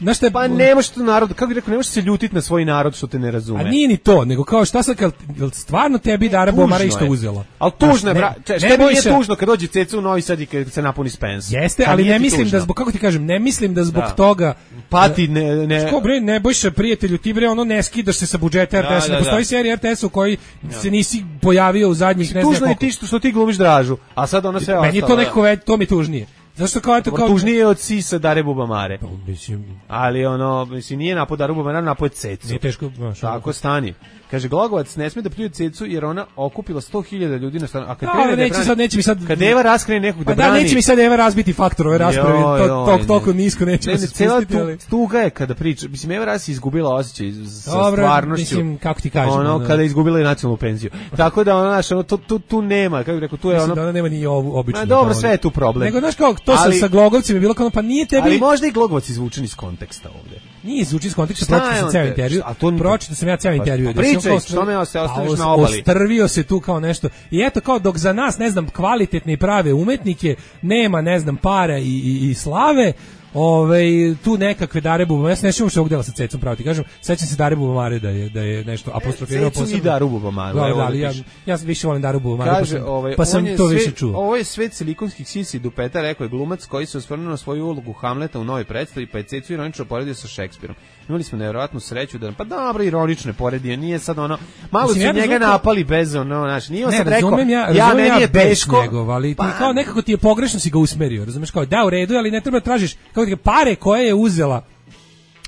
Znaš te, pa ne možeš to narod, kako bih rekao, ne možeš se ljutiti na svoj narod što te ne razume. A nije ni to, nego kao šta sad, kad stvarno tebi Dara Bubamara isto uzela. Ali tužno je, bra, šta ne nije tužno kad dođe Ceca u Novi Sad i kad se napuni Spens. Jeste, ali ne mislim tužno. Da zbog, kako ti kažem, ne mislim da zbog da. toga... Pati, ne... ne... Sko, bre, ne bojša prijatelju, ti bre, ono ne skidaš se sa budžeta R T S-a, da, da, ne postoji da. serija R T S-a u kojoj da. se nisi pojavio u zadnjih ne znam koliko. Tužno je ti što, što ti glumiš Dražu, a sad ono sve ostalo. Meni je to nekako već, to mi tužnije. Zašto kao eto kao tužnije od sisa Dare Bubamare. Pa mislim, ali ono mislim nije napad Daru Bubamare, napad Cecu. Nije teško, baš. Tako stani. Kaže Glogovac ne sme da pljuje Cecu jer ona okupila sto hiljada ljudi na stranu. A kad no, neće sad neće mi sad kad Eva raskrene nekog da brani. Pa da neće mi sad Eva razbiti faktor ove rasprave. To tok toliko nisko neće ne, se spustiti. Ali tuga je kada priča. Mislim Eva Ras izgubila osjećaj sa Dobre, stvarnošću. Mislim kako ti kažem. Ono no. kada je izgubila i nacionalnu penziju. Tako da ona naša ono tu, tu, tu nema, kako bih rekao, tu je ono. Da ona nema ni ovu običnu. Ma dobro, sve je tu problem. Nego znaš kako to ali, sa Glogovcima je bilo kao pa nije tebi. Ali možda i Glogovac izvučen iz konteksta ovde. Nije izvučen iz konteksta, pročitao sam ceo intervju. A to pročitao sam ja ceo intervju. Pričaj, što me se ostaviš na obali. Ostrvio se tu kao nešto. I eto kao dok za nas, ne znam, kvalitetne i prave umetnike nema, ne znam, para i, i, i slave, Ove, tu nekakve Dare Bubamare, ja se ne sjećam što ovog dela sa Cecom, pravo ti kažem, sećam se Dare Bubamare da je, da je nešto apostrofirao posebno. Cecu i Daru Bubamaru. Da, da, ali ja, ja više volim Daru Bubamaru, pa sam, ovaj, pa sam to sve, više čuo. Ovo je svet silikonskih sisi dupeta, rekao je glumac koji se osvrnuo na svoju ulogu Hamleta u novoj predstavi, pa je Cecu ironično poredio sa Šekspirom. Imali smo nevjerojatnu sreću da, pa dobro, ironično je poredio, nije sad ono, malo su ja njega to... napali bez ono, znači, nije on sad rekao, ja, ja meni je teško. Njegov, ali ti pa... kao nekako ti je pogrešno si ga usmerio, razumeš, kao da u redu, ali ne treba tražiš, kao ti pare koje je uzela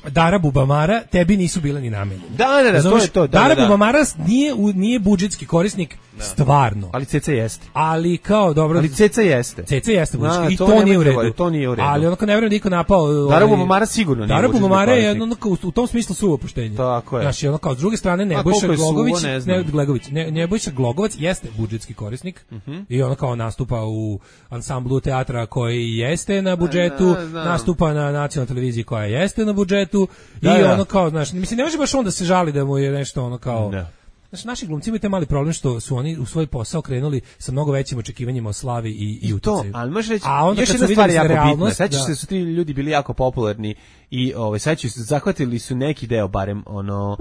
Dara Bubamara tebi nisu bile ni namenjene. Da, da, da, to je to. Da, Dara da, da. Bubamara nije nije budžetski korisnik da. Stvarno. Ali Ceca jeste. Ali kao dobro. Ali Ceca jeste. Ceca jeste budžetski da, i to, to nije u redu. To nije u redu. Ali onako ne vjerujem niko napao. Dara Bubamara sigurno nije. Dara Bubamara je onako u tom smislu suvo poštenje. Tako je. Znači ono kao s druge strane Nebojša Glogović, ne Glegović, ne Nebojša Glogovac jeste budžetski korisnik uh -huh. i on kao nastupa u ansamblu teatra koji jeste na budžetu, da, da. nastupa na nacionalnoj televiziji koja jeste na budžetu da, i ono kao, znaš, mislim, ne može baš on da se žali da mu je nešto ono kao... Da. Znači, naši glumci imaju taj mali problem što su oni u svoj posao krenuli sa mnogo većim očekivanjima o slavi i, i utjecaju. To, ali možeš reći, a onda još jedna stvar je jako bitna. Sećaš se da su ti ljudi bili jako popularni i ovaj sećaš se zahvatili su neki deo barem ono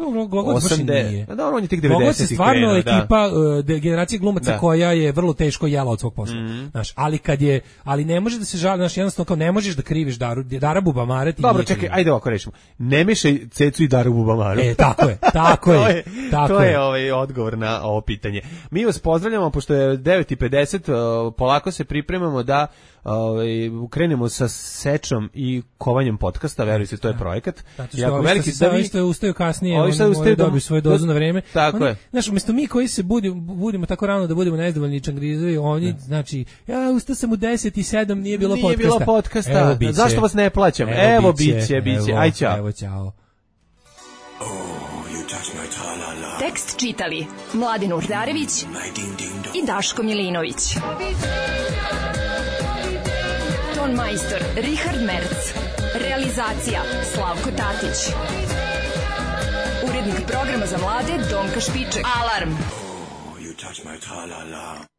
osamdeset. Da, on je tek devedesetih stvarno ekipa uh, generacije glumaca da. koja je vrlo teško jela od svog posla. Mm. Znaš, ali kad je ali ne može da se žali, znaš, jednostavno kao ne možeš da kriviš Daru Dara Bubamare. Dobro, čekaj, ajde ovako rešimo. Ne mešaj Cecu i Daru Bubamaru. E, tako je, tako je. Tako to je ovaj odgovor na ovo pitanje. Mi vas pozdravljamo pošto je devet i pedeset, uh, polako se pripremamo da ovaj krenemo sa sečom i kovanjem podcasta, verujte, to je projekat. Jako veliki da vi ste ustaju kasnije, oni moraju dobiti svoju dozu na vreme. Tako je. Znaš, umjesto mi koji se budimo budimo tako rano da budemo nezadovoljni čangrizovi, oni znači ja ustao sam u deset i sedam, nije bilo podcasta. Nije bilo podcasta. Zašto vas ne plaćam? Evo biće, biće. Aj ćao. Evo ćao. Tekst čitali Mladen Urdarević i Daško Milinović. Ton majstor Richard Merc. Realizacija Slavko Tatić. Urednik programa za mlade Donka Špiček. Alarm! Oh, you touch my tra-la-la.